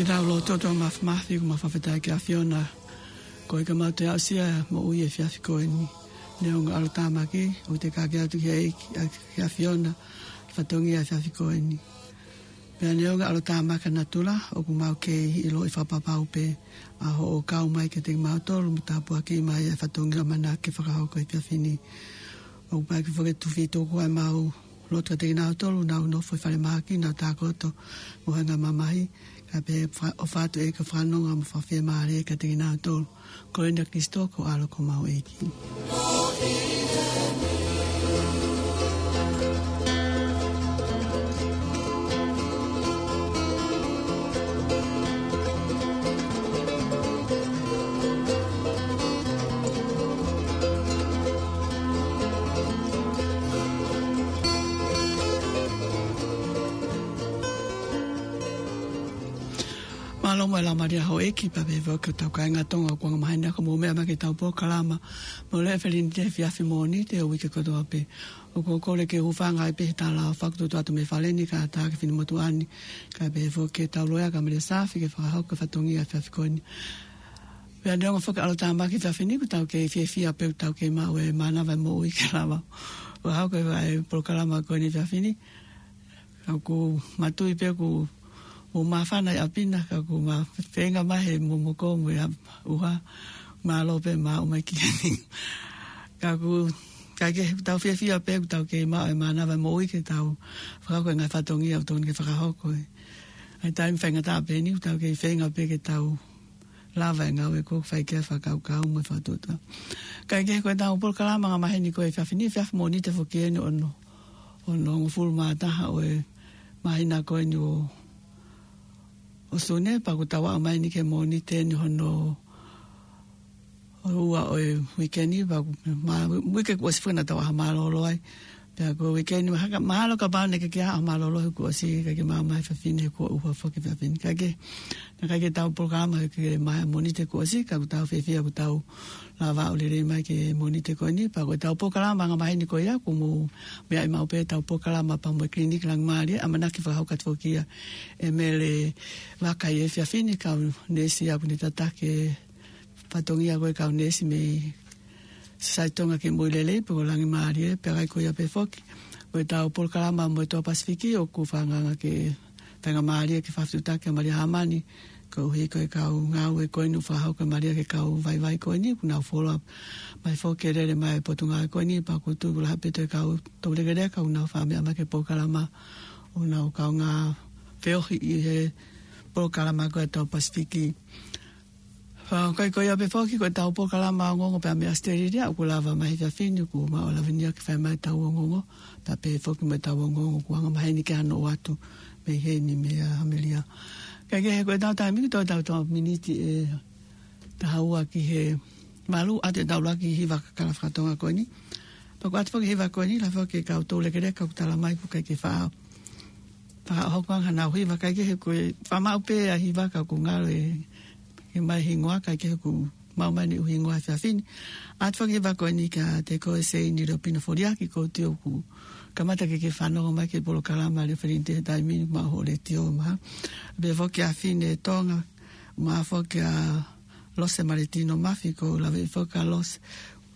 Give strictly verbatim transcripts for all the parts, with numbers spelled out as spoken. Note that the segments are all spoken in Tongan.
Ke tau lotu. ʻOtua Māfimafi, ʻoku mau fakafetaʻi ki he ʻAfiona, ko e ʻikai ke mau toe aʻusia e moʻui he efiafi ko eni. Neongo e ʻalotāmaki, ʻoku te kake atu ki he ʻEiki, ʻa, ki he ʻAfiona, ki he fatongia he efiafi ko eni. Pea neongo e ʻalotāmaki ʻa natula, ʻoku mau kei ʻiloʻi fakapapau pē ʻa hoʻo kau mai kiate kimautolu, mo tāpuakiʻi mai e fatongia ʻoku mau ʻamanaki ke fakahoko he efiafi ni. ʻOku pau ke fakatuʻu fakataha ʻemau lotu kiate kinautolu ʻoku nau nofo ʻi falemahaki, nau tākoto mo e ngaahi mamahi, kae pehē ʻoku fa-, ʻofa atu ʻEiki ke fakanonga mo fakafiemālie kiate kinautolu. Ko e ʻuhinga ʻia Kalaisi ko ho ʻAlo ko homau ʻEiki. Mālō mo e Laumālie ʻo e ʻEiki, pea pehē foki ki hotau kāinga Tonga ʻoku angamaheni ʻaki hoʻomou meʻa mai ki heʻetau polokalama Mole Felinite he efiafi Mōnite ʻo e uike kotoa pē. ʻOku ou kole ke u hūfanga ai pē he tala ʻofa kuo tuʻu atu mei fale ni, kae ʻatā ki he finemotuʻa ni, kae pehē foki ki heʻetau loea Kamalia Safi ke fakahoko e fatongia he efiafi ko eni. Pea neongo foki e ʻalotāmaki he efiafi ni, ʻoku tau kei fiefia pē ʻoku tau kei maʻu e mānava e moʻui ke lava ʻo fakahoko e polokalama ko eni he efiafi ni. Ka ʻoku matui pē ʻoku mou māfana ʻi ʻapi na, ka ʻoku ma feinga mai he momoko mo e ʻuha, mālō pē maʻu mai ki heni. Ka ʻoku, ka ke tau fiefia pē ʻoku tau kei maʻu e mānava e moʻui ke tau fakahoko e ngaahi fatongia ʻoku totonu ke fakahoko ē. ʻA e taimi faingataʻa pē eni ʻoku tau kei feinga pē ke tau lava e ngāue ʻoku fai ki ai e fakakaukau mo e fakatuʻotuʻa. Kae kehe, ko ʻetau polokalama angamaheni ko e efiafi ni, efiafi Mōnite foki eni ʻo e ono hongofulu mā taha ʻo e māhina ko eni ʻo, ʻo Sune, pea ʻoku tau aʻu mai eni ki he Mōnite ni hono ua ʻo e uike ni, pea ʻoku ma-, uike kuo ʻosi foki naʻa tau ʻaho mālōlō ai. Pea ko e uike ni mahalo, mahalo kapau naʻe ʻikai ke ʻaho mālōlō he kuo ʻosi, ʻikai ke maʻu mai fafine he kuo ʻuha foki fafine. Ka ke, naʻe ʻikai ke tau polokalama he ke mai Mōnite kuo ʻosi, ka ʻoku tau fiefia ʻoku tau lava ʻo lele mai ki he Mōnite ko eni, pea ko ʻetau polokalama anga maheni ko ia, ʻoku mou meaʻi maʻu pē ʻetau polokalama pea mo e Kiliniki Langimālie, ʻamanaki fakahoko atu foki ia ʻe Mele Vaka ʻi he efiafi ni, kau neesi ʻoku ne tataki e fatongia ko e kau neesi mei Sosaiete Tonga ki he Moʻui Lelei pe ko Langimālie, pea ʻikai ko ia pē foki. Ko ʻetau polokalama mo e Toa Pasifiki ʻoku fakaangaanga ke faingamālie ke fakafetuʻutaki ʻa Malia Hāmani, koeʻuhi ko e kau ngāue ko eni ʻoku fakahoko ʻe Malia ki he kau vaivai ko eni, ʻoku nau follow up mai foki ke lele mai e potungāue ko eni, pea ʻoku ou tui ʻoku lahi pē ʻa e kau toulekeleka ʻoku nau fakamea mai ki he polokalama, ʻoku nau kaungā feohi ʻi he polokalama ko e Toa Pasifiki. Pea ʻikai ko ia pē foki, ko ʻetau polokalama ongoongo pea mei ʻAositelēlia, ʻoku lava mai he efiafi ni, ʻoku mau ʻalavenia ke fai mai ʻetau ongoongo, pea pehē foki mo ʻetau ongoongo ʻoku anga maheni ke ʻalu atu mei heni mei ʻAmelika. Kae kehe, ko ʻetau taimi ʻoku toe tau tau miniti ʻe taha ua ki he valu, ʻoatu ʻetau ʻuluaki hiva kakala faka-Tonga ko eni. Pea ʻoku ʻoatu foki e hiva ko eni, lahi foki e kau toulekeleka ʻoku tala mai ʻoku ʻikai ke fa-, fakahoko ange haʻanau hiva, kae kehe ko e fakamaʻu pē ʻa e hiva ka ʻoku ngalo e, ke maʻu e hingoa, kae kehe ʻoku maʻu mai ʻeni e hingoa he efiafi ni. ʻOatu foki e hiva ko eni kiate koe Seini Leopina Foliaki, ʻoku ou tui ʻoku kamata ke ke fanongo mai ki he polokalama Leo Felinite he taimi ni, maʻu hoʻo letiō mahalo. Pehē foki ʻa Fine Tonga, maʻu foki ʻa Lose Maletino Mafi, ʻoku ou lave foki kia Lose,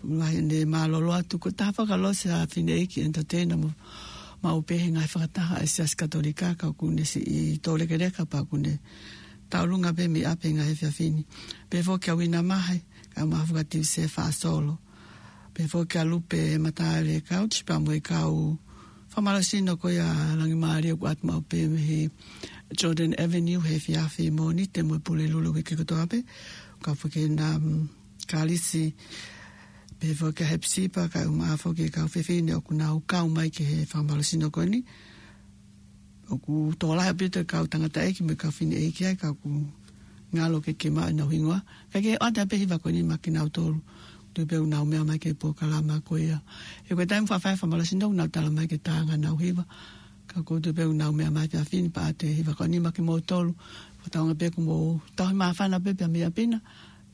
ʻoku lahi ʻene mālōlō atu, ko e taha foki ʻa Lose ʻa e fineʻeiki entertainer mo, maʻu pē he ngaahi fakataha ʻa e Siasi Katolika, ka ʻoku ne siʻi toulekeleka pea ʻoku ne tauʻolunga pē mei ʻapi he ngaahi efiafi ni. Pehē foki kia Uina Mahe, kae ʻumaʻā foki ʻa Tiuse Faʻasolo. Pehē foki kia Lupe Mataele Couch, pea mo e kau fakamālohisino ko ia Langimālie ʻoku ʻoatu maʻu pē mei he Jordan Avenue he efiafi Mōnite mo e Pulelulu uike kotoa pē. Kau foki ʻena, mm, Kalisi, pehē foki kia Hepsipa, kae ʻumaʻā foki e kau fefine ʻoku nau kau mai ki he fakamālohisino ko eni. ʻOku tokolahi ʻaupito e kau tangataʻeiki mo e kau fineʻeiki ai, ka ʻoku ngalo ke ke maʻu ʻenau hingoa. Kae kehe, ʻoatu pē e hiva ko eni maʻa kinautolu, tui pē ʻoku nau meʻa mai ki he polokalama ko ia. He ko e taimi fakafaifai fakamālohisino ʻoku nau tala mai ke tā ʻenau hiva. Ka ʻoku ou tui pē ʻoku nau meʻa mai he efiafi ni pea ʻoatu e hiva ko eni maʻa kimoutolu. Fakatauange pē ʻoku mou tauhi māfana pē pea mei ʻapi na.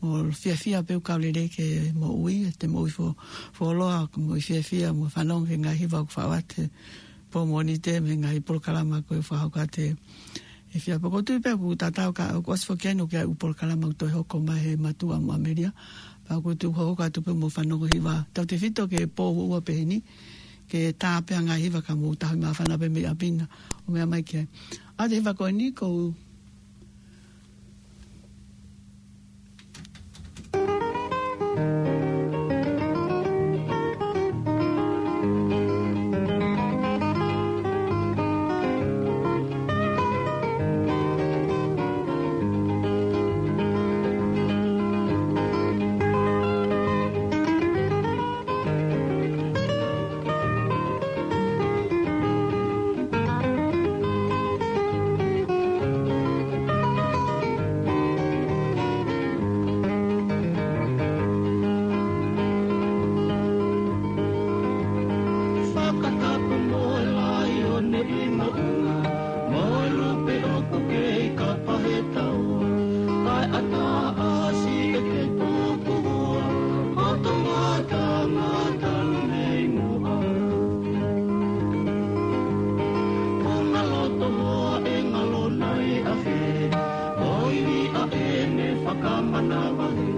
Mou fiefia pē ʻoku kau lelei ke moʻui, ʻete moʻui fo-, fuoloa, ʻoku mou fiefia, mou fanongo ki he ngaahi hiva ʻoku faʻu atu he pō Mōnite, mo e ngaahi polokalama ko ē ʻoku fakahoko atu he efiafi. ʻOku ou tui pē ʻoku tatau ka ʻoku ʻosi foki eni ʻoku ʻi ai e ʻū polokalama ʻoku toe hoko mai he mātuʻa mo ʻAmelika. Pea ʻoku ou tui ʻoku hoko atu pē mou fanongo hiva. Tautefito ki he pō ʻoku ua pē heni, ke tā pē ʻa e ngaahi hiva ka mou tauhi māfana pē mei ʻapi na ʻo meʻa mai ki ai. ʻOatu e hiva ko eni, ko Fakatapu mo e laione ʻi maʻunga, mo e lupe ʻoku kei kapa he tau. Kae ʻatā ʻasi ʻe te tuku ua, ʻo tō mata mata nei muʻa. Ko ngā loto hoa ʻe ngalo nai afe, ko e ivi ʻa ʻene fakamanavahē.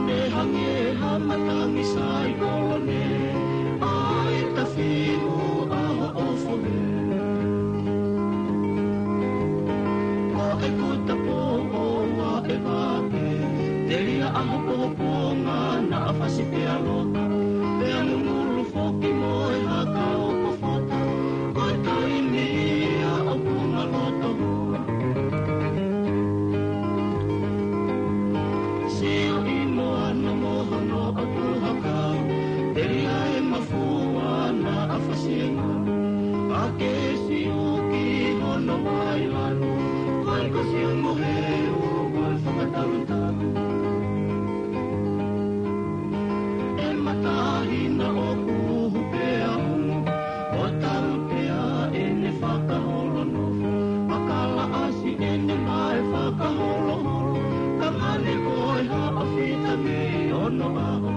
Ne hangē ha matangi saikolo ne, ʻa e tafiu ʻa hoʻo fohe. Ko e kuta pō ʻo ua ʻe vake, telia ʻa hoʻo ponga naʻa fasi pea loka, pea mumulu foki mo e haka ʻo kofota, ko e taimi ia ʻoku ngalo tō. Sio ʻi moana mo hono ʻotu hakau, telia e mafua naʻa fasi e ngā. Ke siʻi ki hono vailanu, mai ko siʻi mohe ʻo ko e fakatalutalu. ʻE matahina ʻoku uhu pea umu, ʻo tautea ʻene fakaholo nofo, fakalaʻasi ʻene mae fakaholoholo, ka mane ko e haʻa fita mei onoʻaho.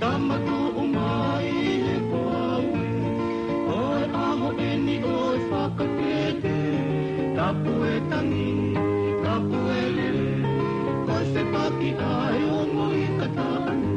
Tama tuʻu mai he ko au ē, ko e ʻaho eni ʻo e fakatete, tapu e tangi, tapu e lele, ko e fepaki ʻa e ongo ika taʻane.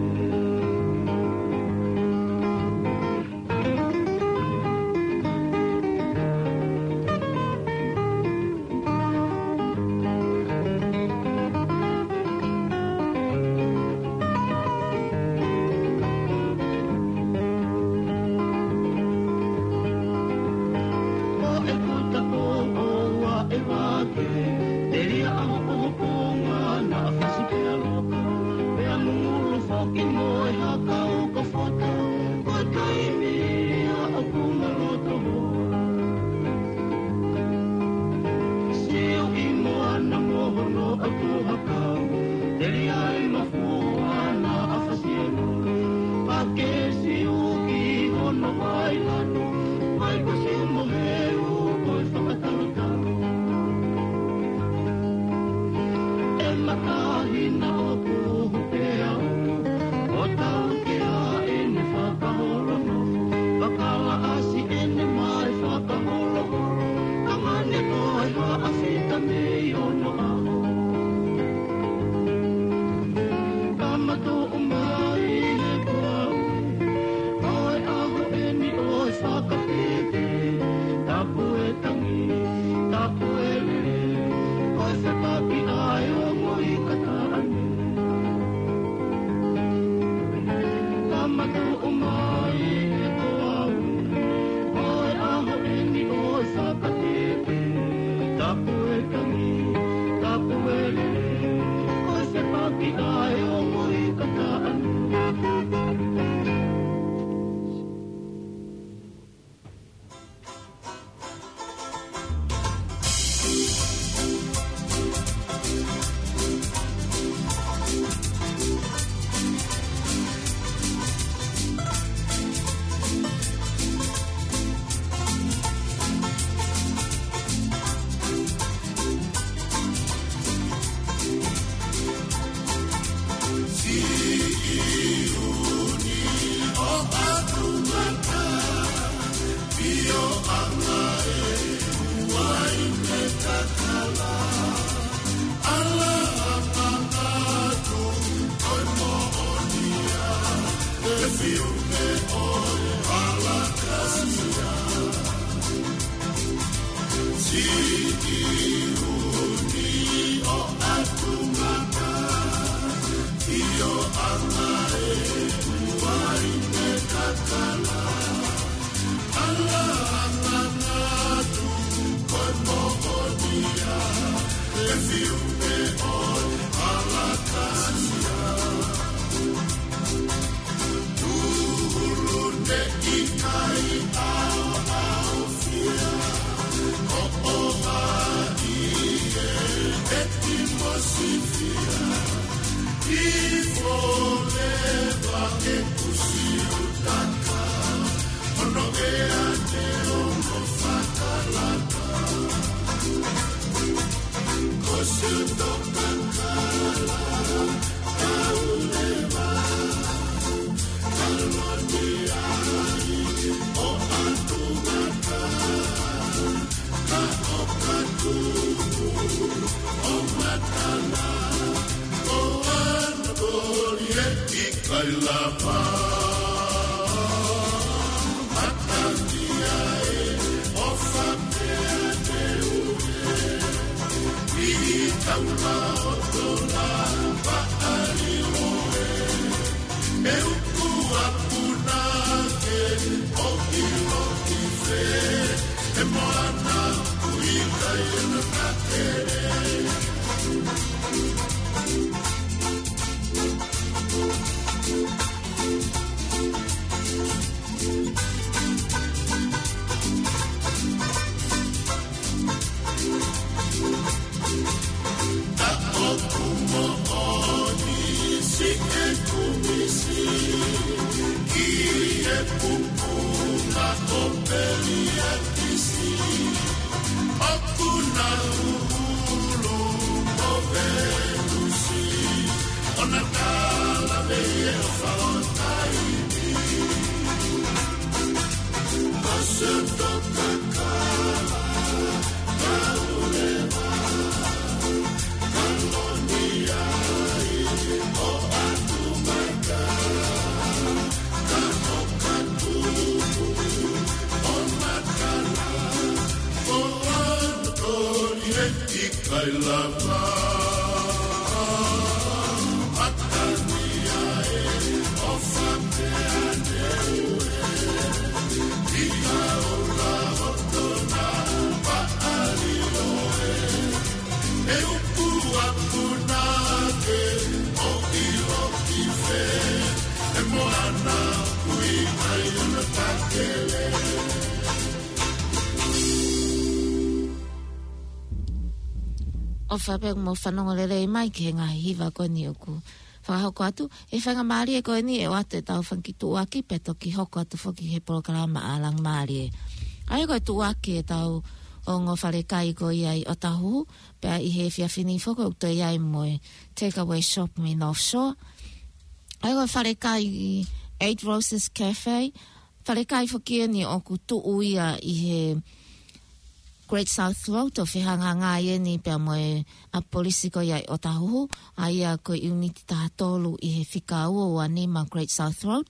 Ko e kuta ko ʻoua ʻe vake, telia ʻa hopohopo ngana ʻa fasi pea loka, pea mungulu foki mo e haka uka fota, ko e taimi ia ʻoku ma loto hoa. Siʻi moana mo hono ʻatu hakau, telia ai ma fuana ʻa fasi e nole. Pea ke siʻi ki hono vailanu, mai ko siʻi mohe ʻo ko e fakatalutalu. ʻE matahina ʻoku uhu pea umu, ʻo tautea ʻene fakaholo nofo, fakalaʻasi ʻene mae fakaholoholo, ka mane ko e haʻa fita mei onoʻaho. Tama tuʻu mai he ko au ē, ko e ʻaho eni ʻo e fakatete, tapu e tangi, tapu e lele, ko e fepaki ʻa e ongo ika taʻane. Tama tuʻu mai he ko au ē, ko e ʻaho eni ʻo e fakatete, tapu e tangi, tapu e lele, ko e fepaki ʻa e ongo ika taʻane. Pupuna o Peliatisi, ʻoku na ulu mo Venusi, ʻo na kala pē ʻi he ʻofa ʻo taimi. Ase toka kala, kauleva, kalonia ʻi ʻo atu mai ka, ka ʻo ka tupu, ʻo na kala, ʻo ʻana koli e ʻikai lava. ʻOfa pē mo fanongo lelei mai ki he ngaahi hiva ko eni ʻoku fakahoko atu. ʻI he faingamālie ko eni ʻe ʻoatu ʻetau fanga kiʻi tuʻuaki pea toki hoko atu foki he polokalama ʻa Langi Mālie. ʻA ia ko e tuʻuaki ʻetau ongo falekai ko ia ʻi ʻOtahuhu, pea ʻi he efiafi ni foki ʻoku toe ʻi ai mo e Takeaway Shop mei North Shore. ʻA ia ko e falekai Eight Roses Cafe, falekai foki eni ʻoku tuʻu ia ʻi he Great South Road ʻo fehangahangai eni pea mo e ʻapi polisi ko ia ʻi ʻOtahuhu, ʻa ia ko e ʻiuniti taha tolu ʻi he fika ua ua nima Great South Road.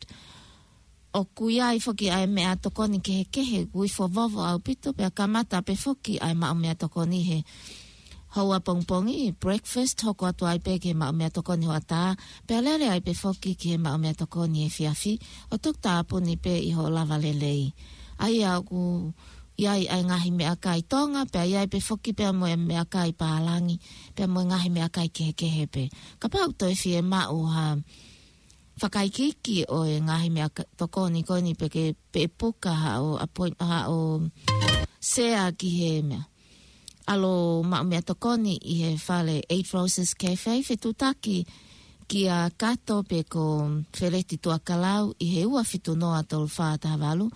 ʻOku ʻi ai foki ʻa e meʻatokoni kehekehe, ʻoku ifo vovo ʻaupito, pea kamata pē foki ʻa e maʻu meʻatokoni he houa pongipongi, breakfast, hoko atu ai pē ki he maʻu meʻatokoni hoʻatā, pea lele ai pē foki ki he maʻu meʻatokoni efiafi, ʻo toki tāpuni pē ʻi hoʻo lava lelei. ʻA ia ʻoku ʻi ai ʻa e ngaahi meʻakai Tonga, pea ʻi ai pē foki pea mo e meʻakai pālangi, pea mo e ngaahi meʻakai kehekehe pē. Kapau ʻoku toe fiemaʻu ha fakaikiiki ʻo e ngaahi meʻatokoni ko eni pe ke, pe puka haʻo appoint-, haʻo sea ki he meʻa, ʻalu ʻo maʻu meʻatokoni ʻi he fale Eight Roses Cafe, fetuʻutaki kia Kato pe ko Feleti Tuakalau ʻi he ua fitu noa tolu fā taha valu,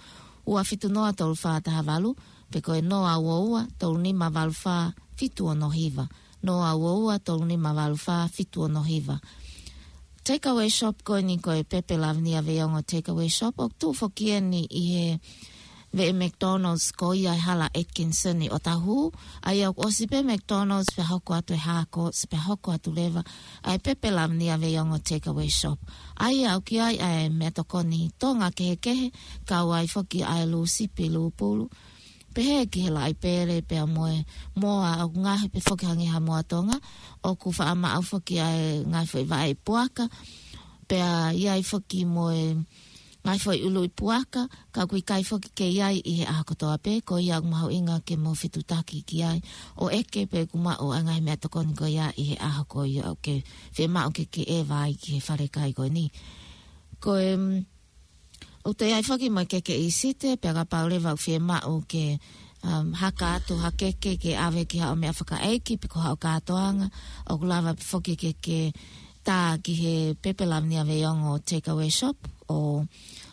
ua fitu noa tolu fā taha valu, pe ko e noa ua ua tolu nima valu fā fitu ono hiva, noa ua ua tolu nima valu fā fitu ono hiva. Takeaway Shop ko eni ko e Pepe Lavinia Veiongo Takeaway Shop, ʻoku tuʻu foki eni ʻi he veʻe McDonald's ko ia ʻi Hala Atkinson ʻi ʻOtahuhu. ʻA ia ʻoku ʻosi pē McDonald's pea hoko atu e Harcourts pea hoko atu leva ʻa e Pepe Lavinia Veiongo Takeaway Shop. ʻA ia ʻoku ʻi ai ʻa e meʻatokoni Tonga kehekehe, kau ai foki ʻa e lū sipi, lū pulu, pehē ki he laʻi pele pea mo e moa, ʻoku ngaohi pē foki hangē ha moa Tonga, ʻoku faʻa maʻu foki ʻa e ngaahi foʻi vaʻe puaka, pea ʻi ai foki mo e ngaahi foʻi ʻuluʻi puaka, ka ʻoku ʻikai foki ke ʻi ai ʻi he ʻaho kotoa pē, ko ia ʻoku mahuʻinga ke mou fetuʻutaki ki ai, ʻo ʻeke pe ʻoku maʻu ʻa e ngaahi meʻatokoni ko ia ʻi he ʻaho ko ia ʻoku ke fiemaʻu ke ke ʻeva ai ki he falekai ko eni. Ko e, mm, ʻoku toe ʻi ai foki mo e keke ʻīsite, pea kapau leva ʻoku fiemaʻu ke, um, haka atu ha keke ke ʻave ki haʻo meʻa fakaʻeiki, pe ko haʻo kātoanga, ʻoku lava pē foki ke ke tā ki he Pepe Lavinia Veiongo Takeaway Shop ʻo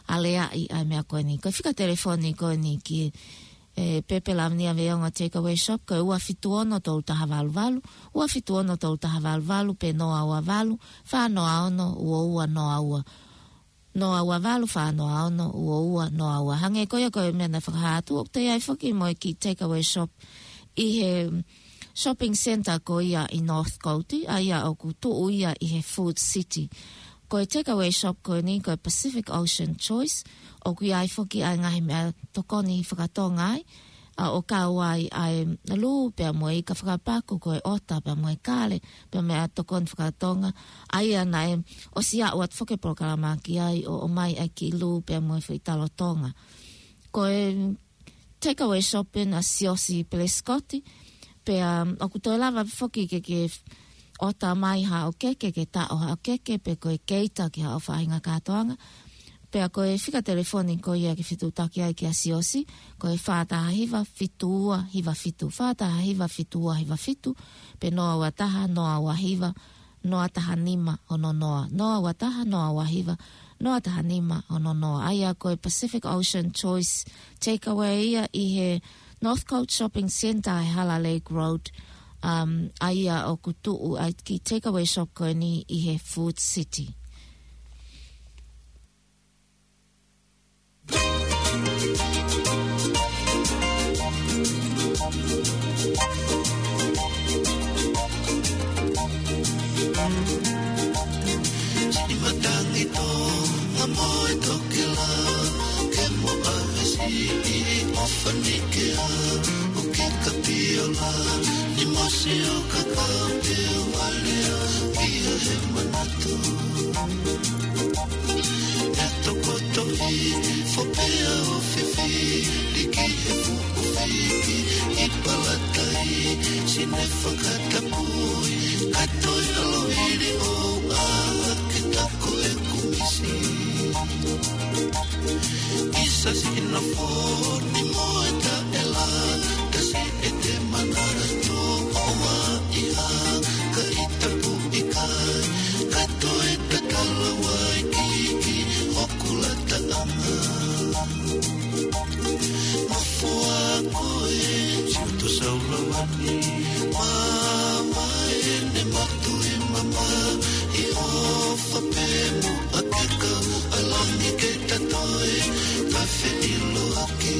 aleaʻi ʻa e meʻa ko eni. Ko e fika telefoni ko eni ki he Pepe Lavinia Veiongo Takeaway Shop, ko e ua fitu ono tolu taha valu valu, ua fitu ono tolu taha valu valu, pe noa ua valu, fā noa ono, ua ua noa ua. Noa ua valu, fā noa ono, ua ua noa ua. Hangē ko ia ko e meʻa naʻe fakahā atu, ʻoku toe ʻi ai foki mo e kiʻi Takeaway Shop ʻi he shopping centre ko ia ʻi Northcote, ʻa ia ʻoku tuʻu ia ʻi he Food City. Ko e Takeaway Shop ko eni ko e Pacific Ocean Choice, ʻoku ʻi ai foki ʻa e ngaahi meʻatokoni fakatonga ai, ʻa ʻoku kau ai ʻa e lū pea mo e ika fakapaku, ko e ʻota pea mo e kale, pea mo e meʻatokoni fakatonga, ʻa ia naʻe ʻosi aʻu atu foki e polokalama ki ai ʻo ʻomai ʻa e kiʻi lū pea mo e foʻi talo Tonga. Ko e Takeaway Shop eni ʻa Siosi Pelesikote, pea ʻoku toe lava foki ke ke ʻota mai haʻo keke, ke taʻo haʻo keke, pe ko e keita ki haʻo faʻahinga kātoanga. Pea ko e fika telefoni ko ia ke fetuʻutaki ai kia Siosi, ko e fā taha hiva fitu ua hiva fitu, fā taha hiva fitu ua hiva fitu, pe noa ua taha noa ua hiva noa taha nima ono noa, noa ua taha noa ua hiva noa taha nima ono noa. ʻA ia ko e Pacific Ocean Choice Takeaway ia ʻi he Northcote Shopping Centre he Hala Lake Road. Um, ʻa ia ʻoku tuʻu ai e kiʻi takeaway shop ko eni ʻi he Food City. Siʻi matangi Tonga mo e toki lā, ke mo ʻave siʻi ʻofa ni ke ʻā, ʻo ke kapiola, ni mo sio kakau ke valea, ʻia he manatu. ʻE tokoto i fopea ʻo fifi, liki he fuʻu fiki, ʻi palatai, sine fakatapui, ka toe ʻalu hili ʻo ʻā, ke taku e kumisi. ʻIsa sina foni mo e taʻela, tasi e te manara tō ʻo ua iha, ka ʻi tapu ʻikai, ka toe tatala wai kiki, ʻoku lata ʻanga. Mafua koe, siuto saulawani, mama ene matu i mama, i ʻofa pē mo ake kau ʻalangi ke ta toe, ka feʻiloaki.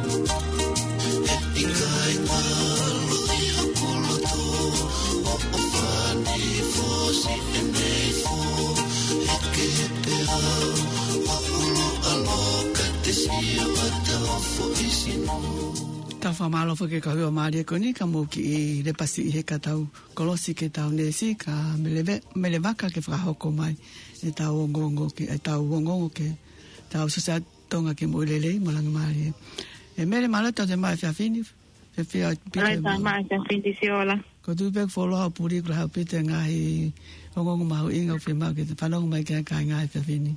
ʻE ʻikai ngalo ʻi hoku loto, ʻoʻofa ni fosi ʻene ifo, ʻe kehe pē au, ʻoku loʻa loka te sio ata o foʻi sino. Tau fakamālō foki ki he kau hiva mālie ko eni, ka mou kiʻi lepa siʻi he ka tau kolosi ki he tau neesi, ka Meleve-, Melevaka ke fakahoko mai e tau ongoongo ki, e tau ongoongo ki he tau Sosaieti Tonga ki he Moʻui Lelei mo Langi Mālie. ʻE Mele, mālō e tau toe mai he efiafi ni, fiefia ʻaupito. Mālō e tau mai he efiafi ni, Siola. Ko e tuʻu pē ʻoku fuoloa hoʻo puli, ko e lahi ʻaupito e ngaahi ongoongo mahuʻinga ʻoku fiemaʻu ke te fanongo mai ki ai ki he ngaahi efiafi ni.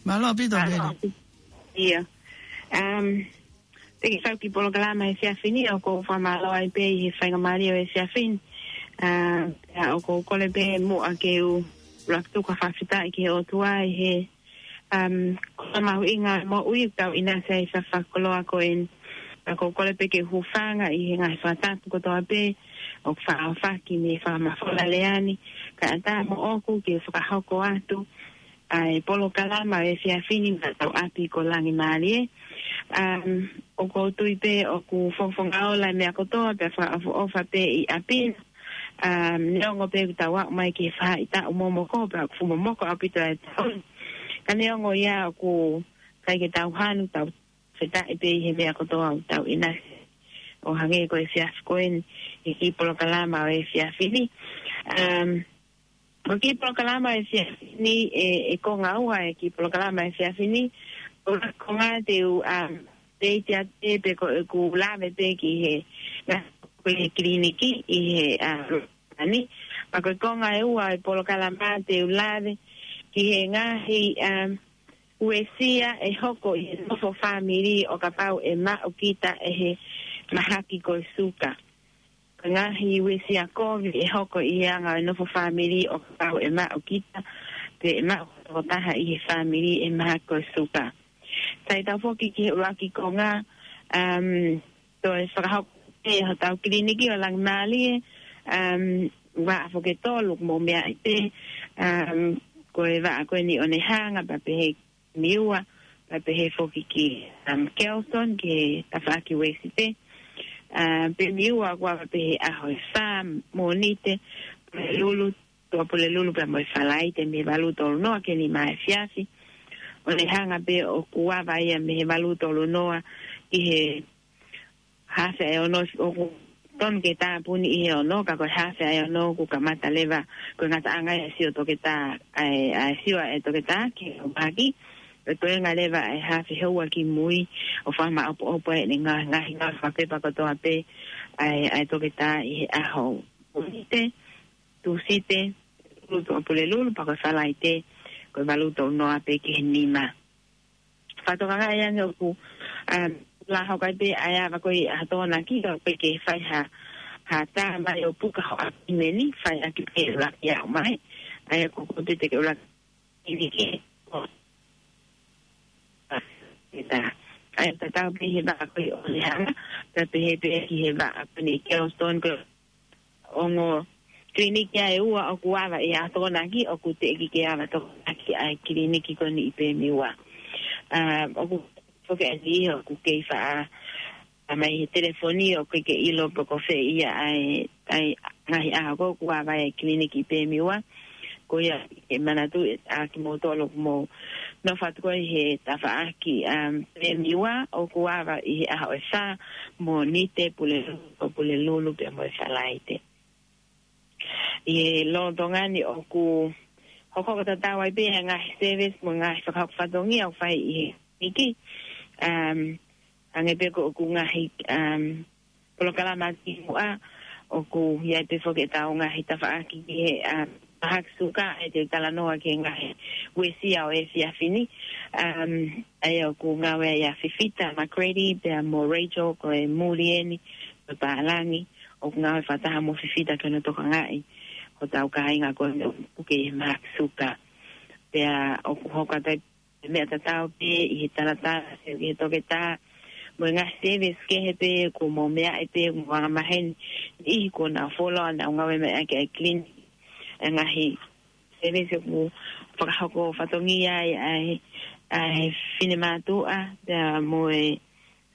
Mālō ʻaupito, mālō Mele. ʻAupito. ʻIa. Um, Te ke kau ki he polokalama he efiafi ni, ʻoku ou fakamālō ai pē ʻi he faingamālie ʻo e efiafi ni. ʻA, ʻoku ou kole pē muʻa ke u ʻuluaki tuku ha fakafetaʻi ki he ʻOtua ʻi he, um, koloa mahuʻinga moʻui ʻoku tau ʻinasi ai he efiafi fakakoloa ko eni. ʻOku ou kole pē ke u hūfanga ʻi he ngaahi fakatapu kotoa pē ʻoku faʻa ʻohofaki mei he fakamafola lea ni. Kae ʻatā moʻoku ke fakahoko atu ʻa e polokalama ʻo e efiafi ni maʻa hotau ʻapi ko Langi Mālie. Um, ʻoku ou tui pē ʻoku fofonga ola e meʻa kotoa pea fakaʻofoʻofa pē ʻi ʻapi na. Um, neongo pē ʻoku tau aʻu mai ki he faʻahitaʻu momoko pea ʻoku fuʻu momoko ʻaupito e taʻu ni. Ka neongo ia ʻoku ʻikai ke tau hanu, tau fakafetaʻi pē ʻi he meʻa kotoa ʻoku tau ʻinasi ʻo hangē ko e efiafi ko eni ʻi he kiʻi polokalama ʻo e efiafi ni. Um, Ko e kiʻi polokalama ʻo e efiafi ni, ʻe, ʻe konga ua e kiʻi polokalama ʻo e efiafi ni, ko e konga te u, um, update atu pē pe ko ʻeku lave pē ki he ngaahi kiliniki ʻi he, um, ani. Pea ko e konga ʻe ua e polokalama te u lave ki he ngaahi, um, uesia ʻe hoko ʻi he nofo fāmili ʻo kapau ʻe maʻu kita ʻe he mahaki ko e suka. Ko e ngaahi uesia kovi ʻe hoko ʻi he anga ʻo e nofo fāmili ʻo kapau ʻe maʻu kita, pe ʻe maʻu ha tokotaha ʻi he fāmili ʻe he mahaki ko e suka. Sai tau foki ki he ʻuluaki konga, um, toe fakahoko pē hotau kiliniki ʻo Langi Mālie, um, vaʻa foki ʻe tolu ʻoku mou meaʻi pē, um, ko e vaʻa ko eni ʻo Onehunga, pea pehē Miua, pea pehē foki ki, um, Kelson, ki he tafaʻaki Uēsite. Um, pea Miua ʻoku ava pē he ʻaho ʻe fā, Mōnite, Pulelulu, Tuʻapulelulu pea mo e Falaite mei he valu tolu noa ki he nima efiafi. Onehunga pē ʻoku ava ia mei he valu tolu noa ki he haafe ʻa e ono, ʻoku tonu ke tāpuni ʻi he ono, ka ko e haafe ʻa e ono ʻoku kamata leva, ko e ngataʻanga ia e sio toketā, ʻa e, ʻa e sio ʻa e toketā ki he mahaki, ko e toenga leva ʻa e haafe houa ki mui, ʻo fakamaʻopoʻopo ai ʻene ngaahi, ngaahi ngāue fakapepa kotoa pē ʻa e, ʻa e toketā ʻi he ʻaho Mōnite, Tūsite, Tuʻapulelulu, pea ko e Falaite, ko e valu tolu noa pē ki he nima. Fakatokangaʻi ange ʻoku, um, lava hoko ai pē ʻa e ava ko ē ʻa e Tokonaki, ka ʻoku ʻikai ke fai ha, ha tā mai ʻo puka ho ʻappointimeni, fai ʻaki pē ʻuluaki ʻaho mai. ʻA ia ko koe pē te ke ʻuluaki ʻi ke. ʻA ia tatau pē he vaʻa ko ē ʻo Lehanga, pea pehē pē ki he vaʻa ko eni Kelston, ko e ongo kiliniki ia ʻe ua ʻoku ava ʻi he ʻaho Tokonaki, ʻoku teʻeki ke ava Tokonaki ʻa e kiliniki ko eni ʻi Pemiwa. Um, ʻoku foki ʻa e niʻihi ʻoku kei faʻa ʻomai he telefoni ʻoku ʻikai ke ʻilo pe ko fē ia ʻa e, ʻa e ngaahi ʻaho ko ē ʻoku ava ai ʻa e kiliniki ʻi Pemiwa. Ko ia ke manatuʻi ʻa kimoutolu ʻoku mou nofo atu ko ē he tafaʻaki, um, Pemiwa, ʻoku ava ʻi he ʻaho ʻe fā, Mōnite, Pulelulu, Pulelulu, pea mo e Falaite. ʻI he lolotonga ni ʻoku hoko tatau ai pē ʻa e ngaahi service mo e ngaahi fakahoko fatongia ʻoku fai ʻi he kiliniki. Um, hangē pē ko ʻeku ngaahi, um, polokalama kimuʻa, ʻoku ʻi ai pē foki ʻetau ngaahi tafaʻaki ki he, um, mahaki suka, ʻe te talanoa ki he ngaahi uesia ʻo e efiafi ni. Um, ʻa ia ʻoku ngāue ai ʻa Fifita McCready, pea mo Rachel, ko e muli eni, ko e pālangi, ʻoku ngāue fakataha mo Fifita ke ne tokangaʻi hotau kāinga ko ē ʻoku puke ʻi he mahaki suka. Pea ʻoku hoko atu ai e meʻa tatau pē ʻi he talatala, ʻi he toketā, mo e ngaahi service kehe pē ʻoku mou meaʻi pē, mo angamaheni, ʻi he ko ʻenau follow, ʻenau ngāue mai ʻaki ʻa e kiliniki, ʻa e ngaahi service ʻoku fakahoko fatongia ai ʻa e, ʻa e finemātuʻa, pea mo e,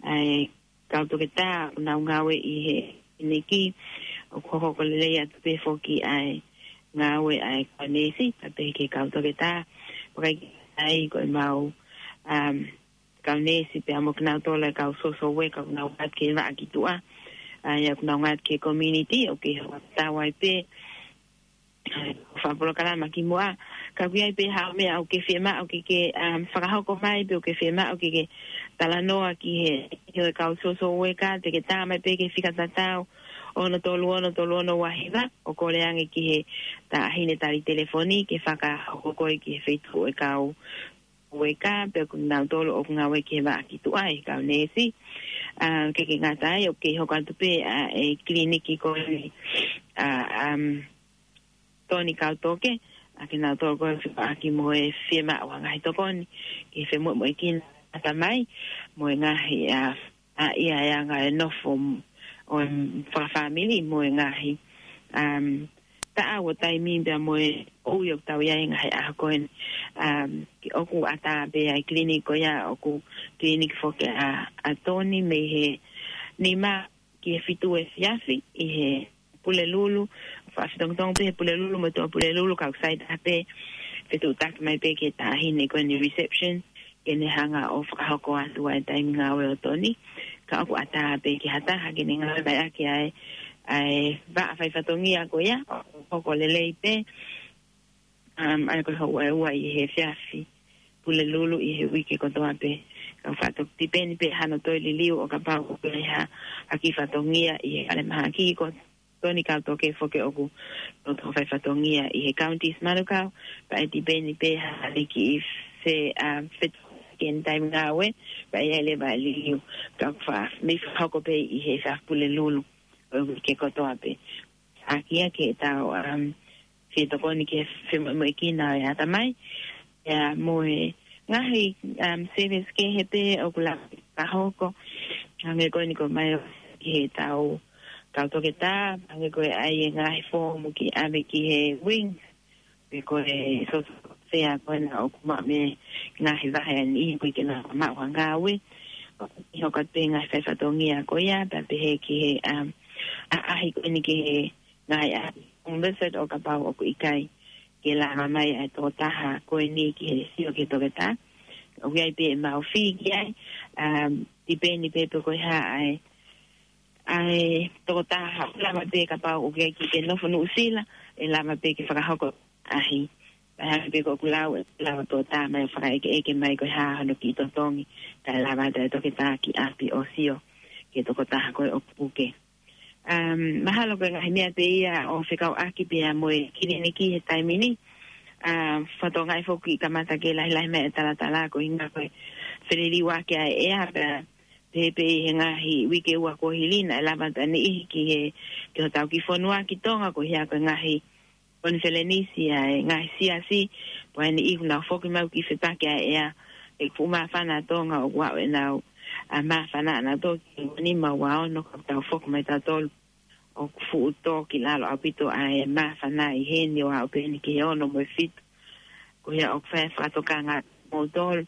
ʻa e kau toketā ʻoku nau ngāue ʻi he kiliniki, ʻoku hoko lelei atu pē foki ʻa e ngāue ʻa e kau neesi, pea pehē ki he kau toketā, pea ʻikai ke ʻi ai ko ʻemau, um, kau neesi pea mo kinautolu ʻa e kau social worker ʻoku nau ngāue ki he vaʻa ki tuʻa, ʻa ia ʻoku nau ngāue ki he community, ʻoku kei hoko tatau ai pē, fakapolokalama kimuʻa. Ka ʻoku ʻi ai pē haʻo meʻa ʻoku ke fiemaʻu ke ke, um, fakahoko mai pe ʻoku ke fiemaʻu ke ke talanoa ki he, he kau social worker, te ke tā mai pē ki he fika tatau ono tolu ono tolu ono ua hiva, ʻo kole ange ki he taʻahine tali telefoni ke fakahoko koe ki he feituʻu ʻo e kau worker, pe ko kinautolu ʻoku ngāue ki he vaʻa ki tuʻa ʻa e kau neesi. Um, ʻikai ke ngata ai, ʻoku kei hoko atu pē ʻa e kiliniki ko eni, ʻa, um, Toni Kautoke, ʻa kinautolu ko ē ʻoku fepaki mo e fiemaʻu ʻa e ngaahi tokoni ke femoʻuekina ʻa e ʻatamai, mo e ngaahi, ʻa, ʻa ia ʻa e anga e nofo ʻo e fakafāmili mo e ngaahi, um, taʻau ʻo taimi pea mo e ʻuhi ʻoku tau ʻi ai he ngaahi ʻaho ko eni. Um, ʻoku ʻatā pē ʻa e kiliniki ko ia ʻoku kiliniki foki ʻa, ʻa Toni mei he nima ki he fitu efiafi ʻi he Pulelulu, fakafitongitongi pē he Pulelulu mo e Tuʻa Pulelulu, ka ʻoku sai taha pē, fetuʻutaki mai pē ki he taʻahine ko eni reception, ke ne hanga ʻo fakahoko atu ʻa e taimi ngāue ʻo Toni, ka ʻoku ʻatā pē ki ha taha ke ne ngāue mai ʻaki ʻa e, ʻa e vaʻa faifatongia ko ia, ʻo hoko lelei pē, um, ʻa ia ko e houa ʻe ua ʻi he efiafi Pulelulu ʻi he uike kotoa pē. Ka ʻoku faʻa toki tipeni pē hano toe liliu ʻo kapau ʻoku ʻi ai ha, ha kiʻi fatongia ʻi he falemahaki ko Toni Kautoke foki ʻoku loto faifatongia ʻi he counties Manukau, pea ʻe tipeni pē ha liki ʻi he, um, fetuʻutaki ʻene taimi ngāue, pea ʻe ʻi ai leva e liliu, ka ʻoku faʻa, mei fakahoko pē ʻi he efiafi Pulelulu ʻo e uike kotoa pē. ʻAki ia ke tau, um, fie tokoni ke femoʻuekina ʻa e ʻatamai. ʻA ia mo e ngaahi, um, service kehe pē ʻoku lava fakahoko. Hangē ko eni ko e mai ʻo ki he tau kau toketā, hangē ko e ʻai e ngaahi foomu ke ʻave ki he wing. Pe ko e social welfare ko ena ʻoku maʻu mei he ngaahi vahe ʻa e niʻihi ʻoku ʻikai ke nau maʻu ha ngāue. ʻI he hoko atu pē ngaahi faifatongia ko ia, pea pehē ki he, um, ʻaʻahi ko eni ki he ngaahi ʻapi home visit ʻo kapau ʻoku ʻikai ke lava mai ʻa e tokotaha ko eni ki he sio ki he toketā. ʻOku ʻi ai pē ʻemau fee ki ai, um, tipeni pē pe ko e hā ʻa e, ʻa e tokotaha, lava pē kapau ʻoku ʻikai ke nofo Nuʻusila, ʻe lava pē ke fakahoko ʻaʻahi. Pea hangē pē ko ʻeku lau, ʻe lava pē ʻo tā mai ʻo fakaʻekeʻeke mai ko e hā hono kiʻi totongi, kae lava atu e toketā ki ʻapi ʻo sio ki he tokotaha ko ē ʻoku puke. Um, mahalo ko e ngaahi meʻa pē ia ʻo fekauʻaki pea mo e kiliniki he taimi ni. Um, fakatokangaʻi foki kamata ke lahilahi mai e talatala ko e ʻuhinga ko e feliliuaki ʻa e ʻea pea, pehē pē ʻi he ngaahi uike ua kuo hili naʻe lava atu ʻa e niʻihi ki he, ki hotau kiʻi fonua ki Tonga ko ia ko e ngaahi konifelenisi ʻa e ngaahi siasi, pea ʻa e niʻihi kuo nau foki mai ki he fepaki ʻa e ʻea, ʻoku fuʻu māfana ʻa Tonga ʻoku ʻi ai ʻenau, ʻa, māfana ʻanautolu ki he ua nima ua ono ka tau foki mai tautolu ʻoku fuʻu tō ki lalo ʻaupito ʻa e māfana ʻi heni ʻo aʻu pē eni ki he ono mo e fitu. Ko ia ʻoku fai fakatokanga moutolu.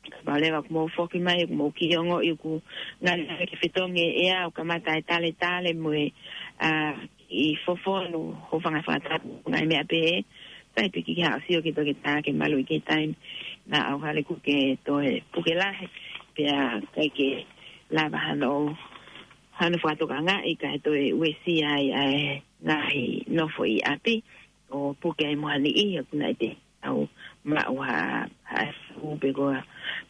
Kapau leva ʻoku mou foki mai, ʻoku mou kiʻi ongoʻi ʻoku ngali ngali ke fetongi e ʻea, ʻo kamata e taletale mo e, ʻa, ʻi fofonu, hūfanga he fakatapu, ngaahi meʻa pehē, sai pē ke ke haʻu ʻo sio ki he toketā ke maluʻi ki he taimi naʻa ʻauhale kuo ke toe puke lahi, pea ʻikai ke lava hano, hano fakatokangaʻi kae toe uesia ai ʻa e ngaahi nofo ʻi ʻapi, ʻo puke ai mo ha niʻihi ʻoku nau ʻi ai ʻenau maʻu ha, ha flu pe ko e,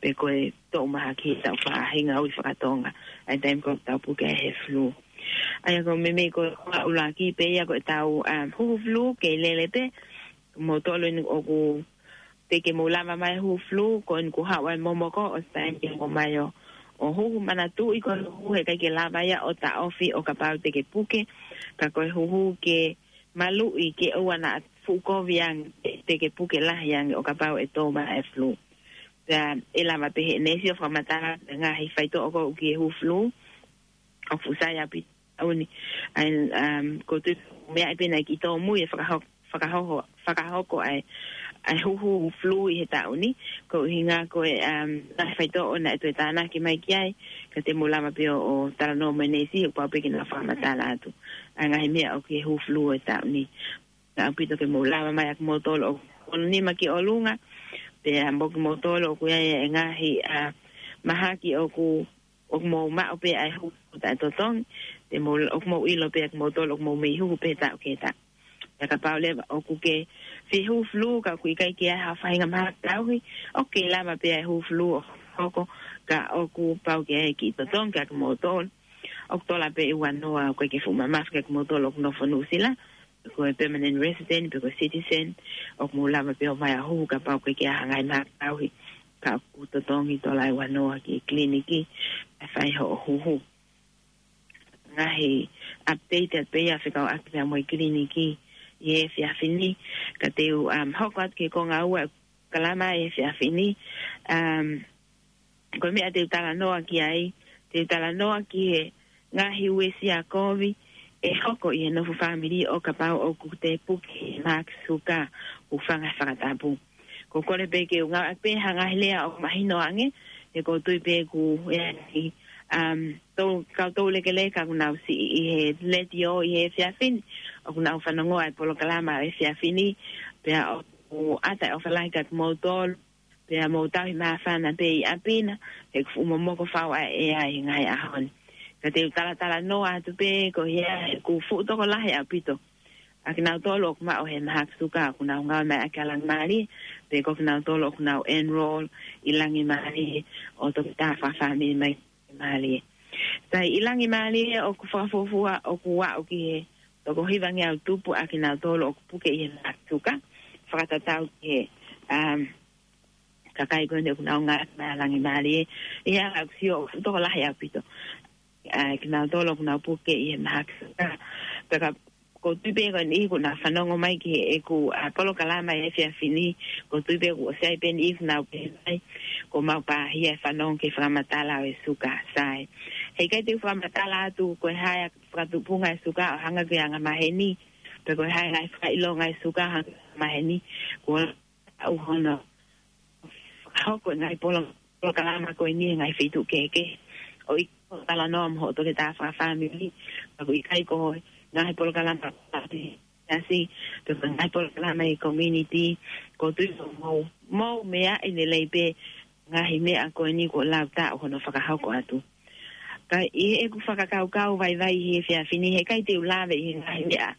pe ko e toʻu mahaki he taʻu faʻahinga ui fakatonga, ʻa e taimi ko ē ʻoku tau puke ai he flu. ʻA ia ko e meimei ko e ʻuluaki pē ia ko ʻetau, um, huhu flu kei lele pē, moutolu eni ʻoku teʻeki ke mou lava mai huhu flu, ko eni kuo haʻu ʻa e momoko, ʻosi taimi ke mou ō mai ʻo, ʻo huhu, manatuʻi ko e huhu he ʻikai ke lava ia ʻo taʻofi ʻo kapau te ke puke, ka ko e huhu ke maluʻi ke ʻoua naʻa fuʻu kovi ange, te ke puke lahi ange ʻo kapau ʻe tō mai e flu. Pea ʻe lava pē he neesi ʻo fakamatala e ngaahi faitoʻo ko ē ki he huhu flu, ʻoku fuʻu sai ʻaupito ʻaho ni. ʻA ia, um, ʻoku ou tui meʻa pē naʻe kiʻi tōmui e fakahoko, fakahoko, fakahoko ʻa e, ʻa e huhu flu ʻi he taʻu ni. Ko e ʻuhinga ko e, um, ngaahi faitoʻo naʻe toe tānaki mai ki ai, ka te mou lava pē ʻo, ʻo talanoa mo e neesi, ʻoku pau pē ke nau fakamatala atu ʻa e ngaahi meʻa ʻoku ʻi he huhu flu ʻo e taʻu ni. Ka ʻaupito ke mou lava mai ʻa kimoutolu ʻoku ono nima ki ʻolunga, pea mo kimoutolu ʻoku ʻi ai e ngaahi, ʻa, mahaki ʻoku, ʻoku mou maʻu pē ʻa e huhu taʻetotongi, te mou, ʻoku mou ʻilo pē ʻa kimoutolu ʻoku mou mei huhu pē taʻu ki he taʻu. Pea kapau leva ʻoku ke fie huhu flu ka ʻoku ʻikai ke ʻi ai ha faʻahinga mahaki tauhi, ʻoku kei lava pē ʻa e huhu flu ʻo hoko, ka ʻoku pau ke ʻi ai e kiʻi totongi kia kimoutolu. ʻOku tola pē ʻe ua noa, ʻoku ʻikai ke fuʻu mamafa kia kimoutolu ʻoku nofo Nuʻusila, ko e permanent resident, pe ko e citizen, ʻoku mou lava pē ʻo ō mai ʻo huhu kapau ʻoku ʻikai ke ʻi ai ha ngaahi mahaki tauhi, ka ʻoku totongi tola ʻe ua noa ki he kiliniki, ʻe fai hoʻo huhu. Ngaahi update atu pē ia fekauʻaki pea mo e kiliniki ʻi he efiafi ni, ka te u, um, hoko atu ki he konga ua e polokalama he efiafi ni. Um, ko e meʻa te u talanoa ki ai, te u talanoa ki he ngaahi uesia kovi ʻe hoko ʻi he nofo fāmili ʻo kapau ʻoku te puke he mahaki suka, hūfanga he fakatapu. ʻOku ou kole pē ke u ngāueʻaki pē ha ngaahi lea ʻoku mahino ange, he ʻoku ou tui pē ʻoku ʻi ai, um, ʻa e kau toulekeleka ʻoku nau siʻi ʻi he letiō ʻi he efiafi ni, ʻoku nau fanongo ʻa e polokalama ʻo e efiafi ni, pea ʻoku ʻatā e ʻofa lahi kia kimoutolu, pea mou tauhi māfana pē ʻi ʻapi na, he ʻoku fuʻu momoko fau ʻa e ʻea ʻi he ngaahi ʻaho ni. Ka te u talatalanoa atu pē ko ia he ʻoku fuʻu tokolahi ʻaupito ʻa kinautolu ʻoku maʻu he mahaki suka ʻoku nau ngāue mai ʻaki ʻa Langimālie, pe ko kinautolu ʻoku nau enroll ʻi Langimālie ʻo toketā fakafāmili mai Langimālie. Sai, ʻi Langimālie ʻoku fakafuofua ʻoku aʻu ki he toko hivangeau tupu ʻa kinautolu ʻoku puke ʻi he mahaki suka, fakatatau ki he, um, kakai ko eni ʻoku nau ngāue mai ʻa Langimālie. ʻI he ʻaho ni ʻoku sio ʻoku fuʻu tokolahi ʻaupito ʻa kinautolu ʻoku nau puke ʻi he mahaki suka. Pea ka ʻoku ou tui pē ko e niʻihi ʻoku nau fanongo mai ki heʻeku, ʻa, polokalama he efiafi ni, ʻoku ou tui pē ʻoku ʻosi ʻi ai pē niʻihi ʻoku nau pehē mai, ʻoku mau pāhia he fanongo ki he fakamatala ʻo e suka, sai. He ʻikai te u fakamatala atu ko e hā e fakatupunga e suka ʻo hangē ko e anga maheni, pe ko e hā e ngaahi fakaʻilonga e suka ʻo hangē ko e anga maheni, kuo aʻu hono fakahoko e ngaahi polo-, polokalama ko eni he ngaahi feituʻu kehekehe. ʻOku ʻikai ke talanoa mo hoʻo toketā fakafāmili, ka ʻoku ʻikai ko e ngaahi polokalama ʻa e siasi, pe ko e ngaahi polokalama ʻi he community, ʻoku ou tui ʻoku mou, mou meaʻi lelei pē ngaahi meʻa ko eni kuo lau taʻu hono fakahoko atu. Ka ʻi heʻeku fakakaukau vaivai he efiafi ni, he ʻikai te u lave ʻi he ngaahi meʻa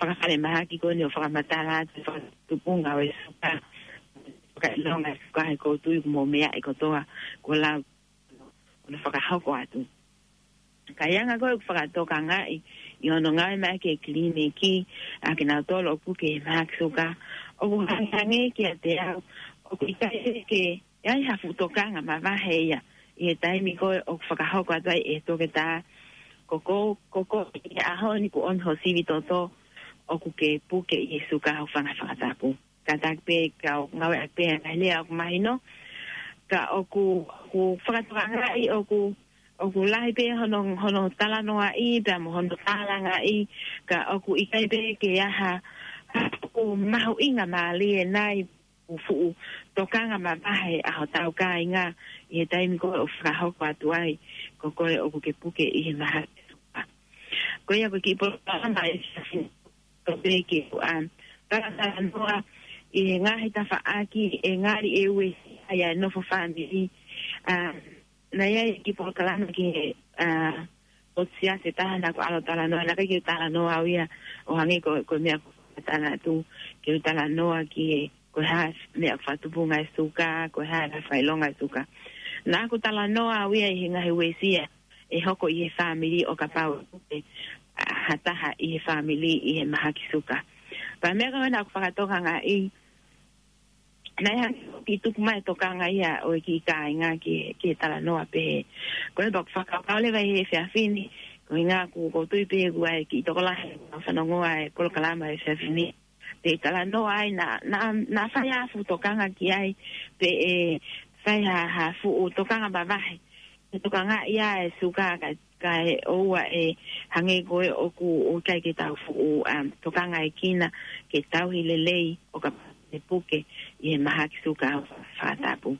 fakafalemahaki ko eni ʻo fakamatala atu e fakatupunga ʻo e suka, fakaʻilonga e suka, he ʻoku ou tui ʻoku mou meaʻi kotoa kuo lau hono fakahoko atu. Ka ʻi he anga ko ē ʻeku fakatokangaʻi ʻi hono ngāue mai ʻaki e kiliniki ʻa kinautolu ʻoku puke he mahaki suka, ʻoku hangehangē kiate au ʻoku ʻikai ke ʻi ai ha fuʻu tokanga mavahe ia ʻi he taimi ko ē ʻoku fakahoko atu ai ʻe he toketā, ko ko, ko ko ʻi he ʻaho ni kuo ʻomi ho sivi toto, ʻoku ke puke ʻi he suka ho fanga fakatapu. Kātaki pē ka u ngāueʻaki pē ʻa e ngaahi lea ʻoku mahino, ka ʻoku, ʻoku fakatokangaʻi ʻoku, ʻoku lahi pē hono, hono talanoaʻi pea mo hono tālangaʻi, ka ʻoku ʻikai pē ke ʻi ai ha, ha fuʻu mahuʻinga mālie nai, fuʻu tokanga mavahe ʻa hotau kāinga ʻi he taimi ko ē ʻoku fakahoko atu ai ko ko ē ʻoku ke puke ʻi he mahaki suka. Ko ia ko e kiʻi polokalama ʻe siasi ko pē ke u, um, talatalanoa ʻi he ngaahi tafaʻaki ʻe ngali ʻe uesia ai ʻa e nofo fāmili. Um, naʻe ʻi ai e kiʻi polokalama ki he, uh, ʻo e siasi ʻe taha naʻa ku ʻalu ʻo talanoa, naʻe ʻikai ke u talanoa au ia ʻo hangē ko, ko e meʻa ko e tala atu, ke u talanoa ki he, ko e hā e meʻa ʻoku fakatupunga e suka, ko e hā e ngaahi fakaʻilonga e suka. Naʻa ku talanoa au ia ʻi he ngaahi uesia ʻe hoko ʻi he fāmili ʻo kapau ʻe, ʻa, ha taha ʻi he fāmili ʻi he mahaki suka. Pea meʻa ko ē naʻa ku fakatokangaʻi, naʻe hangē ʻoku tuku mai e tokanga ia ʻo e kiʻi kāinga ki, ki he talanoa pehē. Ko ia pea ʻoku ou fakakaukau leva ʻi he efiafi ni, ko e ʻuhinga ʻoku, ʻoku ou tui pē ʻoku ʻi ai e kiʻi tokolahi ʻoku fanongo ʻa e polokalama he efiafi ni. Pea talanoa ai naʻa, naʻa, naʻa fai ha fuʻu tokanga ki ai, pe ʻe fai ha, ha fuʻu tokanga mavahe. ʻE tokangaʻi ʻa e suka ka, kae ʻoua ʻe hangē ko ē ʻoku, ʻoku ʻikai ke tau fuʻu, um, tokangaʻekina ke tauhi lelei ʻo kapau ʻe puke ʻi he mahaki suka ho fakatapu.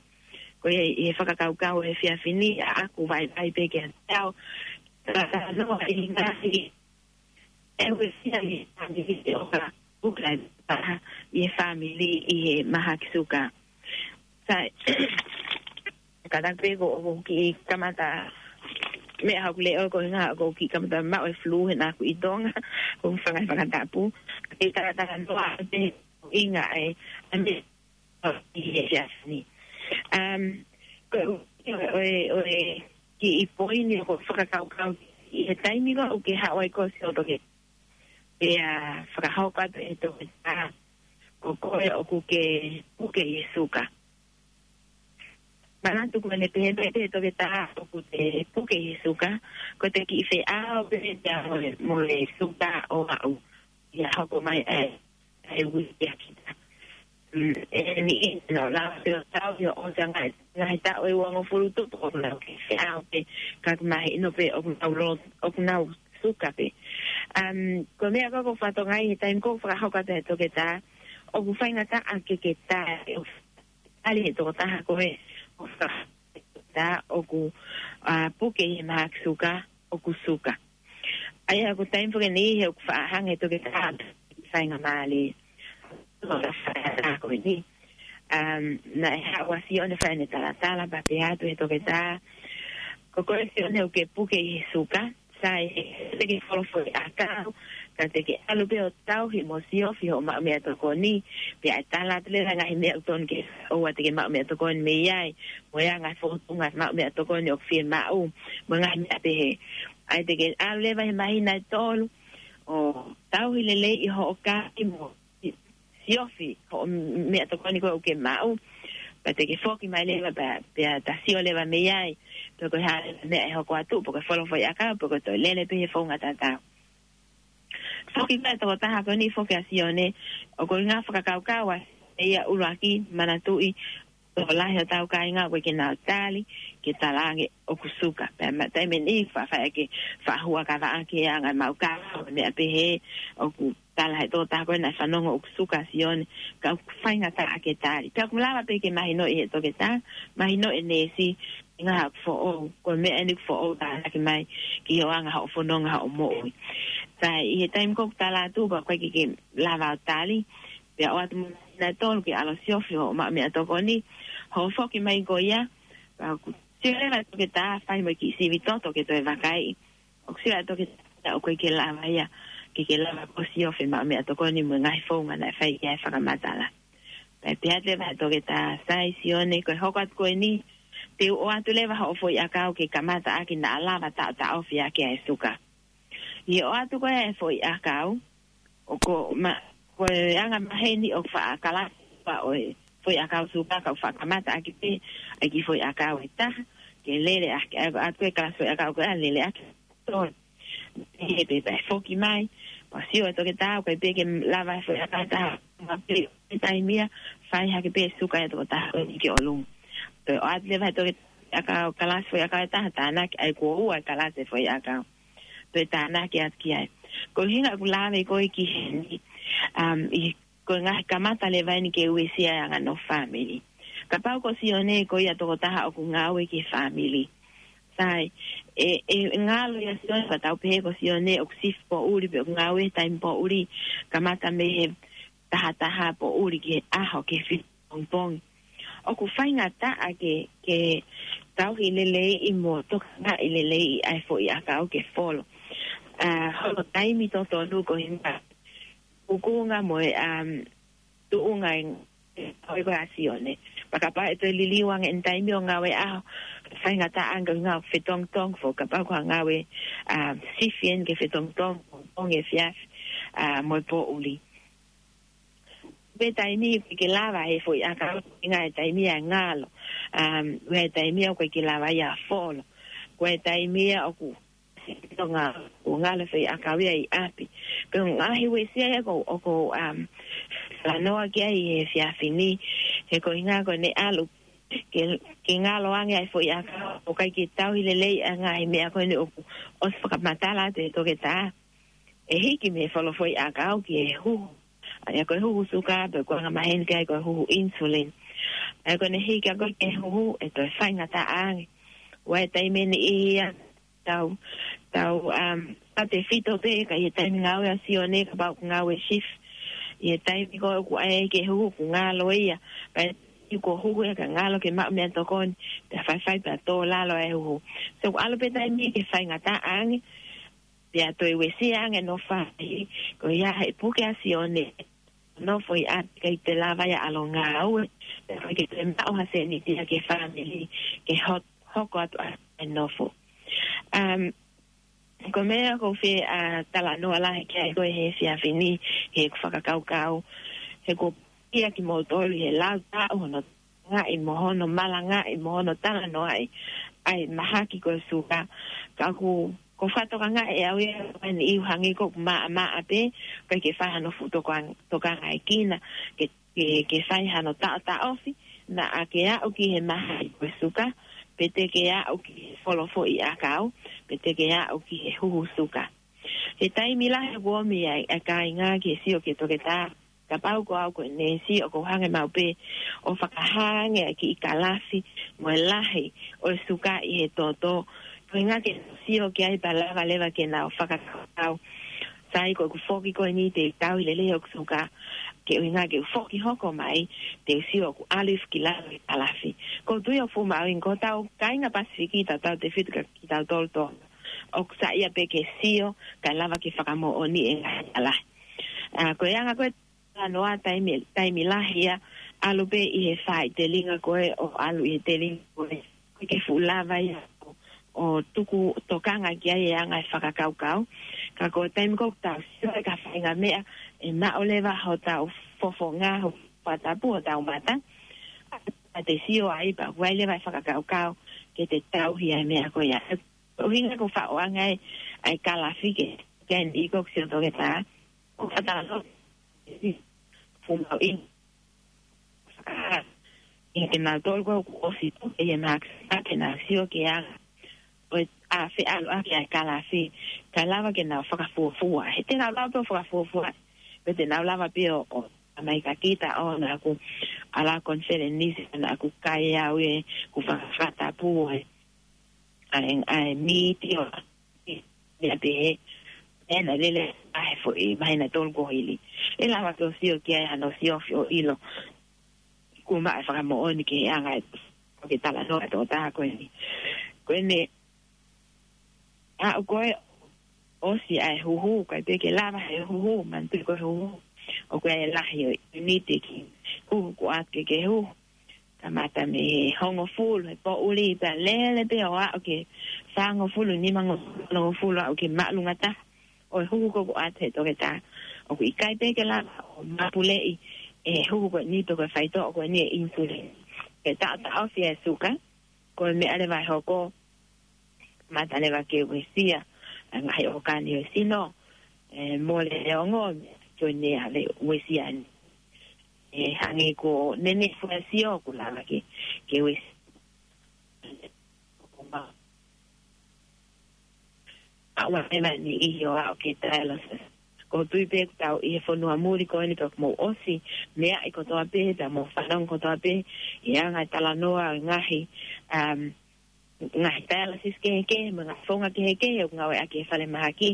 Ko ia ʻi he fakakaukau he efiafi ni ʻaku vaivai pē ke ʻatā au ke talanoa ʻi he ngaahi ʻe uesia ʻi he fāmili ʻo ka puke ʻa e taha ʻi he fāmili ʻi he mahaki suka. Sai, kātaki pē ko, ko e kiʻi kamata meʻa hoku leʻo ko e ʻuhinga ko e kiʻi kamata maʻu e flu he naʻa ku ʻi Tonga, ko e fanga fakatapu. Ke talatalanoa pē ʻuhinga ʻa e, ʻa e meʻa ʻi he efiafi ni. Um, ko e, ʻo e, ʻo e kiʻi poini ʻoku ou fakakaukau ʻi he taimi ko ē ʻoku ke haʻu ai ko ē ʻo sio toke. Pea fakahoko atu ʻe he toketā, ko koe ʻoku ke puke ʻi he suka. Manatu ko ʻene pehē mai pē ʻe he toketā ʻoku te puke ʻi he suka, ko e kiʻi feʻao pē ia mo e, mo e suka ʻo aʻu ia hoko mai ʻa e, ʻa e uike ʻa kita. Mm, ʻe niʻihi naʻa nau lava pē ʻo tauhi ʻo ʻosi ʻa e ngaahi, ngaahi taʻu ʻe uangofulu tupu ʻoku nau kei feʻao pē, ka ʻoku mahino pē ʻoku nau lo-, ʻoku nau suka pē. Um, ko e meʻa ko ē ʻoku ou fakatokangaʻi he taimi ko ē ʻoku fakahoko atu ʻe he toketā, ʻoku faingataʻa ke ke tā, ʻe tali ʻe he tokotaha ko ē ʻoku fa-, tā ʻoku, uh, puke ʻi he mahaki suka, ʻoku suka. ʻA ia ko e taimi foki eni he ʻoku faʻa hanga ʻe he toketā ʻo faingamālie. Ko e faʻa ko eni. Um, naʻe haʻu ʻa Sione ʻo fai ʻene talatala pea pehē atu ʻe he toketā, ko koe Sione ʻoku ke puke ʻi he suka, sai, te ke folofoʻi ʻakau, ka te ke ʻalu pē ʻo tauhi mo siofi hoʻo maʻu meʻatokoni, pea ʻe tala atu leva e ngaahi meʻa ʻoku totonu ke ʻoua te ke maʻu meʻatokoni mei ai, mo e anga e fōtunga maʻu meʻatokoni ʻoku fiemaʻu, mo e ngaahi meʻa pehē. ʻA ia te ke ʻalu leva he māhina ʻe tolu, ʻo tauhi lelei ʻi hoʻo kai mo siofi hoʻo meʻatokoni ko ē ʻoku ke maʻu, pea te ke foki mai leva pea, pea ta sio leva mei ai, pe ko e hā leva e meʻa ʻe hoko atu, pe ko e folofoʻi ʻakau, pe ko e toe lele pē he founga tatau. Foki mai e tokotaha ko eni foki ʻa Sione, ʻoku ou ngaahi fakakaukau ʻa ia ʻuluaki, manatuʻi, tokolahi hotau kāinga ʻoku ʻikai ke nau tali, ke talaange ʻoku suka. Pea ma-, taimi ʻe niʻihi faʻa fai ʻaki e faʻa huʻakavaʻaki e anga e maʻu kava, meʻa pehē, ʻoku tala ʻe he tokotaha ko ē naʻe fanongo ʻoku suka ʻa Sione, ka ʻoku faingataʻa ke tali. Pea ʻoku lava pē ke mahinoʻi ʻe he toketā, mahinoʻi e neesi, ʻuhinga ʻoku foʻou, ko e meʻa eni ʻoku foʻou tānaki mai ki hoʻo anga hoʻo fononga hoʻo moʻui. Sai, ʻi he taimi ko ē ʻoku tala atu, pea ʻoku ʻikai ke ke lava ʻo tali, pea ʻoatu mo e māhina ʻe tolu ke ʻalu ʻo siofi hoʻo maʻu meʻatokoni, hoʻo foki mai ko ia, pea ʻoku sio leva e toketā ʻo fai mo e kiʻi sivi toto ke toe vakaiʻi. ʻOku sio ʻa e toketā ʻoku ʻikai ke lava ia, ke ke lava ʻo siofi e maʻu meʻatokoni mo e ngaahi founga naʻe fai ki ai e fakamatala. Pea pehē atu leva ʻe he toketā, sai Sione, ko e hoko atu ko eni, te u ʻoatu leva hoʻo foʻi ʻakau ke kamata ʻaki naʻa lava taʻotaʻofi ʻaki ʻa e suka. ʻI he ʻoatu ko ē e foʻi ʻakau, ʻoku ma-, ko e anga maheni ʻoku faʻa kalasi ʻo e foʻiʻakau suka, ka u fakamata ʻaki pē ʻa e kiʻi foʻiʻakau ʻe taha, ke lele ʻaki, ʻa e, ʻa e kalasi foʻiʻakau ko ē, lele ʻaki. Toe. He pē pē foki mai, pea sio ʻa e toketā, ʻoku ʻikai pē ke lava e foʻiʻakau ʻe taha, ma pē, ʻi he taimi ia, fai hake pē suka ʻa e tokotaha ko eni ki ʻolunga. Toe ʻoatu leva ʻe he toketā ʻa e kalasi foʻiʻakau ʻe taha, tānaki, ʻa ia kuo ua e kalasi foʻiʻakau. Toe tānaki atu ki ai. Ko e ʻuhinga ʻoku ou lave ko ē ki heni, um, ʻi ko e ngaahi kamata leva eni ke uesia e anga ʻo e fāmili. Kapau ko Sione ko ia tokotaha ʻoku ngāue ki he fāmili. Sai, ʻe, ʻe ngalo ia Sione, ka tau pehē ko Sione ʻoku sifi poʻuli pe ʻoku ngāue taimi poʻuli, kamata mei he taha taha poʻuli ki he ʻaho ki he fitu pongipongi. ʻOku faingataʻa ke, ke tauhi lelei mo tokangaʻi lelei ʻa e foʻiʻakau ke folo. ʻA, hono taimi totonu ko e ʻuhinga ʻukunga mo e, um, tuʻunga e, ʻo e ko ā Sione. Pea kapau ʻe toe liliu ange ʻene taimi ʻo ngāue ʻaho, faingataʻa ange ʻo ngāue fetongitongi foki, kapau ko ha ngāue, um, sifi eni ke fetongitongi, pongipongi, efiafi, ʻa, mo e poʻuli. Pea taimi ʻoku ʻikai ke lava ʻe he foʻiʻakau, ʻuhinga e taimi ia ʻe ngalo. Um, ʻuhinga e taimi ia ʻoku ʻikai ke lava ia ʻo folo. Ko e taimi ia ʻoku ʻikai ke ngalo, ʻoku ngalo e foʻiʻakau ia ʻi ʻapi. Ko e ngaahi uesia ia ʻoku, ʻoku ou, um, talanoa ki ai he efiafi ni, he ko e ʻuhinga ko ʻene ʻalu ke, ke ngalo ange ʻa e foʻiʻakau, ʻoku ʻikai ke tauhi lelei ʻa e ngaahi meʻa ko eni ʻoku ʻosi fakamatala atu ʻe he toketā. ʻE hiki mei he folo foʻiʻakau ki he huhu. ʻA ia ko e huhu suka, pe ko e anga maheni ki ai ko e huhu insulin. ʻA ia ko ʻene hiki ʻa ia ko ē ki he huhu, ʻe toe faingataʻa ange. ʻOua ʻe taimi ʻe niʻihi ia, tau, tau, um, tautefito pē, ka ʻi he taimi ngāue ʻa Sione, kapau ʻoku ngāue sifi. ʻI he taimi ko ē ʻoku ʻai ki he huhu ʻoku ngalo ia. Pea ʻi he huhu ia ka ngalo ke maʻu meʻatokoni, pea faifai pea tō lalo ʻa e huhu. So, ʻoku ʻalu pē taimi ke faingataʻa ange, pea toe uesia ange ʻene fāmili, ko ia he puke ʻa Sione, nofo ʻi ʻapi ʻikai te lava ia ʻalu ʻo ngāue, pea ʻikai ke toe maʻu ha sēniti ia ki he fāmili, ke ho-, hoko atu ʻa e nofo. Um, ko e meʻa ʻoku ou fie, ʻa, talanoa lahi ki ai ko ē he efiafi ni, he ʻoku ou fakakaukau, he ʻoku ou pehē kia kimoutolu he lau taʻu hono ngaʻi mo hono malangaʻi mo hono talanoaʻi ʻa e mahaki ko e suka. Ka ʻoku, ʻoku ou fakatokangaʻi ʻe au ia ʻa e niʻihi ʻoku hangē ʻoku maʻamaʻa pē, ʻikai ke fai hano fuʻu toka-, tokangaʻi kina, ke, ke, ke fai hano taʻotaʻofi, naʻa ke aʻu ki he mahaki ko e suka, pe te ke aʻu ki he folo foʻiʻakau, pe te ke aʻu ki he huhu suka. He taimi lahi ʻoku ʻomi ai ʻa e kāinga ke sio ki he toketā, kapau ko au ko e neesi ʻoku ou hanga maʻu pē ʻo fakahā ange ʻa e kiʻi kalafi mo e lahi ʻo e suka ʻi he toto. Ko e ʻuhinga ke sio ki ai pea lava leva ke nau fakakaukau. Sai, ko ʻeku foki ko eni te u tauhi lelei hoku suka. Ko e ʻuhinga ke u foki hoko mai, te u sio ʻoku ʻalu hifo ki lalo e kalafi. ʻOku ou tui ʻoku fuʻu mahuʻinga ko hotau kāinga Pasifiki, tautautefito kia kitautolu Tonga, ʻoku saiʻia pē ke sio, kae lava ke fakamoʻoni e ngaahi kalafi. ʻA, ko e anga ko ē talanoa taimi, taimi lahi ia, ʻalu pē ʻi he faʻahitelinga ko ē, ʻo ʻalu ʻi he telinga ko ē, ʻikai ke fuʻu lava ia ʻo, ʻo tuku tokanga ki ai e anga e fakakaukau. Ka ko e taimi ko ē ʻoku tau sio ai ki ha faʻahinga meʻa, ʻe maʻu leva hotau fofonga, hotau fakatapu, hotau mata, ʻa te sio ai pea ʻoku ʻi ai leva e fakakaukau ke te tauhi ʻa e meʻa ko ia. ʻUhinga ʻoku ou faʻo ange ai ʻa e kalafi ke, ke ʻi ai e niʻihi ʻoku sio toketā, ʻoku faʻa talanoa, fuʻu mahuʻinga. Ka, ʻi he kinautolu ko ē ʻoku ʻosi tupu ʻi he mahaki suka, ke nau sio ki he anga ʻo e, ʻa, feʻaluʻaki ʻa e kalafi, kae lava ke nau fakafuofua. He te nau lava pē ʻo fakafuofua, pe te nau lava pē ʻo, ʻo, ʻa mai ka kita ʻo naʻa ku ʻalu konifelenisi, naʻa ku kai au ē, ku faka-, fakatapu ē, ʻa e, ʻa e miti ʻo, ia pē he, ʻe na lele ʻa e foʻi, mahina tolu kuo hili. ʻE lava ke u sio ki ai hano siofi ʻo ʻilo. Kuo maʻu e fakamoʻoni ki he anga e, ʻo ke talanoa e tokotaha ko eni. Ko eni, ʻa, ʻoku ʻosi ʻa e huhu, ʻikai pē ke lava he huhu, manatuʻi ko e huhu. ʻOku ʻi ai e lahi ʻo e ʻiuniti ki huhu ko ē ʻoatu ke ke huhu. Kamata mei he hongofulu he poʻuli, pea lele pē ʻo aʻu ki he fāngofulu, nimangofulu, onongofulu, aʻu ki he māʻolunga taha ʻo e huhu ko ē ʻoku ʻoatu he toketā. ʻOku ʻikai pē ke lava ʻo mapuleʻi ʻe huku ko eni pe ko e faitoʻo ko eni e insulin. ʻE taʻotaʻofi e suka, ko e meʻa leva ʻe hoko, mata leva ke uesia ʻa e ngaahi ʻōkani ʻo e sino, ʻe mole e ongo, ko eni ʻa e uesia ni. ʻE hangē ko e nenefu e sio ʻoku lava ke, ke uesia. ʻA ua ena ni ʻi he ʻaho ke dialysis. ʻOku ou tui pē ʻoku tau ʻi he fonua muli ko eni pea ʻoku mou ʻosi meaʻi kotoa pē, pea mou fanongo kotoa pē ʻi he anga e talanoa ʻo e ngaahi, um, ngaahi dialysis kehekehe, mo e ngaahi founga kehekehe ʻoku ngāueʻaki he falemahaki.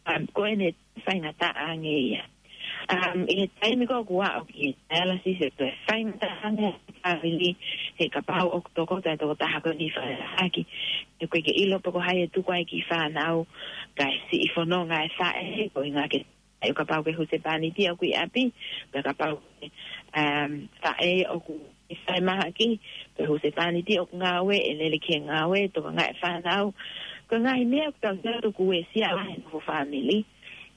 Um, ko eni faingataʻa ange ia. Um, ʻi he taimi ko ē ʻoku aʻu ki he dialysis, ʻe toe faingataʻa ange ʻa e fāmili, he kapau ʻoku tokotaha, tokotaha ko eni falemahaki, ʻoku ʻikai ke ʻilo pe ko hai ʻe tuku ai e kiʻi fānau, kae siʻi fononga e faʻē, koeʻuhinga ke, ʻe kapau ko e husepāniti ʻoku ʻi ʻapi, pe kapau ko e, um, faʻē ʻoku ʻi falemahaki, pe husepāniti ʻoku ngāue, ʻe lele ki he ngāue, tokangaʻi e fānau. Ko e ngaahi meʻa ʻoku tau sio atu ʻoku uesia ai e nofo fāmili.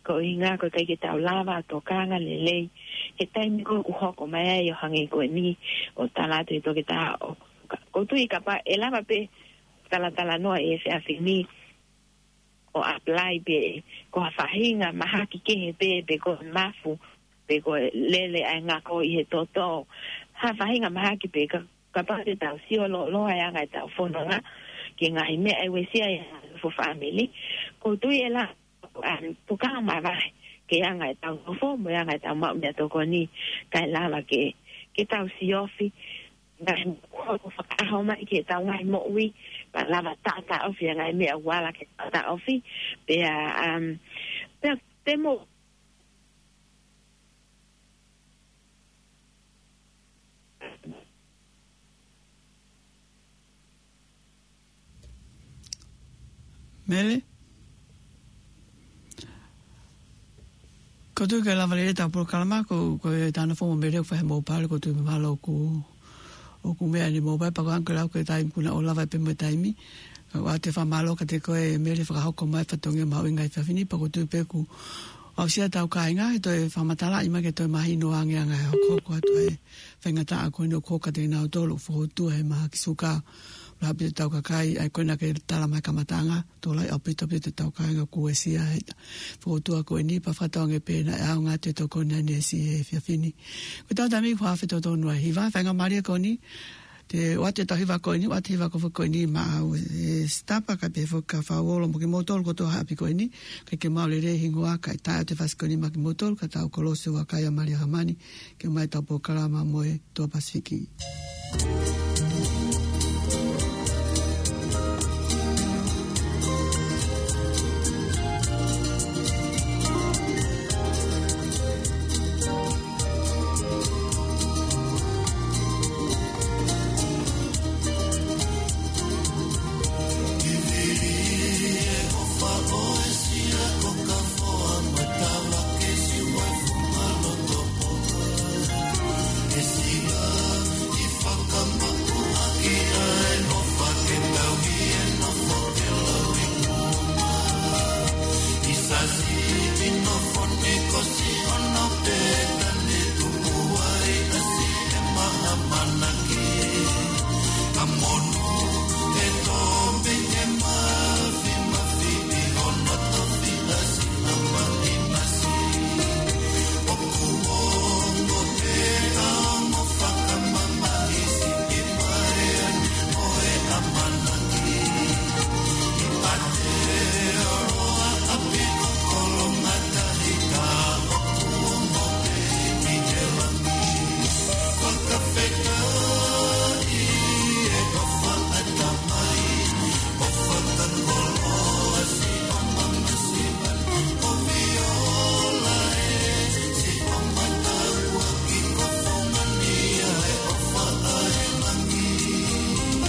Koeʻuhinga ko e ʻikai ke tau lava ʻo tokanga lelei he taimi ko ē ʻoku hoko mai ai ʻo hangē ko eni ʻoku tala atu ʻe he toketā ʻoku, ʻoku ou tui kapau ʻe lava pē talatalanoa he efiafi ni ʻo apply pē ko ha faʻahinga mahaki kehe pē, pe ko e mafu, pe ko e lele ʻa e ngako ʻi he toto. Ha faʻahinga mahaki pē ka, kapau te tau sio lōloa he anga ʻetau fononga ki he ngaahi meʻa ʻe uesia ai e nofo fāmili. ʻOku ou tui ʻe lava, um, tokanga mavahe ki he anga ʻetau nofo, mo e anga ʻetau maʻu meʻatokoni, kae lava ke, ke tau siofi ngaahi meʻa ʻoku fakaʻaho mai ki heʻetau ngaahi moʻui, pea lava taʻotaʻofi e ngaahi meʻa ʻoku ala ke taʻotaʻofi, pea, um, pea te mo Mele? ʻOku ou tui ʻe lava lelei ʻetau polokalama, ko, ko e tana fomo Mele ʻoku fai he mobile, ʻoku ou tui mahalo ʻoku, ʻoku meʻa ni mobile, pea ko e anga ko e lau ko e taimi kuo na ʻo lava pē mo e taimi. Ka ʻoku ou ʻoatu e fakamālō kiate koe Mele fakahoko mai e fatongia mahuʻinga he efiafi ni, pea ʻoku ou tui pē ʻoku aʻusia ʻetau kāinga, he toe fakamatalaʻi mai ke toe mahino ange ʻa e ngaahi hokohoko atu ʻa e faingataʻa ko eni ʻoku hoko kiate kinautolu ʻoku fokoutua he mahaki suka. ʻOku lahi ʻaupito ʻetau kakai, ʻa ia ko ena ke tala mai he kamataʻanga, tokolahi ʻaupito ʻaupito ʻetau kāinga ʻoku uesia he fokoutua ko eni, pea fakatauange pē naʻe ʻaonga atu e tokoni ʻa e neesi he efiafi ni. Ko ʻetau taimi kuo afe totonu ʻa e hiva, faingamālie ko eni, te u ʻoatu ʻetau hiva ko eni, ʻoatu e hiva ko ē ko eni maʻau ʻe Sitapa, kae pehē foki kia Fauolo mo kimoutolu kotoa he ʻapi ko eni, ʻikai ke maʻu lelei e hingoa, kae taʻe ʻoatu e fasi ko eni maʻa kimoutolu, ka tau kolosi ʻo vakai ʻa Malia Hamani, ke ʻomai ʻetau polokalama mo e Toa Pasifiki.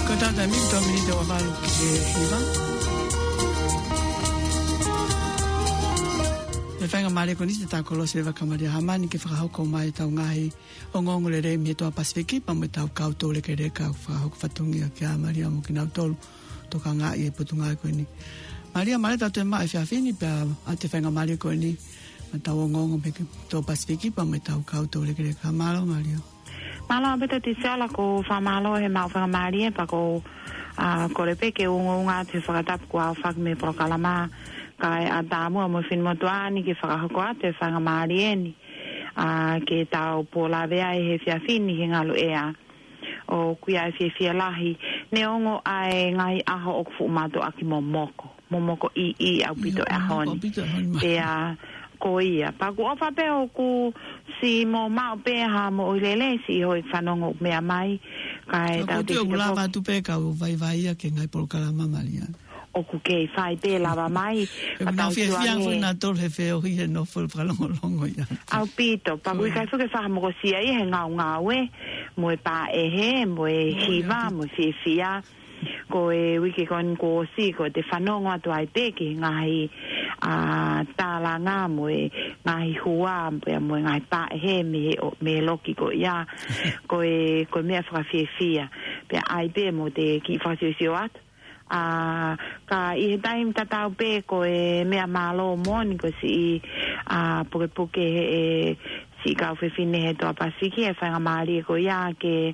Ko ʻetau taimi, tau miniti ʻe valu ki he hiva. He faingamālie ko eni te tau kolosi leva kia Malia Hamani ke fakahoko mai ʻetau ngaahi ongoongolelei mei he Toa Pasifiki, pea mo ʻetau kau toulekeleka ʻoku fakahoko fatongia kia Malia mo kinautolu ʻoku tokangaʻi e potungāue ko eni. Malia, mālō ʻetau toe maʻu e efiafi ni, pea ʻoatu e faingamālie ko eni Tau ongoongo pē ki he Pasifiki pea mo e tau kau toulekeleka. Mālō, Malia. Mālō, Pita Tisela, ko fakamālō he maʻu faingamālie pea ko, ʻa, kole pē ke ungaunga atu he fakatapu kuo aofaki mei he polokalama, kae ʻatā muʻa mo e finemotuʻa ni ke fakahoko atu e faingamālie ni, ʻa, ke tau pōlave ai he efiafi ni he ngalu ʻea. ʻOku ʻi ai e fiefia lahi, neongo ʻa e ngaahi ʻaho ʻoku fuʻu mātuʻaki momoko, momoko ʻiʻi ʻaupito ʻaho ni. Pea ko ia, pea ʻoku ʻofa pē ʻoku siʻi mo maʻu pē ha moʻui lelei, siʻi hoi fanongo meʻa mai, kae tau te ʻoku lava atu pē kau vaivai ia ki he ngaahi polokalama, Malia. ʻOku kei fai pē lava mai, ʻoku nau fiefia foʻi nautolu he feohi he nofo fakalongolongo ia. ʻAupito, pea ʻoku ʻikai fuʻu ke fakamokosiʻi ia he ngaungaue, mo e pāʻehe, mo e hiva, mo e fiefia. Ko e uike ko eni kuo ʻosi, ko e te fanongo atu ai pē ki he ngaahi, ʻa, tālanga mo e ngaahi hua, pea mo e ngaahi pāʻehe mei he ʻo, mei he loki ko ia. Ko e, ko e meʻa fakafiefia. Pea ʻai pē mo te kiʻi fakasiosio atu. ʻA, ka ʻi he taimi tatau pē ko e meʻa mālō moʻoni ko e siʻi, ʻa, pukepuke he, e, siʻi kau fefine he Toa Pasifiki, e faingamālie ko ia ke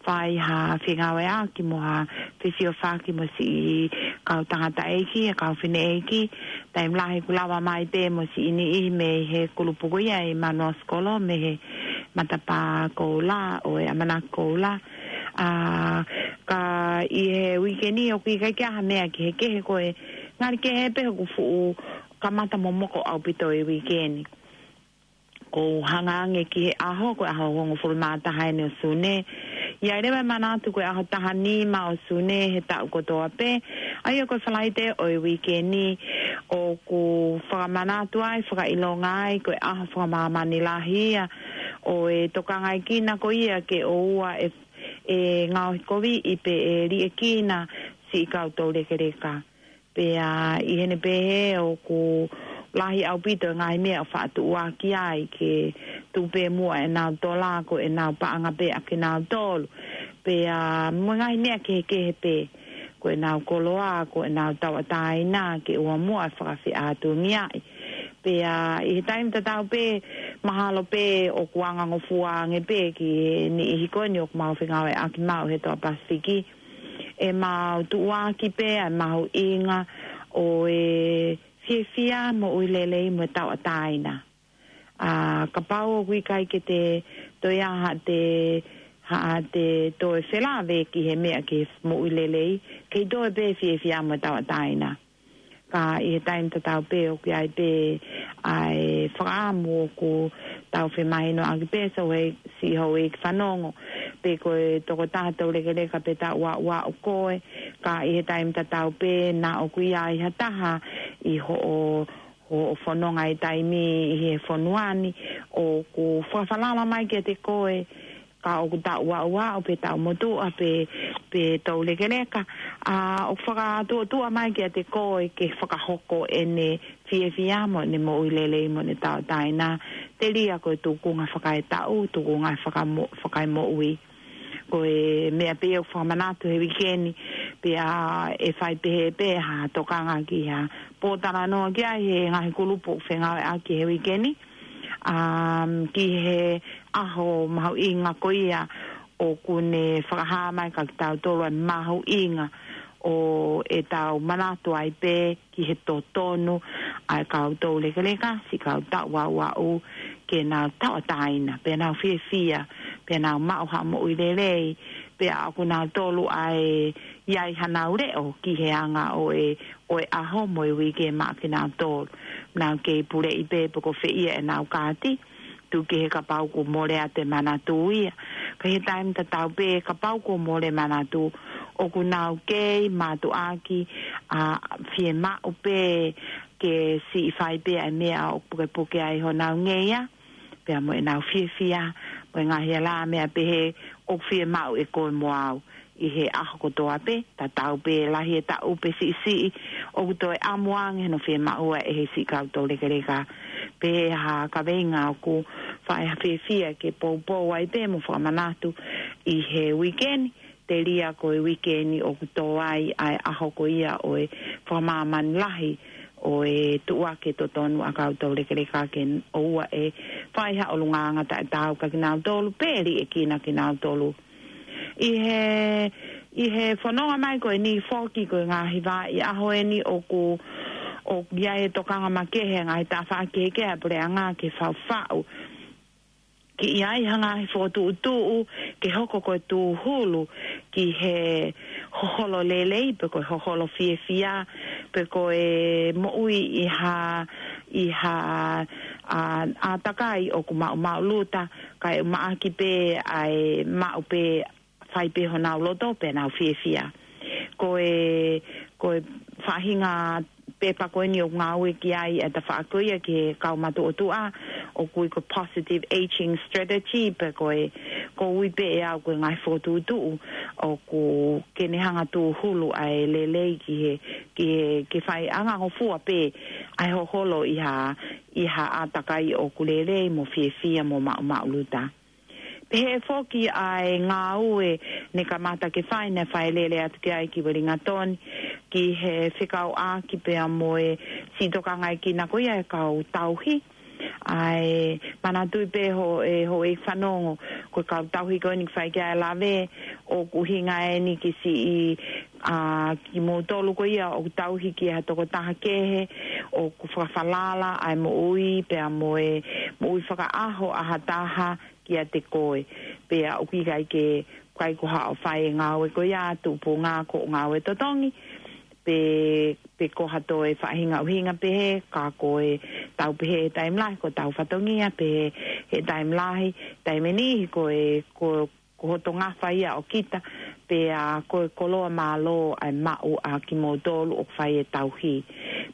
fai ha fengāueʻaki mo ha fesiofaki mo siʻi kau tangataʻeiki, e kau fineʻeiki, taimi lahi ʻoku lava mai pē mo siʻi niʻihi mei he kulupu ko ia ʻi Manuʻa Sikolo, mei he matapā koula, ʻo e ʻamanaki koula. ʻA, ka ʻi he uike ni ʻoku ʻikai ke ʻi ai ha meʻa kehekehe ko e ngali kehe pē hoku fuʻu kamata momoko ʻaupito e uike ni. ʻOku hanga ange ki he ʻaho, ko e ʻaho hongofulu mā taha eni ʻo Sune. ʻI ai leva e manatu ko e ʻaho taha nima ʻo Sune he taʻu kotoa pē. ʻA ia ko e Falaite ʻo e uike ni ʻoku fakamanatu ai, fakaʻilonga ai, ko e ʻaho fakamāmani lahi ia ʻo e tokangaekina ko ia ke ʻoua ʻe, ʻe ngaohikoviʻi pe ʻe liʻekina siʻi kau toulekeleka. Pea ʻi heʻene pehē ʻoku lahi ʻaupito e ngaahi meʻa ʻoku faʻa tuʻuaki ai ke tuku pē muʻa ʻenau tola ko ʻenau paʻanga pē ʻakinautolu. Pea mo e ngaahi meʻa kehekehe pē ko ʻenau koloa, ko ʻenau tauʻatāina ke ʻoua muʻa ʻe fakafeʻātungiaʻi. Pea ʻi he taimi tatau pē mahalo pē ʻoku angangofua ange pē ki he niʻihi ko eni ʻoku mau fengāueʻaki maʻu he Toa Pasifiki. ʻE mau tuʻuaki pē ʻa e mahuʻinga ʻo e fiefia, moʻui lelei mo e tauʻatāina. ʻA, kapau ʻoku ʻikai ke te toe ʻi ai haʻate, haʻate toe felāveʻi he meʻa ke moʻui lelei, kei toe pē fiefia mo e tauʻatāina. Ka ʻi he taimi tatau pē ʻoku ʻi ai pē ʻa e fakaʻamu ʻoku tau femahinoʻaki pē, so he siʻi houʻeiki fanongo, pe ko e tokotaha toulekeleka pe taʻu ua ua ʻo koe, ka ʻi he taimi tatau pē naʻa ʻoku ʻi ai ha taha ʻi hoʻo, hoʻo fononga ʻi he taimi ʻi he fonua ni, ʻoku fakafalala mai kiate koe, ka ʻoku taʻu ua ua ʻo pe taʻu motuʻa pe, pe toulekeleka, ʻa, ʻoku fakatuʻotuʻa mai kiate koe ke fakahoko ʻene fiefia mo ʻene moʻui lelei mo ʻene tauʻatāina, telia ko e tukunga fakaetaʻu, tukunga fakamo-, fakaemoʻui. Ko e meʻa pē ʻoku fakamanatu he uike ni, pea ʻe fai pehē pē ha tokanga ki ha pōtalanoa ki ai he ngaahi kulupu ʻoku fengāueʻaki he uike ni, um, ki he ʻaho mahuʻinga ko ia ʻoku ne fakahā mai kia kitautolu ʻa e mahuʻinga ʻo ʻetau manatu ai pē ki he totonu ʻa e kau toulekeleka, siʻi kau taʻu ua ua ʻo ke nau tauʻatāina, pea nau fiefia, pea nau maʻu ha moʻui lelei, pea ʻoku nau tolu ʻa e ʻi ai hanau leʻo ki he anga ʻo e, ʻo e ʻaho mo e uike maʻa kinautolu. Nau kei puleʻi pē pe ko fē ia ʻenau kaati, tuku kehe kapau kuo mole atu e manatu ia. Ka ʻi he taimi tatau pē kapau kuo mole manatu, ʻoku nau kei mātuʻaki ʻa fiemaʻu pē ke siʻi fai pē ʻa e meʻa ʻoku pukepuke ai honau ngeia, pea mo ʻenau fiefia, mo e ngaahi ala meʻa pehē ʻoku fiemaʻu ʻe koe mo au ʻi he ʻaho kotoa pē, tatau pē lahi e taʻu pe siʻisiʻi, ʻoku toe ʻamu ange hono fiemaʻu ʻa e he siʻi kau toulekeleka. Pehē ha kaveinga ʻoku fai ha fiefia ke poupou ai pē mo fakamanatu ʻi he uike ni, telia ko e uike ni ʻoku tō ai ʻa e ʻaho ko ia ʻo e fakamāmani lahi ʻo e tuʻuaki totonu ʻa e kau taulekeleka ke ʻoua ʻe fai ha ʻulungaanga taʻetaau kia kinautolu, pe liʻekina kinautolu. ʻI he, ʻi he fononga mai ko eni foki ko e ngaahi vaʻa ʻi he ʻaho eni ʻoku, ʻoku ʻi ai e tokanga makehe ʻa e ngaahi tafaʻaki kehekehe ʻa e puleʻanga ke faʻufaʻu ke ʻi ai ha ngaahi fokotuʻutuʻu ke hoko ko e tūhulu ki he hoholo lelei, pe ko e hoholo fiefia, pe ko e moʻui ʻi ha, ʻi ha, ʻa, ʻātakai ʻoku maʻumaʻuluta, kae ʻumaʻā pē ʻa e maʻu pē fai pē honau loto pea nau fiefia. Ko e, ko e faʻahinga pepa ko eni ʻoku ngāue ki ai e tafaʻaki ko ia ki he kau matuʻotuʻa, ʻoku ui ko e positive aging strategy, pe ko e, ʻoku ui pē ʻe au ko e ngaahi fokotuʻutuʻu ʻoku ke ne hanga tūhulu ʻa e lelei ki he, ki he, ke fai angangofua pē ʻa e hoholo ʻi ha, ʻi ha ʻātakai ʻoku lelei mo fiefia mo maʻumaʻuluta. Pehē foki ʻa e ngāue ne kamata ke fai, ne fai lele atu ki ai ki Wellington, ki he fekauʻaki pea mo e siʻi tokangaʻi kina ko ia e kau tauhi. ʻA e manatuʻi pē ho, e houʻeiki fanongo, ko e kau tauhi ko eni ʻoku fai ki ai e lave, ʻoku ʻuhinga eni ki siʻi, ʻa, kimoutolu ko ia ʻoku tauhi ki ha tokotaha kehe, ʻoku fakafalala ʻa e moʻui, pea mo e moʻui fakaʻaho ʻa ha taha, kiate koe. Pea ʻoku ʻikai ke, ʻikai ko haʻo fai e ngāue ko ia, tupunga ko e ngāue totongi, pe, pe ko ha toe faʻahinga ʻuhinga pehē, ka ko e tau pehē he taimi lahi, ko e tau fatongia, pehē he taimi lahi, taimi niʻihi ko e, ko, ko hoto ngafa ia ʻo kita, pea ko e koloa mālō ʻa e maʻu ʻa kimoutolu ʻoku fai e tauhi.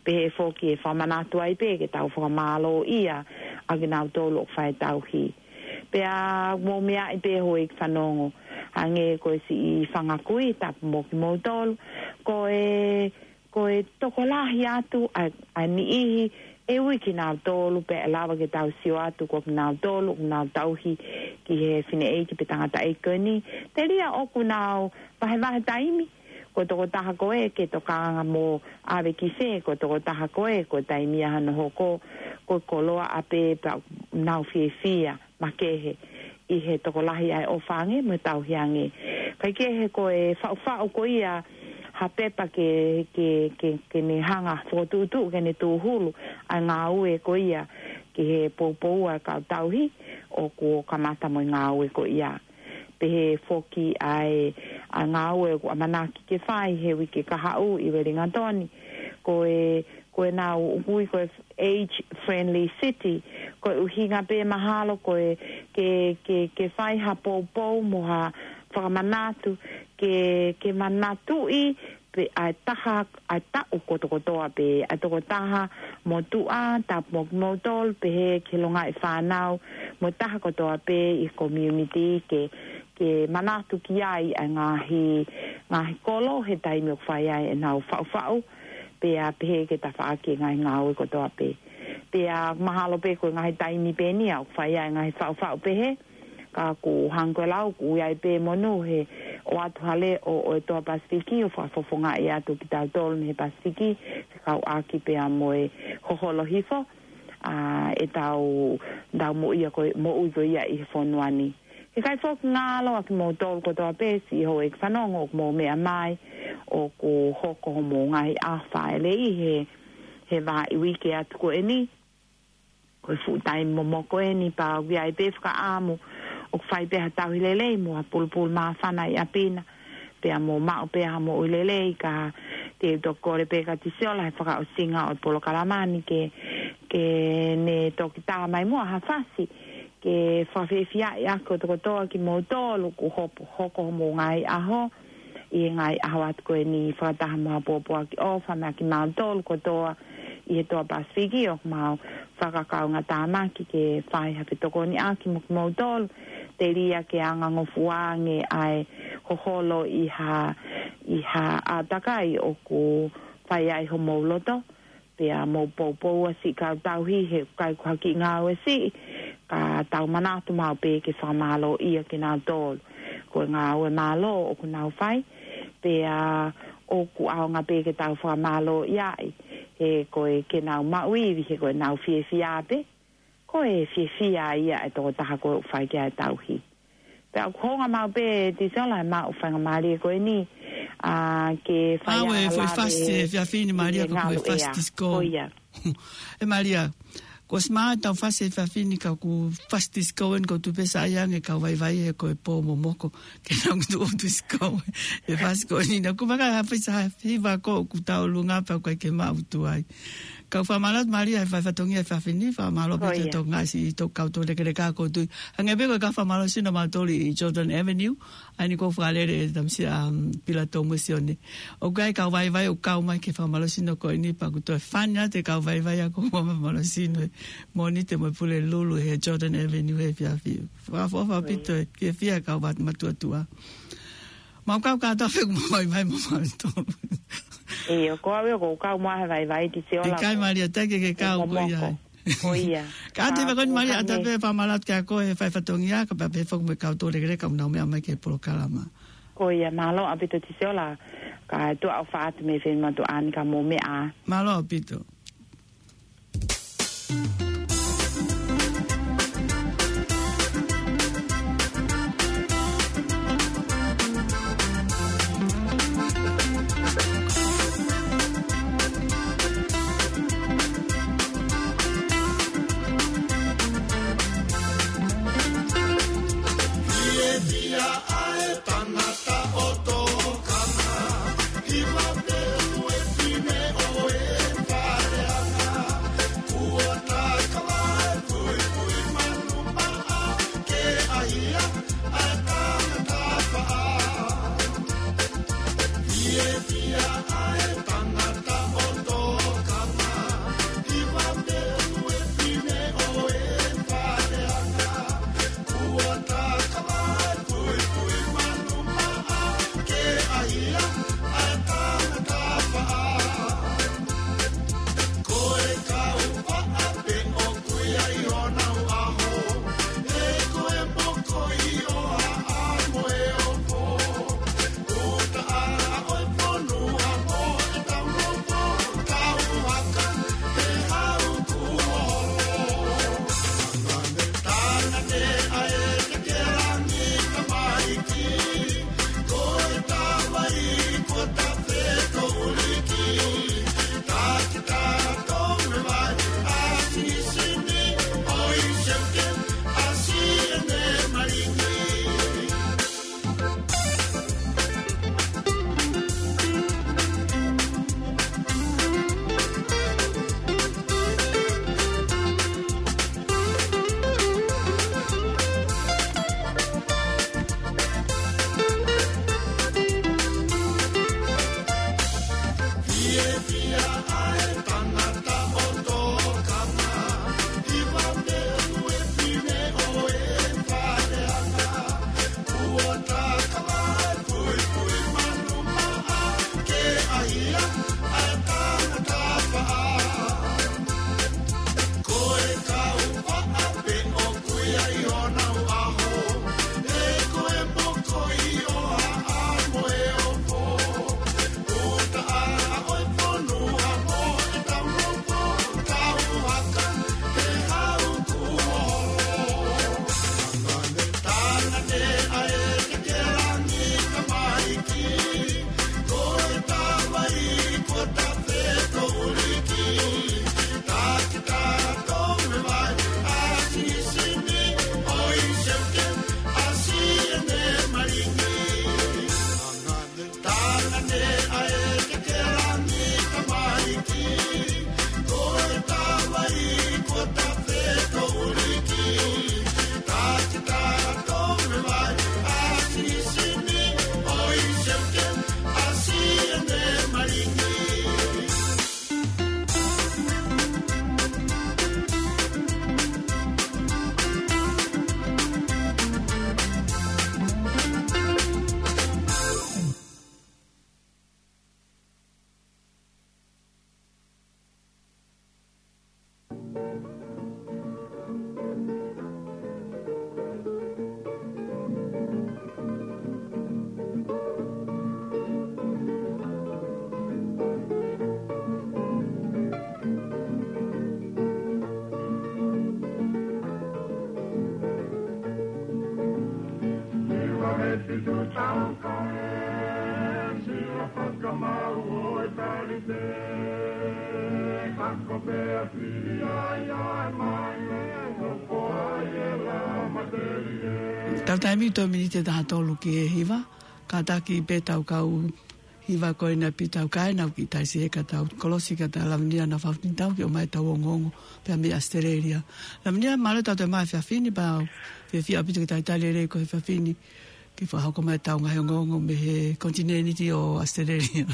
Pehē foki ʻe fakamanatu ai pē ke tau fakamālōʻia ʻa kinautolu ʻoku fai e tauhi. Pea mou meaʻi pē houʻeiki fanongo, hangē ko e siʻi fanga kui, tapu mo kimoutolu, ko e, ko e tokolahi atu ʻa, ʻa e niʻihi ʻe ui kinautolu pea ʻe lava ke tau sio atu ko kinautolu ʻoku nau tauhi ki he fineʻeiki pe tangataʻeiki ko eni. Telia ʻoku nau vahevahe taimi, ko e tokotaha ko ē ke tokanga mo ʻave ki fē, ko e tokotaha ko ē, ko e taimi ia hono hoko, ko e koloa ʻapē pea nau fiefia makehe ʻi he tokolahi ʻa e ʻofa ange mo e tauhi ange. Kaikehe ko e faʻufaʻu ko ia ha pepa ke, ke, ke, ke ne hanga fokotuʻutuʻu ke ne tūhulu ʻa e ngāue ko ia ki he poupou ʻa e kau tauhi ʻoku kamata mo e ngāue ko ia. Pehē foki ʻa e, ʻa e ngāue ʻoku ʻamanaki ke fai he uike kahaʻu ʻi Wellington. Ko e, ko e nau ʻoku ui ko e age friendly city. Ko e ʻuhinga pē mahalo ko e ke, ke, ke fai ha poupou mo ha fakamanatu ke, ke manatuʻi pē ʻa e taha, ʻa e taʻu kotokotoa pē, ʻa e tokotaha motuʻa, tapu mo kimoutolu, pehē ki he longaʻi fānau, mo e taha kotoa pē ʻi he community ke, ke manatu ki ai ʻa e ngaahi, ngaahi kolo he taimi ʻoku fai ai ʻenau faʻufaʻu, pea pehē ke tafaʻaki e ngaahi ngāue kotoa pē. Pea mahalo pē ko e ngaahi taimi pē eni ia ʻoku fai ai e ngaahi faʻufaʻu pehē, ka ʻoku hangē ko e lau, ʻoku ʻi ai pē monū he ʻoatu ha leʻo ʻo e Toa Pasifiki ʻo fakafofongaʻi atu kitautolu mei he Pasifiki, fekauʻaki pea mo e hoholo hifo ʻa ʻetau, tau moʻui ko, moʻui ko ia ʻi he fonua ni. He ʻikai foki ngalo ʻa kimoutolu kotoa pē siʻi houʻeiki fanongo ʻoku mou meʻa mai, ʻoku hoko homou ngaahi ʻaho fāʻeleʻi he, he vahaʻa uike atu ko eni. Ko e fuʻu taimi momoko eni pea ʻoku ʻi ai pē fakaʻamu ʻoku fai pē ha tauhi lelei mo ha pulupulu māfana ʻi ʻapi na. Pea mo maʻu pē ha moʻui lelei ka te u toki kole pē kia Tisiola he fakaʻosinga ʻo e polokalama ni ke, ke ne toki tā mai muʻa ha fasi ke fakafiefiaʻi ʻaki kotokotoa kimoutolu ʻoku hopo, hoko homou ngaahi ʻaho ʻi he ngaahi ʻaho atu ko eni fakataha mo ha pōpoaki ʻofa maʻa kimautolu kotoa ʻi he Toa Pasifiki ʻoku mau fakakaungatāmaki ke fai ha fetokoniʻaki mo kimoutolu. Telia ke angangofua ange ʻa e hoholo ʻi ha, ʻi ha ʻātakai ʻoku fai ai homou loto. Pea mou poupou ʻa siʻi kau tauhi he ʻikai ko ha kiʻi ngāue siʻi, ka tau manatu maʻu pē ke fakamālōʻia kinautolu. Ko e ngāue mālō ʻoku nau fai, pea ʻoku ʻaonga pē ke tau fakamālōʻia ai. ē, ko e ke nau maʻu ivi he ko e nau fiefia pē. Ko e fiefia ia e tokotaha ko ē ʻoku fai ki ai e tauhi. Pea ʻoku hounga maʻu pē Tisola e maʻu faingamālie ko eni, ʻa, ke fai ʻAue, ʻa e foʻi lave fasi e efiafi ni, Malia, ʻi he ko e foʻi ngalu fasi ea. Tisko. Ko ia. ʻE Malia, kuo ʻosi maʻu ʻetau fasi efiafi ni ka ʻoku fasi tisko eni, ʻoku ou tui pē sa ʻai ange e kau vaivai he ko e pō momoko ke nau tuʻu tisko. ʻE fasi ko eni naʻa ku maka ha fasi ha hiva ko ʻoku tau lunga pea ʻoku ʻikai ke maʻu tuʻu ai. Kau fakamālō atu Malia he fai fatongia he efiafi ni, fakamālō pē Ko ia. Tokanga siʻi tō kau tō lekeleka ʻoku ou tui. Hangē pē ko e kau fakamālō sino mautolu ʻi Jordan Avenue, ʻa eni ʻoku ou fakalele ʻe Tamisia, um, Pilato mo Sione. ʻOku ʻi ai e kau vaivai ʻoku kau mai ki he fakamālō sino ko eni pea ʻoku toe fani atu e kau vaivai ʻa ʻoku ʻomai e fakamālō sino ʻe Mōnite mo e Pulelulu he Jordan Avenue he efiafi. Fakaʻofoʻofa ʻaupito e fiefia e kau vat matuʻotuʻa. Mau kau kātoa pē ʻoku mau vaivai mo mau tō. ʻIo, ko au ia ʻoku ou kau mo au he vaivai Tisola. ʻIkai Malia, ʻikai ke ke kau ko ia. Momoko. Ko ia. Ka te Ka vako ni ko Malia, ʻata hangē. Pē fakamālō atu kia koe he fai fatongia, kae pehē foki mo e kau tō lekeleka ʻoku nau meʻa mai ki he polokalama. Ko ia, mālō ʻaupito Tisola, ka tuʻa ʻofa atu mei Fenimatuʻa ni ka mou meʻa ā. Mālō ʻaupito. Tau taimi toe miniti ʻe taha tolu ki he hiva, kātaki pē tau kau hiva ko ena pē tau kae nau ki taisi e ka tau kolosi ka tau Lavenia na fafini tau ke ʻomai tau ongoongo pea mei ʻAositelēlia. Lavenia, mālō e tau toe mai he efiafi ni pea fiefia ʻaupito ke talitali lelei koe he efiafi ni ke fakahoko mai tau ngaahi ongoongo mei he konitinēniti ʻo ʻAositelēlia.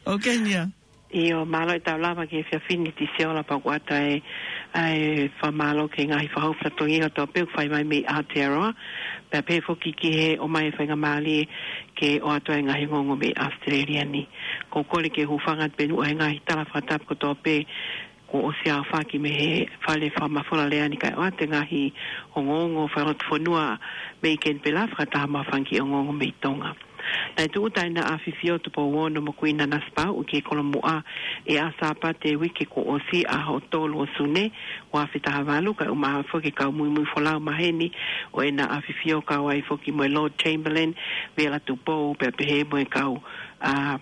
ʻOku ke ʻi ai? ʻIo, mālō e tau lava ki he efiafi ni Tisiola pea ʻoku ʻoatu ʻa e fakamālō ki he ngaahi fakahoko fatongia kotoa pē ʻoku fai mai mei Aotearoa. Pea pehē foki ki he ʻomai e faingamālie ke ʻoatu ʻa e ngaahi ongoongo mei ʻAositelēlia ni. ʻOku ou kole ke u hūfanga atu pē ʻi he ngaahi tala fakatapu kotoa pē kuo ʻosi aofaki mei he fale fakamafola lea ni kae ʻoatu e ngaahi ongoongo fakalotofonua mei Kenipela fakataha mo e fanga kiʻi ongoongo mei Tonga. Naʻe tūʻuta ʻEna ʻAfifio Tupou Ono mo Kuini Nanasipauʻu ki he Kolomuʻa ʻi he ʻaho Sāpate e uike kuo ʻosi, ʻaho tolu ʻo Sune, ua afe taha valu, kae ʻumaʻā foki e kau muimui folau maheni ʻo ʻEna ʻAfifio, kau ai foki mo e Lord Chamberlain, Vela Tupou, pea pehē mo e kau, ʻa,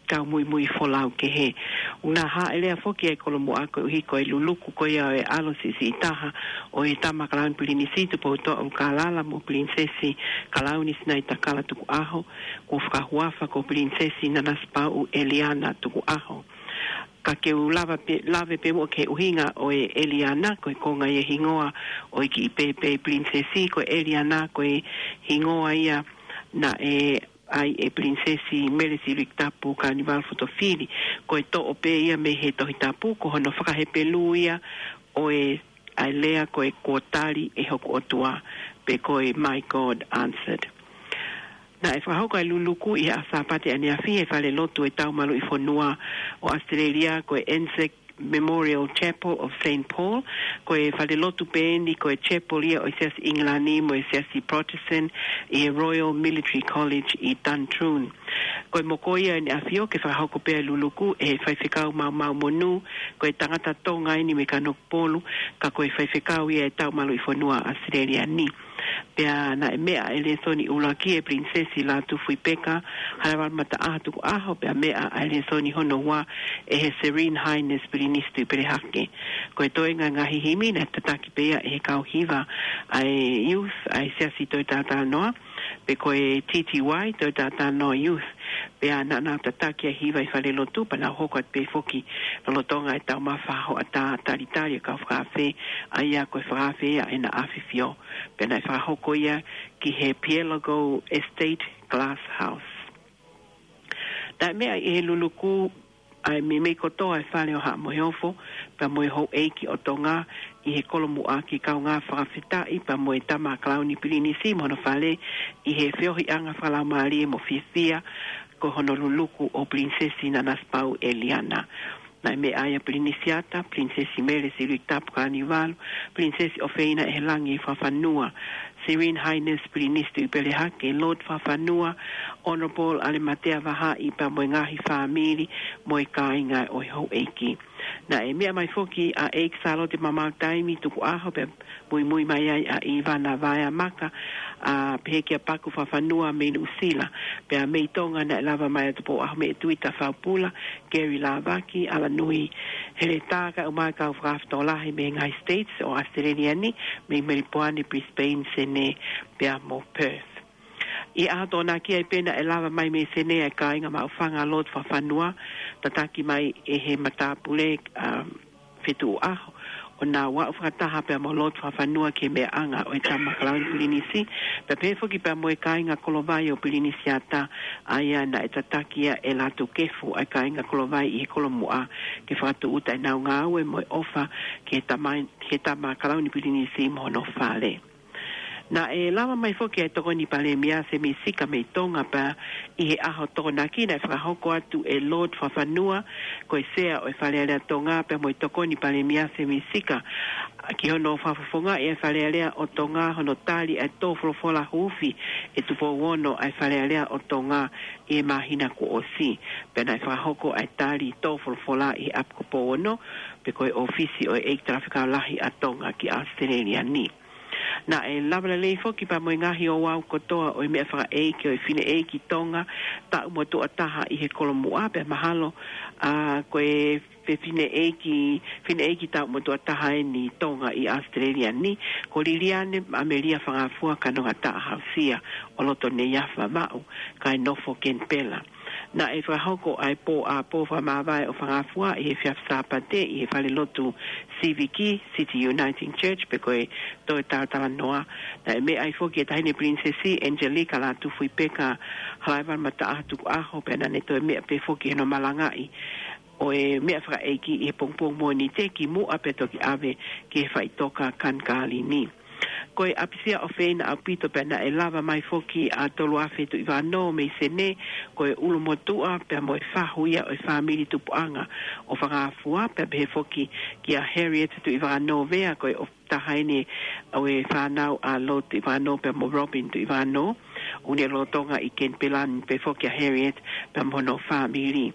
kau muimui folau kehe. ʻOku na hāʻele foki ʻa e Kolomuʻa koeʻuhi ko e luluku ko ia ʻo e ʻalo siʻisiʻi taha ʻo e Tama Kalauni Pilinisi Tupoutoʻa ʻUlukālala mo Pilinisesi Kalauni Sinaitakala Tukuʻaho, kuo fakahuafa ko Pilinisesi Nanasipauʻu ʻEliana Tukuʻaho. Ka ke u lava pē, lave pē muʻa ki he ʻuhinga ʻo e ʻEliana, ko e konga ia e hingoa ʻo e kiʻi pēpē pilinisesi, ko e ʻEliana ko e hingoa ia naʻe ʻai ʻe Pilinisesi Mele Siliulukitapu Kalaniuvalu Fotofili. Ko e toʻo pē ia mei he Tohi Tapu, ko hono fakahepelū ia ʻo e, ʻa e lea ko e kuo tali ʻe hoku ʻOtua, pe ko e My God answered. Naʻe fakahoko ʻa e luluku ʻi he ʻaho Sāpate ʻaneafi ʻi he falelotu ʻo e Taumaluʻi Fonua ʻo ʻAositelēlia, ko e Anzac Memorial Chapel of Saint Paul. Ko e falelotu pē eni ko e chapel ia ʻo e Siasi ʻIngilani mo e Siasi Protestant ʻi he Royal Military College ʻi Duntroon. Ko e moko ia ʻEna ʻAfio ke fakahoko pē ʻa e luluku ʻe he faifekau Maumau Monū, ko e tangata Tonga eni mei Kanokupolu, ka ko e faifekau ia ʻo e Taumaluʻi Fonua ʻAositelēlia ni. Pea naʻe meʻa ʻa e lēsoni ʻuluaki ʻe Pilinisesi Lātūfuipeka Halaevalu Mataʻaho Tukuʻaho, pea meʻa ʻa e lēsoni hono ua ʻe he Serene Highness Pilinisi Tuʻipelehake. Ko e toenga e ngaahi himi naʻe tataki pē ia ʻe he kau hiva ʻa e youth ʻa e Siasi Toe Tātānoa, pe ko e T T Y, Toe Tātānoa Youth. Pea naʻa nau tataki ʻa e hiva ʻi falelotu, pea nau hoko atu pē foki lolotonga e taumafa hoʻatā, talitali e kau fakaafe, ʻa ia ko e fakaafe ia ʻEna ʻAfifio. Pea naʻe fakahoko ia ki he Pielago Estate Glass House. Naʻe meʻa ʻi he luluku ʻa e meimei kotoa e fale ʻo Haʻa Moheofo, pea mo e houʻeiki ʻo Tonga ʻi he Kolomuʻa, ke kaungā fakafetaʻi pea mo e Tama Kalauni Pilinisi mo hono fale ʻi he feohiʻanga fakalaumālie mo fiefia ko hono luluku ʻo Pilinisesi Nanasipauʻu ʻEliana. Naʻe meʻa ai ʻa Pilinisi Ata, Pilinisesi Mele Siliulukitapu Kalaniuvalu, Pilinisesi ʻOfeina ʻEhelangi Fakafanua, Serene Highness Pilinisi Tuʻipelehake, Lord Fakafanua, Honourable ʻAlematea Vahaʻi, pea mo e ngaahi fāmili mo e kāinga ʻo e houʻeiki. Naʻe meʻa mai foki ʻa ʻEiki Sālote Mamaʻu Taimi Tukuʻaho, pea muimui mai ai ʻa ʻIvana Vaea Maka, ʻa, pehē kia Paku Fakafanua mei Nuʻusila, pea mei Tonga naʻe lava mai ʻa Tupou ʻAhomeʻetui Tafaupula, Gary Lavaki, ʻAlanui Heletā, kae ʻumaʻā e kau fakafetōlahi mei he ngaahi States ʻo ʻAositelēlia ni, mei Melipoane, Brisbane, Senē, pea mo Perth. ʻI he ʻaho Tokonaki ai pē naʻe lava mai mei Senē ʻa e kāinga maʻufanga Lord Fakafanua, tataki mai ʻe he matāpule, um, Fetuʻuʻaho, ʻo nau aʻu fakataha pea mo Lord Fakafanua ki he meʻaʻanga ʻo e Tama Kalauni Pilinisi, pea pehē foki pea mo e kāinga Kolovai ʻo Pilinisi Ata, ʻa ia naʻe tataki ia ʻe Lātūkefu ʻa e kāinga Kolovai ʻi he Kolomuʻa, ke fakatūʻuta ʻenau ngāue mo e ʻofa ki he Tama, ki he Tama Kalauni Pilinisi mo hono fale. Naʻe lava mai foki ʻa e Tokoni Palēmia Sēmisi Sika mei Tonga, pea ʻi he ʻaho Tokonaki naʻe fakahoko atu ʻe Lord Fakafanua, ko e Sea ʻo e Fale Alea Tonga, pea mo e Tokoni Palēmia Sēmisi Sika, ki hono fakafofongaʻi ʻa e Fale Alea ʻo Tonga, hono tali ʻa e tō folofola huufi ʻe Tupou Ono ʻa e Fale Alea ʻo Tonga ʻi he māhina kuo ʻosi. Pea naʻe fakahoko ʻa e tali tō folofola ʻi he ʻapi ko Pouono, pe ko e ʻōfisi ʻo e ʻEiki Talafekau Lahi ʻa Tonga ki ʻAositelēlia ni. Naʻe lava lelei foki pea mo e ngaahi ouau kotoa ʻo e meʻa fakaʻeiki ʻo e fineʻeiki Tonga taʻu motuʻa taha ʻi he Kolomuʻa, pea mahalo, ʻa, ko e pe fineʻeiki, fineʻeiki tauʻamotuʻa taha eni Tonga ʻi ʻAositelēlia ni, ko Liliane Amelia Fangafua Kanongataʻa Hausia ʻo loto Neiafa Vaʻu, kae nofo Kenipela. Naʻe fakahoko ʻa e pō ʻapō fakamāvae ʻo Fangafua ʻi he efiafi Sāpate ʻi he falelotu Siviki, City Uniting Church, pe ko e Toe Talatalanoa. Naʻe meʻa ai foki e Taʻahine Pilinisesi Angelika Lātūfuipeka Halaevalu Mataʻaho Tukuʻaho, pea naʻa ne toe meʻa pē foki hono malangaʻi ʻo e meʻa fakaʻeiki ʻi he pongipongi Mōnite kimuʻa pea toki ʻave ki he faʻitoka Kanikālini. Ko e ʻapisia ʻofeina ʻaupito pea naʻe lava mai foki ʻa Toluafe Tuʻivakanō mei Senē, ko e ʻulumotuʻa pea mo e fahu ia ʻo e fāmili tupuʻanga ʻo Fangafua, pea pehē foki kia Harriet Tuʻivakanō Vea, ko e ʻo taha eni ʻo e fānau ʻa Lord Tuʻivakanō pea mo Robin Tuʻivakanō, ʻoku ne lolotonga ʻi Kenipela ni, pehē foki kia Harriet pea mo hono fāmili.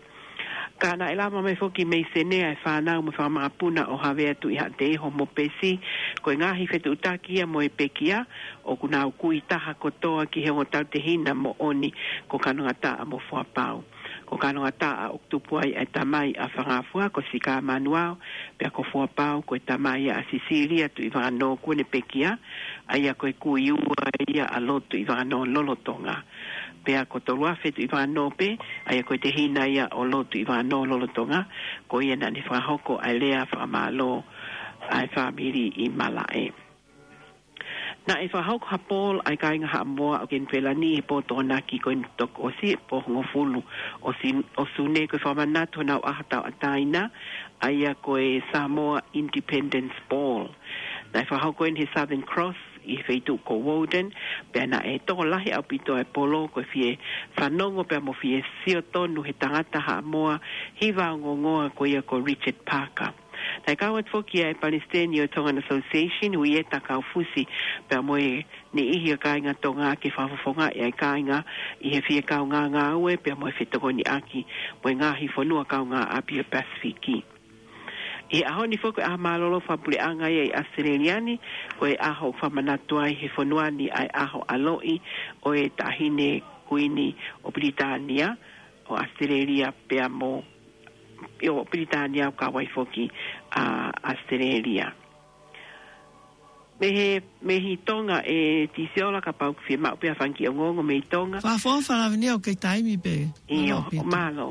Ka naʻe lava mai foki mei Senē ʻa e fānau mo e fanga makapuna ʻo Havea Tuʻihaʻateiho mo Pesi, ko e ngaahi fetuʻutaki ia mo e pekia, ʻoku nau kui taha kotoa ki he ongo tautehina moʻoni ko Kanongataʻa mo Fuapau. Ko Kanongataʻa ʻoku tupu ai ʻa e tamai ʻa Fangafua ko Sika Manuao, pea ko Fuapau ko e tamai ʻa Sisilia Tuʻivakanō kuo ne pekia, ʻa ia ko e kui ua ia ʻa Lord Tuʻivakanō lolotonga. Pea ko Toluafe Tuʻivakanō pē, ʻa ia ko e tehina ia ʻo Lord Tuʻivakanō lolotonga, ko ia naʻa ne fakahoko ʻa e lea fakamālō ʻa e fāmili ʻi Malaʻe. Naʻe fakahoko ha pole ʻa e kāinga Haʻamoa ʻo Kenipela ni he pō Tokonaki ko eni toki ʻosi, pō hongofulu ʻo Sin-, ʻo Sune, ko e fakamanatu honau ʻaho tauʻatāina, ʻa ia ko e Samoa Independence Ball. Naʻe fakahoko eni he Southern Cross ʻi he feituʻu ko Woden, pea naʻe tokolahi ʻaupito ʻa e polo, ko e fie fanongo pea mo fie sio tonu he tangata Haʻamoa hiva ongoongoa ko ia ko Richard Parker. Naʻe kau atu foki ʻa e palesiteni ʻo e Tongan Association, Uieta Kaufusi, pea mo e niʻihi ʻo e kāinga Tonga ke fakafofongaʻi ʻa e kāinga ʻi he fie kaungā ngāue pea mo e fetokoniʻaki mo e ngaahi fonua kaungāʻapi ʻo e Pasifiki. ʻI he ʻaho ni foki ko e ʻaho mālōlō fakapuleʻanga ia ʻi ʻAositelēlia ni, ko e ʻaho ʻoku fakamanatu ai he fonua ni ʻa e ʻaho ʻaloʻi ʻo e Taʻahine Kuini ʻo Pilitānia, ʻo ʻAositelēlia pea mo, ʻio, Pilitānia ʻoku kau ai foki ʻa ʻAositelēlia. Mei he, mei he Tonga ʻe Tisiola, kapau ʻoku fiemaʻu pē ha fanga kiʻi ongoongo mei Tonga. Fakaʻofoʻofa Lavinia, ʻoku kei taimi pē. ʻIo, mālō ʻaupito. Mālō.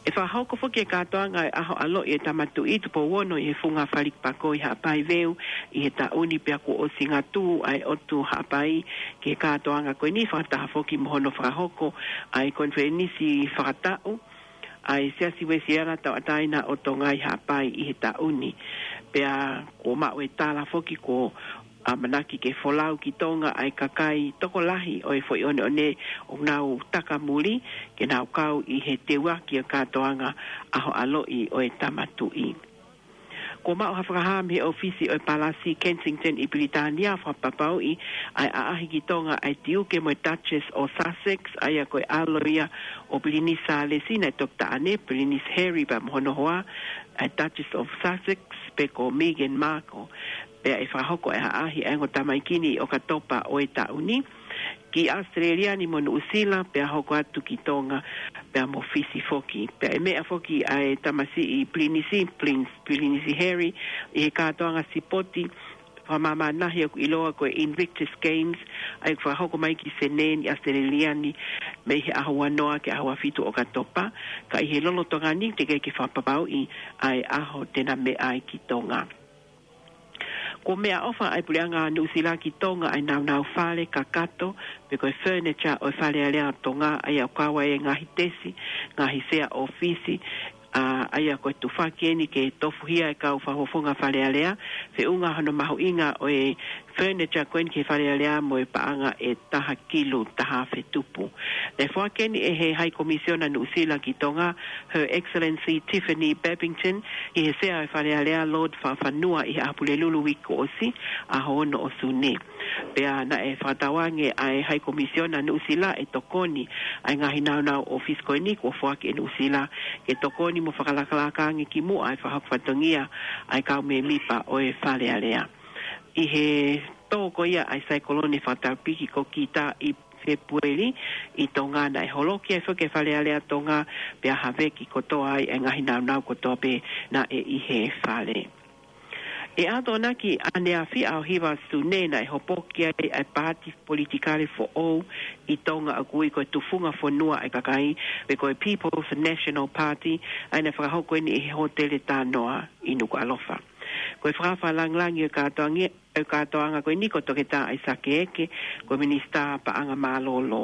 ʻE fakahoko foki e kātoanga ʻo e ʻaho ʻaloʻi ʻo e Tama Tuʻi, tupou ono ʻi he funga Faliki Pakoʻi Haʻapai Veu ʻi he taʻu ni, pea kuo ʻosi ngātuʻu ʻa e ʻOtu Haʻapai ki he kātoanga ko eni, fakataha foki mo hono fakahoko ʻa e konifelenisi fakataʻu ʻa e Siasi Uēsiliana Tauʻatāina ʻo Tonga ʻi Haʻapai ʻi he taʻu ni. Pea kuo maʻu e tala foki kuo ʻamanaki ke folau ki Tonga ʻa e kakai tokolahi ʻo e foʻi ʻoneʻone ʻoku nau takamuli ke nau kau ʻi he teuaki ʻo e kātoanga ʻaho ʻaloʻi ʻo e Tama Tuʻi. Kuo maʻu ha fakahā mei he ʻōfisi ʻo e Palasi Kensington ʻi Pilitānia, fakapapauʻi ʻa e ʻaʻahi ki Tonga ʻa e Tiuke mo e Duchess ʻo Sussex, ʻa ia ko e ʻalo ia ʻo Pilinisi Sālesi, naʻe toki taʻane, Pilinisi Harry pea mo hono hoa, ʻa e Duchess of Sussex, pe ko Meghan Markle. Pea ʻe fakahoko ʻa e ʻaʻahi ʻa e ongo tamaiki ni ʻi ʻOkatopa ʻo e taʻu ni ki ʻAositelēlia ni mo Nuʻusila, pea hoko atu ki Tonga, pea mo Fisi foki. Pea ʻe meʻa foki ʻa e tamasiʻi Pilinisi, Prince, Pilinisi Harry, ʻi he kātoanga sipoti fakamāmanihi ʻoku ʻiloa ko e Invictus Games, ʻa ia ʻoku fakahoko mai ki Senē ʻi ʻAositelēlia ni, mei he ʻaho uanoa ki he ʻaho uafitu ʻo ʻOkatopa, ka ʻi he lolotonga ni teʻeki ke fakapapauʻi ʻa e ʻaho te na meʻa ai ki Tonga. Kuo meʻaʻofa ʻa e Puleʻanga Nuʻusila ki Tonga ʻa e naunau fale kakato, pe ko e furniture ʻo e Fale Alea ʻo Tonga, ʻa ia ʻoku kau ai e ngaahi tesi, ngaahi sea ʻōfisi, ʻa, ʻa ia ko e tufaki eni ke tofuhia e kau fakafofonga Fale Alea, feʻunga hono mahuʻinga ʻo e furniture ko eni ki he Fale Alea mo e paʻanga ʻe taha kilu taha afe tupu. Naʻe foaki eni ʻe he High Commissioner Nuʻusila ki Tonga, Her Excellency Tiffany Babington, ʻi he Sea ʻo e Fale Alea, Lord Fakafanua, ʻi he ʻaho Pulelulu uike kuo ʻosi, ʻaho ono ʻo Sune. Pea naʻe fakatauange ʻa e High Commissioner Nuʻusila ʻe tokoni ʻa e ngaahi naunau ʻōfisi ko eni kuo foaki ʻe Nuʻusila ke tokoni mo fakalakalaka ange ki muʻa ʻa e fakahoko fatongia ʻa e kau mēmipa ʻo e Fale Alea. ʻI he tō ko ia ʻa e saikolone fakataupiki ko Gita ʻi Fepueli ʻi Tonga, naʻe holoki ai foki e Fale Alea Tonga, pea haveki kotoa ai e ngaahi naunau kotoa pē naʻe ʻi he fale. ʻI he Tokonaki ʻaneafi ʻaho hiva Sune, naʻe hopoki ai ʻa e paati politikale foʻou ʻi Tonga ʻoku ui ko e Tufunga Fonua ʻa e Kakai, pe ko e People's National Party, ʻa ia naʻe fakahoko eni ʻi he Hōtele Tanoa ʻi Nukuʻalofa. Ko e fakaafe lāngilangi ʻo e kātoange-, ʻo e kātoanga ko eni ko Toketā ʻAisake Eke, ko e Minisitā Paʻanga Mālōlō,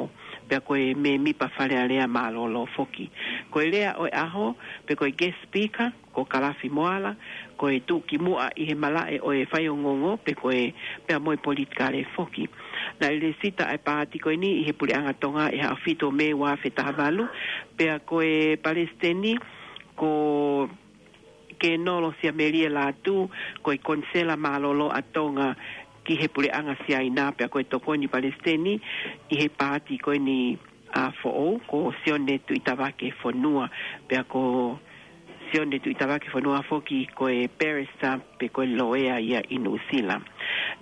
pea ko e mēmipa Fale Alea mālōlō foki. Ko e lea ʻo e ʻaho, pe ko e guest speaker, ko Kalafi Moala, ko e tuʻukimuʻa ʻi he malaʻe ʻo e faiongoongo, pe ko e, pea mo e politikale foki. Naʻe lēsisita ʻa e paati ko eni ʻi he Puleʻanga Tonga ʻi he ʻaho fitu ʻo Mē ua afe taha valu, pea ko e palesiteni ko Kenolo Siamelie Lātū, ko e konisela mālōlō ʻa Tonga ki he Puleʻanga Siaina, pea ko e tokoni palesiteni ʻi he paati ko eni ʻa foʻou, ko Sione Tuʻitavake Fonua, pea ko Sione Tuʻitavake Fonua foki ko e barrister pe ko e loea ia ʻi Nuʻusila.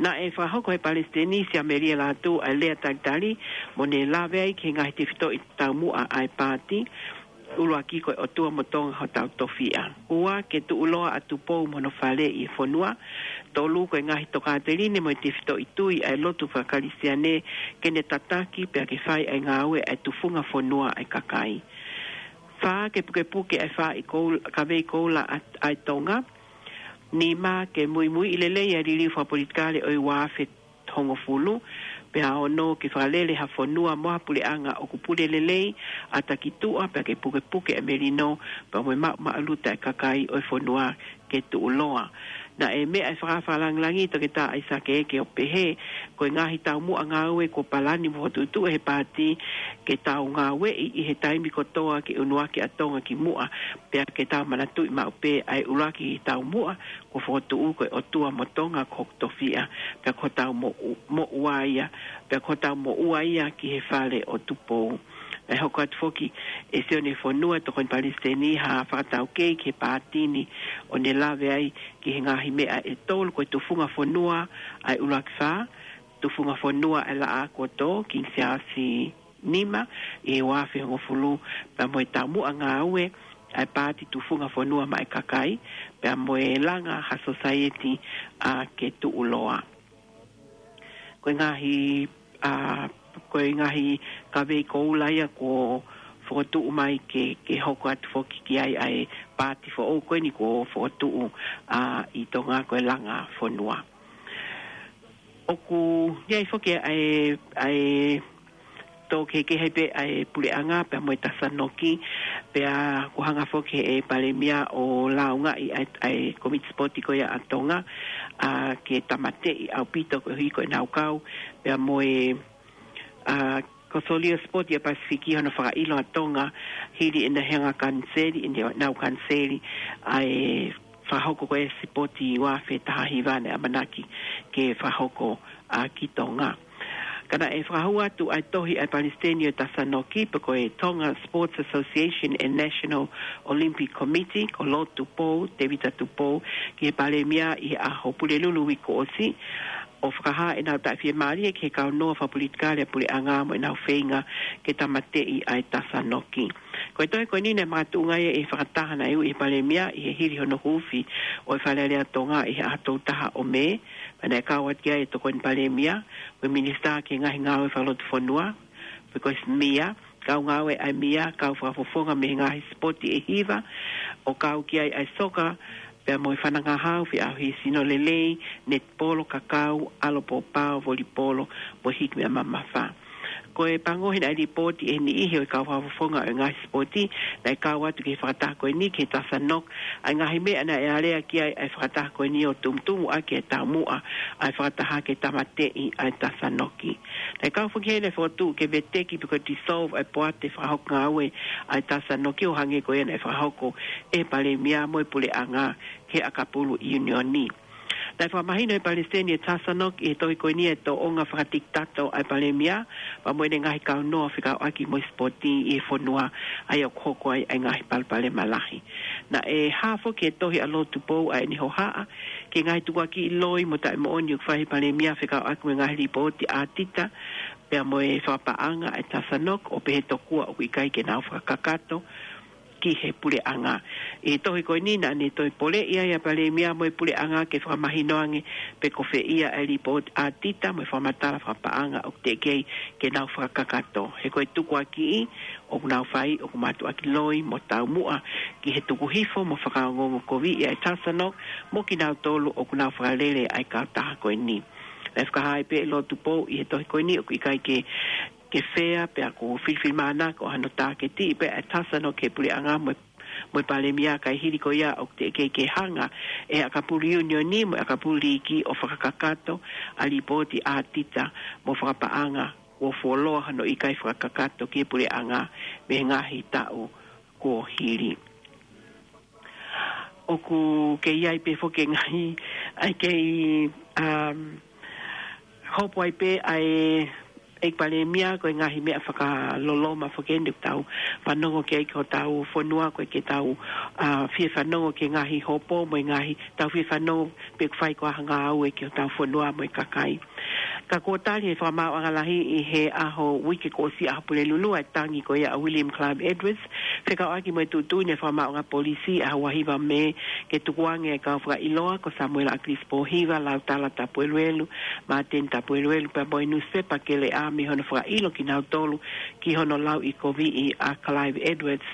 Naʻe fakahoko ʻe he palesiteni Siamelie Lātū ʻa e lea talitali, mo ne lave ai ki he ngaahi tefitoʻi taumuʻa ʻa e paati, ʻuluaki ko e ʻOtua mo Tonga hotau tofiʻa. Ua, ke tuʻuloa ʻa Tupou mo hono fale ʻi he fonua. Tolu, ko e ngaahi tokāteline mo e tefitoʻi tui ʻa e lotu fakakalisitiane ke ne tataki pea ke fai ʻa e ngāue ʻa e tufunga fonua ʻa e kakai. Fā, ke pukepuke ʻa e faaʻi koul-, kavei koula ʻa, ʻa e Tonga. Nima, ke muimuiʻi lelei ʻa e liliu fakapolitikale ʻo e ua afe hongofulu, pea ono, ke fakalele ha fonua mo ha puleʻanga ʻoku pule lelei ʻa e takituʻa, pea ke pukepuke ʻa e melino, pea mo e maʻumaʻuluta ʻa e kakai ʻo e fonua ke tuʻuloa. Naʻe meʻa ʻa e fakaafe lāngilangi Toketā ʻAisake Eke ʻo pehē, ko e ngaahi taumuʻa ngāue kuo palani mo fokotuʻutuʻu ʻe he paati ke tau ngāueʻi ʻi he taimi kotoa ke ʻunuaki ʻa Tonga ki muʻa, pea ke tau manatuʻi maʻu pē ʻa e ʻuluaki taumuʻa kuo fokotuʻu ko e ʻOtua mo Tonga ko hoku tofiʻa, pea ko hotau moʻu-, moʻua ia, pea ko hotau moʻua ia ki he fale ʻo Tupou. Naʻe hoko atu foki ʻe Sione Fonua, tokoni palesiteni, ha fakataukei ki he paati ni, ʻo ne lave ai ki he ngaahi meʻa ʻe tolu, ko e tufunga fonua ʻa e ʻuluaki fā, tufunga fonua ʻa e Laʻā kuo tō, King Siaosi nima, ʻi he ua afe hongofulu, pea mo e taumuʻa ngāue ʻa e paati tufunga fonua maʻa e kakai, pea mo e langa ha sosaieti ʻa ke tuʻuloa. Ko e ngaahi, ʻa, ko e ngaahi kavei koula ia kuo fokotuʻu mai ke, ke hoko atu foki ki ai ʻa e paati foʻou ko eni kuo fokotuʻu, ʻa, ʻi Tonga, ko e langa fonua. ʻOku ʻi ai foki ʻa e, ʻa e tō kehekehe pē ʻa e puleʻanga pea mo e Tasanoki, pea kuo hanga foki ʻe he Palēmia ʻo lāungaʻi ʻa e, ʻa e Komiti Sipoti ko ia ʻa Tonga, ʻa, ke tāmateʻi ʻaupito koeʻuhi ko ʻenau kau, pea mo e, ʻa, Konisiona Sipoti ʻa e Pasifiki hono fakaʻilo ʻa Tonga, hili ʻenau hanga kaniseli, ʻenau kaniseli ʻa e fakahoko ko ē sipoti ua afe taha hiva naʻe ʻamanaki ke fakahoko, ʻa, ki Tonga. Ka naʻe fakahū atu ʻa e tohi ʻa e Palesiteni ʻo e Tasanoki, pe ko e Tonga Sports Association and National Olympic Committee, ko Lord Tupou, Tevita Tupou, ki he Palēmia ʻi he ʻaho Pulelulu uike kuo ʻosi, ʻo fakahā ʻenau taʻefiemālie ki he kau noa fakapolitikale ʻa e puleʻanga mo ʻenau feinga ke tāmateʻi ʻa e Tasanoki. Ko e tohi ko eni naʻe makatuʻunga ia ʻi he fakataha naʻe ui ʻe he Palēmia ʻi he hili hono huufi ʻo e Fale Alea Tonga ʻi he ʻaho tolu taha ʻo Mē, pea naʻe kau atu ki ai e Tokoni Palēmia, ko e Minisitā ki he Ngaahi Ngāue Fakalotu Fonua, pe ko e Mia, kau ngāue ʻa e Mia, kau fakafofonga mei he ngaahi sipoti ʻe hiva, ʻo kau ki ai ʻa e soka, pea mo e fanangahau, feʻauhi sino lelei, netipolo, kakau, ʻalo pōpao, volipolo, mo e hiki meʻa mamafa. Ko e pango he naʻe lipooti ʻe he niʻihi ʻo e kau fakafofonga ʻo e ngaahi sipoti naʻe kau atu ki he fakataha ko eni ki he Tasanoki, ʻa e ngaahi meʻa naʻe alea ki ai ʻa e fakataha ko eni ʻo tumutumu ʻaki e taumuʻa ʻa e fakataha ke tāmateʻi ʻa e Tasanoki. Naʻe kau foki heni e fokotuʻu ke veteki pe ko e dissolve ʻa e poate fakahoko ngāue ʻa e Tasanoki ʻo hangē ko ia naʻe fakahoko ʻe he Palēmia mo e Puleʻanga ki he ʻakapulu ʻiunioni. Naʻe fakamahino ʻe he Palesiteni ʻo e Tasanoki ʻi he tohi ko eni e tōʻonga fakatikitato ʻa e Palēmia, pea mo ʻene ngaahi kau noa fekauʻaki mo e sipoti ʻi he fonua, ʻa ia ʻoku hoko ai ʻa e ngaahi palopalema lahi. Naʻe hā foki he tohi ʻa Lord Tupou ʻa ʻene hohaʻa ki he ngaahi tukuakiʻi loi mo taʻemoʻoni ʻoku fai ʻe he Palēmia fekauʻaki mo e ngaahi lipooti ʻātita, pea mo e fakapaʻanga ʻa e Tasanok, ʻo pehē tokua ʻoku ʻikai ke nau fakakakato ki he puleʻanga. ʻI he tohi ko eni naʻa ne toe poleʻi ai ʻa e Palēmia mo e puleʻanga ke fakamahino ange pe ko fē ia ʻa e lipooti ʻaotita mo e fakamatala fakapaʻanga ʻoku teʻeki ai ke nau fakakakato. He ko e tukuakiʻi ʻoku nau fai ʻoku mātuʻaki loi mo taumuʻa ki he tuku hifo mo fakaongoongo koviʻi ʻa e Tasanok mo kinautolu ʻoku nau fakalele ʻa e kautaha ko eni. Naʻe fakahā ai pē ʻe Lotupou ʻi he tohi ko eni ʻoku ʻikai ke, ke fea pea ʻoku filifilimānako hano tāketiʻi pē ʻa e Tasanok ki he puleʻanga mo e, mo e Palēmia, kae hili ko ia ʻoku teʻeki ai ke hanga ʻe he ʻakapulu ʻiunioni mo e ʻakapulu liiki ʻo fakakakato ʻa e lipooti ʻaotita mo fakapaʻanga kuo fuoloa hono ʻikai fakakakato ki he puleʻanga mei he ngaahi taʻu kuo hili. ʻOku kei ʻi ai pē foki e ngaahi, ʻa e kei, um, hopo ai pē ʻa e ʻEiki Palēmia, ko e ngaahi meʻa fakaloloma foki eni ʻoku tau fanongo ki ai ki hotau fonua, ko e ke tau, uh, fie fanongo ki he ngaahi hopo mo e ngaahi, tau fie fanongo pe ʻoku fai ko e hā ha ngāue ki hotau fonua mo e kakai. Ka kuo tali ʻe he Fakamaauʻanga Lahi ʻi he ʻaho uike kuo ʻosi, ʻaho Pulelulu, ʻa e tangi ko ia ʻa William Clive Edwards, fekauʻaki mo e tuʻutuʻuni ʻa e Fakamaauʻanga Polisi ʻaho ua hiva Mē ke tukuange ʻa e kau fakaʻiloa ko Samuela ʻAkilisi Pōhiva, Lautala Tapueluelu, Māteni Tapueluelu, pea mo e nusipepa Keleʻa mei hono fakaʻilo kinautolu ki hono lauʻikoviʻi ʻa Clive Edwards.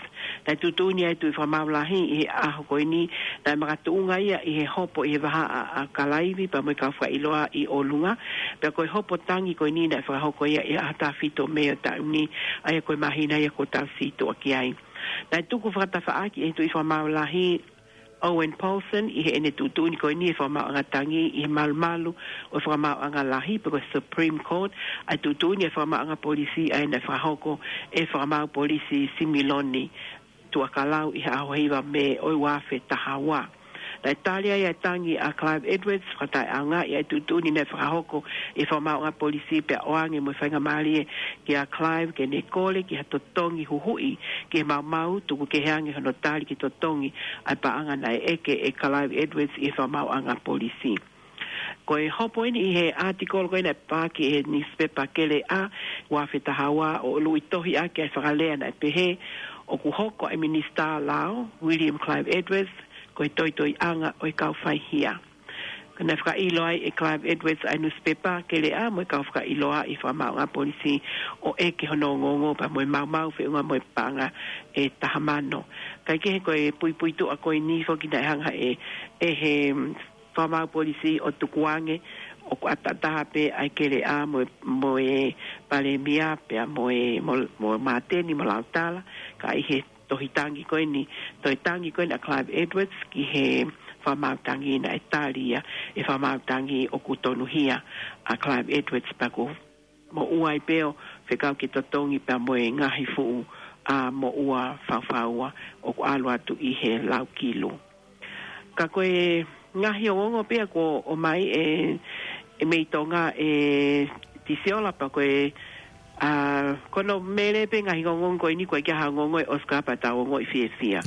Naʻe tuʻutuʻuni ʻa e Tuʻi Fakamaau Lahi ʻi he ʻaho ko eni naʻe makatuʻunga ia ʻi he hopo ʻi he vahaʻa ʻa Kalaivi pea mo e kau fakaʻiloa ʻi ʻolunga. Pea ko e hopo tangi ko eni naʻe fakahoko ia ʻi he ʻaho taha fitu Mē ʻo e taʻu ni, ʻa ia ko e māhina ia kuo tau situʻa ki ai. Naʻe tuku fakatafaʻaki ʻe he Tuʻi Fakamaau Lahi Owen Paulsen ʻi heʻene tuʻutuʻuni ko eni ʻa e Fakamaauʻanga Tangi ʻi he malumalu ʻo e Fakamaauʻanga Lahi pe ko e Supreme Court, ʻa e tuʻutuʻuni ʻa e Fakamaauʻanga Polisi ʻa ia naʻe fakahoko ʻe he Fakamaau Polisi Similoni Tuʻakalau ʻi he ʻaho hiva Mē ʻo e ua afe taha ua. Naʻe tali ai ʻa e tangi ʻa Clive Edwards, fakataʻeʻaongaʻi ʻa e tuʻutuʻuni naʻe fakahoko ʻe he Fakamaauʻanga Polisi pea ʻoange mo e faingamālie kia Clive ke ne kole ki ha totongi huhuʻi ki he maumau, tuku kehe ange hono tali ki he totongi ʻa e paʻanga naʻe ʻeke ʻe Clive Edwards ʻi he Fakamaauʻanga Polisi. Ko e hopo eni ʻi he ʻātikolo ko ē naʻe paaki ʻe he nusipepa Keleʻa ua afe taha ua, ʻo ʻuluʻi tohi ʻaki ʻa e fakalea naʻe pehē ʻoku hoko ʻa e Minisitā Lao, William Clive Edwards, ko e toitoiʻanga ʻo e kau faihia. Ka naʻe fakaʻilo ai ʻe Clive Edwards ʻa e nusipepa Keleʻa mo e kau fakaʻiloa ʻi he Fakamaauʻanga Polisi ʻo ʻeke hono ongoongo pea mo e maumau feʻunga mo e paʻanga ʻe taha mano. Kae kehe, ko e puipuituʻa ko eni foki naʻe hanga ʻe, ʻe he Fakamaau Polisi ʻo tukuange ʻoku ʻataʻatā pē ʻa e Keleʻa mo, mo e Palēmia pea mo e, mo, mo Māteni mo Lautala, ka ʻi he tohi tangi ko eni, toe tangi ko eni ʻa Clive Edwards ki he Fakamaau Tangi, naʻe tali ia ʻe he Fakamaau Tangi ʻoku tonuhia ʻa Clive Edwards pea kuo moʻua ai pē ʻo fekau ke totongi pea mo e ngaahi fuʻu, ʻa, moʻua faufaua ʻoku ʻalu atu ʻi he laukilu. Ka ko e ngaahi ongoongo pē ia kuo ʻomai ʻe, ʻe mei Tonga ʻe Tisiola pea ko e, ʻa, ko hono mele pē ngaahi ongoongo ko eni, ko e ʻikai ha ongoongo ʻe ʻosi ka pea tau ongoʻi fiefia.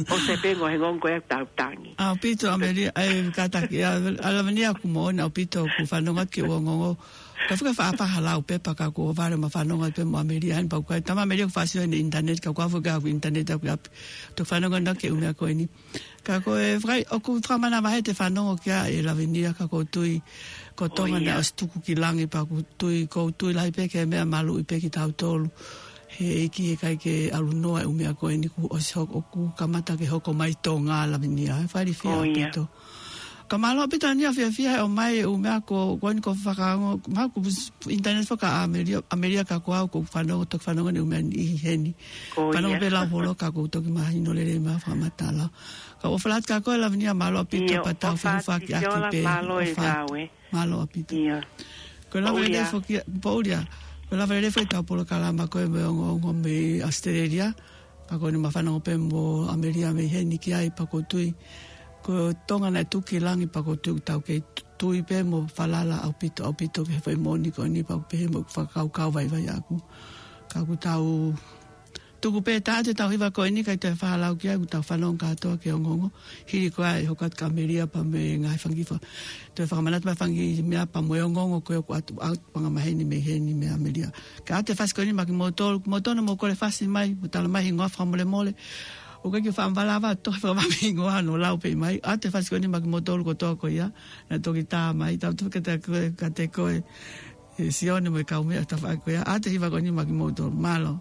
ʻOsi pē ongoongo ko ia tau tangi. ʻAupito ʻAmelia, ʻa e kātaki, ʻa, ʻa Lavenia ʻoku moʻoni ʻaupito ʻoku fanongo ki he ongoongo. Ka fika fa apa halau pē pea ka ko vale ma fanongo pē mo ʻAmelia heni pea ko e tama ʻAmelia ʻoku fāsio ʻi he internet, ka ko afu ka ʻoku internet ʻoku ʻapi. Tau fanongo na ki he ʻū meʻa ko eni. Ka ko e fakai, ʻoku fakamanavahē ʻete fanongo ki ai ʻe Lavenia, ka ʻoku ou tui ko Tonga naʻe ʻosi tuku ki langi pea ʻoku ou tui, ʻoku ou tui lahi pē ki he meʻa maluʻi pē kitautolu. He ʻikai ke ʻalu noa e ʻū meʻa ko eni kuo ʻosi hoko, ʻoku kamata ke hoko mai Tonga, Lavenia. He fai fiefia ʻaupito. Ka mālō ʻaupito ʻa Nia, fiefia he ʻomai e ʻū meʻa ko, ko eni ko e fakaongo, ma ko internet faka ʻAmelia, ʻAmelia ka ko au ʻoku ou fanongo, toki fanongo ni ʻū meʻa ni ʻi heni. Fanongo pē lau holo ka ʻoku ou toki mahino lelei mai fakamatala. Ka ʻofa lahi atu kia koe Lavenia, mālō ʻaupito pea tau feʻiloaki pē. Mālō ʻaupito. Ko e lava lelei foki, Poulia. Ko e lava lelei foki ʻetau polokalama ko e mo e ongoongo mei ʻAositelēlia. Ka ko eni ma fanongo pē mo ʻAmelia mei heni ki ai pea ʻoku ou tui ko Tonga naʻe tuku ki langi pea ʻoku ou tui ʻoku tau kei tui pē mo falala ʻaupito, ʻaupito ki he foʻi moʻoni ko eni pea ʻoku pehē mo e fakakaukau vaivai ʻaʻaku. Ka ʻoku tau Tuku pē ʻe taha atu ʻetau hiva ko eni, kae toe fakalau ki ai, ʻoku tau fanongo kātoa ki he ongoongo. Hili ko ia ʻe hoko atu kia Melia pea mo e ngaahi fanga kiʻi fa-, toe fakamanatu mai fanga kiʻi meʻa pea mo e ongoongo ko ē ʻoku ʻoatu, ʻoatu anga maheni mei heni meia Melia. Kae ʻoatu e fasi ko eni maʻa kimoutolu, kimoutolu naʻa mou kole fasi mai, mo tala mai hingoa fakamolemole. ʻOku ʻikai ke u faʻa mavala ʻa e tohi fakamami hingoa, ʻo lau pē mai. ʻOatu e fasi ko eni maʻa kimoutolu kotoa ko ia, naʻe toki tā mai, tau toki te koe, kiate koe, ʻe Sione mo e kau meʻa tafaʻaki ko ia. ʻOatu e hiva ko eni maʻa kimoutolu, mālō.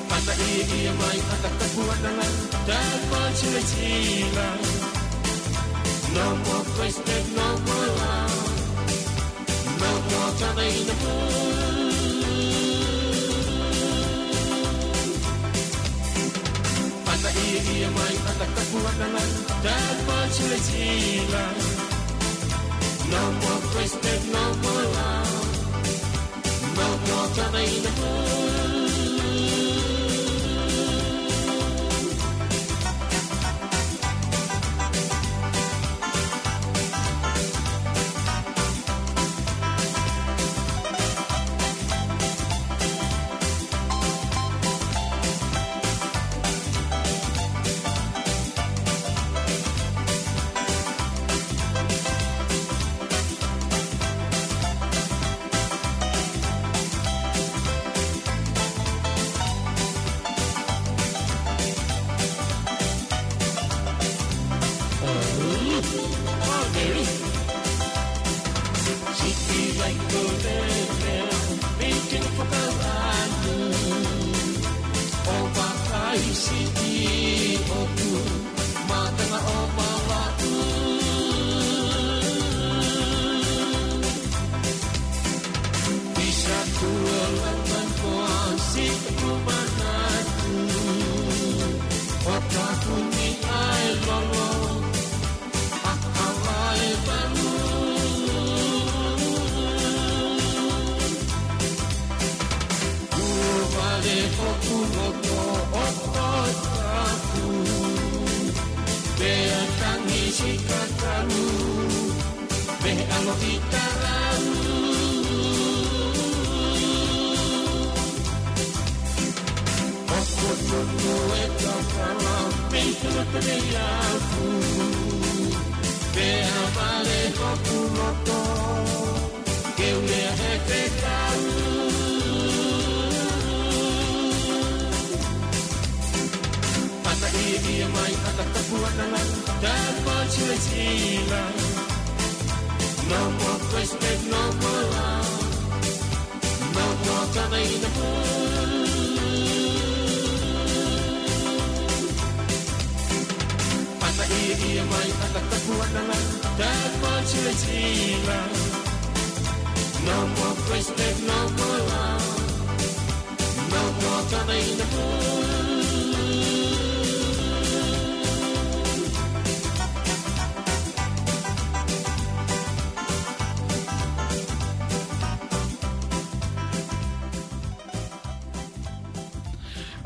Pata ʻi, ʻi mai ʻata kapuananga, that much is enough. No more question, no more love. No more trying to move. Pata ʻi, ʻi mai ʻata kapuananga, that much is enough. No more question, no more love. No more trying to move. Pata ʻi, ʻi mai ʻata kapuananga, that much is enough. No more question, no more love. No more trying to move. Pata ʻi, ʻi mai ʻata kapuananga, that much is enough. No more question, no more love. No more trying to move.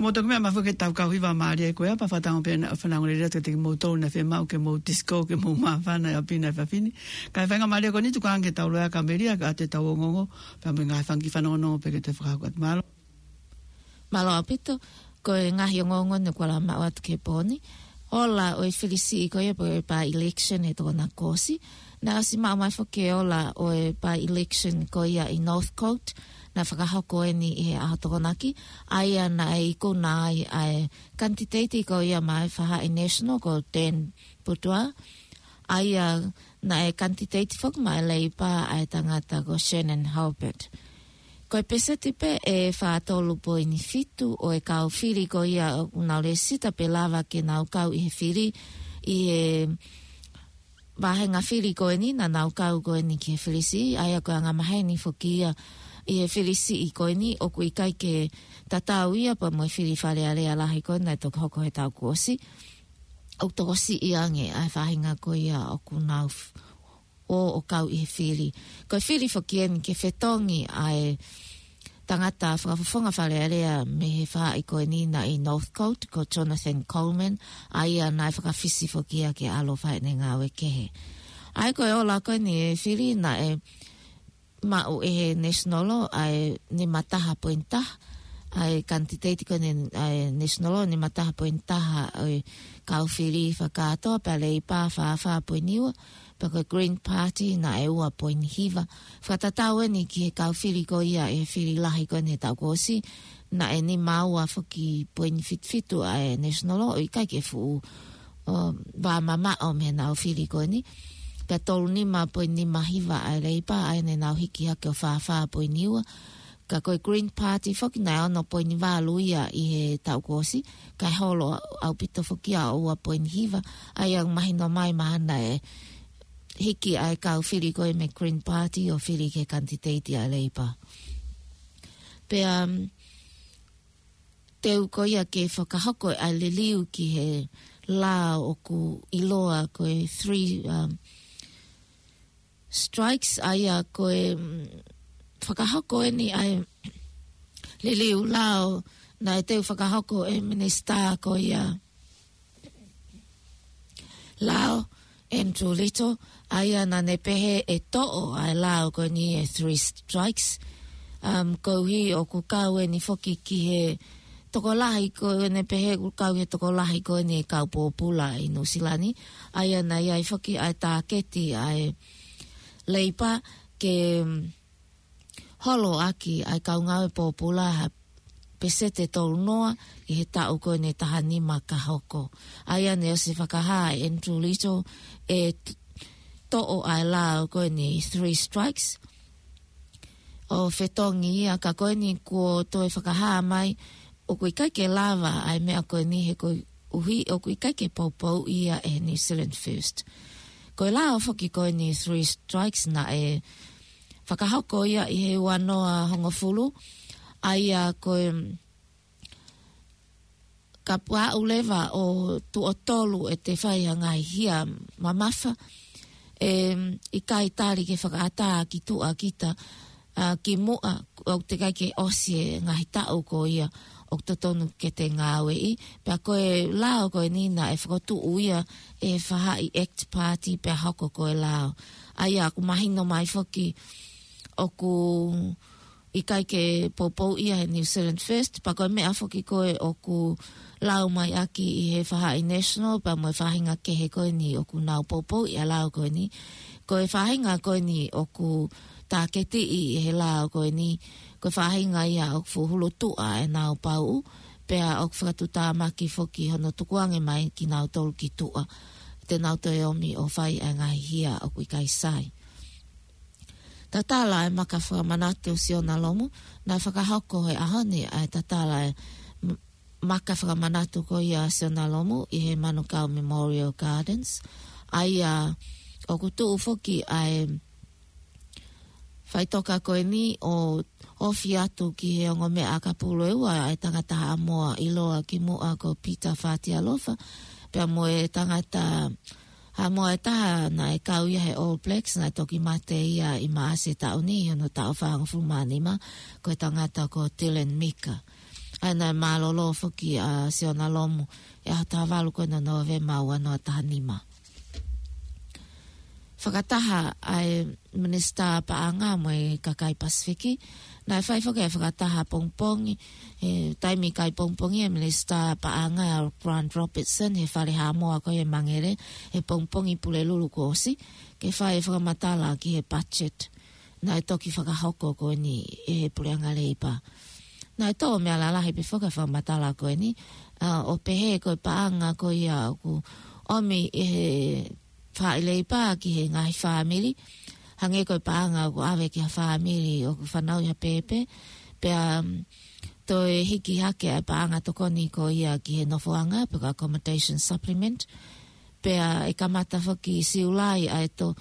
Mo toki meʻa mai foki ke tau kau hiva mālie ko ia, pea fakatango pē ʻa e fanongo lelei atu kiate kimoutolu naʻe fiemaʻu ke mou disco, ke mou māfana ʻi ʻapi na fafini. Kae feinga mālie ko eni tuku ange ke tau loea ka melia ka ʻoatu ʻetau ongoongo, pea mo e ngaahi fanga kiʻi fanongonongo pē ke toe fakahoko atu. Mālō. Mālō ʻaupito, ko e ngaahi ongoongo ne kuala maʻu atu ki he pō ni. Ola ʻo e fili siʻi ko ia pe ko e by-election he Tokonaki kuo ʻosi. Naʻe ʻosi maʻu mai foki e ola ʻo e by-election ko ia ʻi Northcote, naʻe fakahoko eni ʻi he ʻaho Tokonaki, ʻa ia naʻe ikuna ai ʻa e kanititeiti ko ia maʻa e faʻahi National ko Dan Boudoir, ʻa ia naʻe kanititeiti foki maʻa e Labour ʻa e tangata ko Shannon Hulbert. Ko e peseti pē ʻe fā tolu poini fitu ʻo e kau fili ko ia ʻoku nau lēsisita pe lava ke nau kau ʻi he fili ʻi he vāhenga fili ko eni, naʻa nau kau ko eni ki he fili siʻi, ʻa ia ko e angamaheni foki ia ʻi he fili siʻi ko eni, ʻoku ʻikai ke tatau ia pea mo e fili Fale Alea lahi ko eni naʻe toki hoko he taʻu kuo ʻosi. ʻOku tokosiʻi ange ʻa e faʻahinga ko ia ʻoku nau f-, ō ʻo kau ʻi he fili. Ko e fili foki eni ke fetongi ʻa e tangata fakafofonga Fale Alea mei he faʻahi ko eni naʻe ʻi Northcote, ko Jonathan Coleman, ʻa ia naʻe fakafisi foki ia ke ʻalu ʻo fai ʻene ngāue kehe. ʻA ia ko e ola ko eni e fili naʻe maʻu ʻe he National ʻa e nima taha poini taha, ʻa e kanititeiti ko eni ʻa e National nima taha poini taha ʻo e kau fili fakakātoa, pea Labour fā fā poini ua, pea ko e Green Party naʻe ua poini hiva. Fakatatau eni ki he kau fili ko ia ʻi he fili lahi ko eni he taʻu kuo ʻosi, naʻe nima ua foki poini fitu fitu ʻa e National, ʻo ʻikai ke fuʻu, ʻo, vāmamaʻo mei heʻenau fili ko eni. Pea tolu nima poini nima hiva ʻa e Labour, ʻa ia naʻa nau hiki hake ʻo fā fā poini ua. Ka ko e Green Party foki naʻe ono poini valu ia ʻi he taʻu kuo ʻosi, kae holo ʻaupito foki ia ʻo ua poini hiva, ʻa ia ʻoku mahino mai mahalo naʻe hiki ʻa e kau fili ko ē mei he Green Party ʻo fili ki he kanititeiti ʻa e Labour. Pea, um, teu ko ia ke fakahoko ʻa e liliu ki he lao ʻoku ʻiloa ko e three, um, strikes, ʻa ia ko e, mm, fakahoko eni ʻa e liliu lao naʻe teu fakahoko ʻe he minisitā ko ia lao, Andrew Little, ʻa ia naʻa ne pehē ʻe toʻo ʻa e lao ko eni e three strikes. Um, koeʻuhi ʻoku kau eni foki ki he tokolahi ko eni, pehē ʻoku kau he tokolahi ko eni e kau pōpula ʻi Nuʻusila ni, ʻa ia naʻe ʻi ai foki ʻa e tāketi ʻa e Labour ke, mm, holo ʻaki ʻa e kau ngāue pōpula ha peseti ʻe tolu noa ʻi he taʻu ko eni ʻe taha nima ka hoko. ʻA ia naʻe ʻosi fakahā ʻe Andrew Little ʻe t-, toʻo ʻa e lao ko eni three strikes ʻo fetongi ia, ka ko eni kuo toe fakahā mai ʻoku ʻikai ke lava ʻa e meʻa ko eni he koeʻuhi ʻoku ʻikai ke poupouʻi ia ʻe he New Zealand First. Ko e lao foki ko eni three strikes naʻe fakahoko ia ʻi he ua noa hongofulu, ʻa ia ko e kapau leva ʻe tuʻo tolu ʻete fai ha ngaahi hia mamafa, ʻe ʻikai tali ke fakaʻatā ki tuʻa kita, ʻa, ki muʻa, ʻoku teʻeki ai ke ʻosi e ngaahi taʻu ko ia ʻoku totonu ke te ngāueʻi. Pea ko e lao ko eni naʻe fokotuʻu ia ʻe he faʻahi ACT Party pea hoko ko e lao. ʻA ia ʻoku mahino mai foki ʻoku ʻikai ke poupouʻi ia he New Zealand First, pea ko e meʻa foki ko ē ʻoku lau mai ʻaki ʻe he faʻahi National, pea mo e faʻahinga kehe ko eni ʻoku nau poupouʻi ʻa e lao ko eni. Ko e faʻahinga ko eni ʻoku tāketiʻi ʻe he lao ko eni, ko e faʻahinga ia ʻoku fuʻu hulu tuʻa ʻenau pauʻu, pea ʻoku fakatuʻutāmaki foki hono tukuange mai kinautolu ki tuʻa, te nau toe ō mai ʻo fai ʻa e ngaahi hia ʻoku ʻikai sai. Tatala e maka fakamanatu Siona Lomu, naʻe fakahoko he ʻaho ni ʻa e tatala e m-, maka fakamanatu ko ia Siona Lomu ʻi he Manukau Memorial Gardens. ʻA ia ʻoku tuʻu foki ʻa e faʻitoka ko eni ʻo ofi atu ki he ongo meʻa ʻakapulu ʻe ua, ʻa e tangata Haʻamoa ʻiloa ki muʻa ko Pita Fatialofa, pea mo e tangata Haʻamoa ʻe taha naʻe kau ia he All Blacks, naʻe toki mate ia ʻi Maʻasi taʻu ni, hono taʻu fāngofulu mā nima, ko e tangata ko Dylan Mika. ʻA ia naʻe mālōlō foki ʻa Siona Lomu ʻi he ʻaho taha valu ko eni ʻo Nōvema ua noa taha nima. Fakataha ʻa e Minisitā Paʻanga mo e kakai Pasifiki, naʻe fai foki ʻa e fakataha pongipongi, he taimi ʻikai pongipongi ʻa e Minisitā Paʻanga ʻa Grant Robertson he Fale Haʻamoa ko ia ʻi Mangere he pongipongi Pulelulu kuo ʻosi, ke fai e fakamatala ki he budget naʻe toki fakahoko ko eni ʻe he Puleʻanga Leipa. Naʻe tō meʻa lalahi pē foki ʻa e fakamatala ko eni, ʻa, ʻo pehē ko e paʻanga ko ia ʻoku ʻomi ʻe he Faʻahi Leipa ki he ngaahi fāmili, hangē ko e paʻanga ʻoku ʻave ki ha fāmili ʻoku fanauʻi ha pēpē, pea, mm, toe hiki hake ʻa e paʻanga tokoni ko ia ki he nofoʻanga, pe ko e accommodation supplement, pea ʻe kamata foki ʻi Siulai ʻa e to-,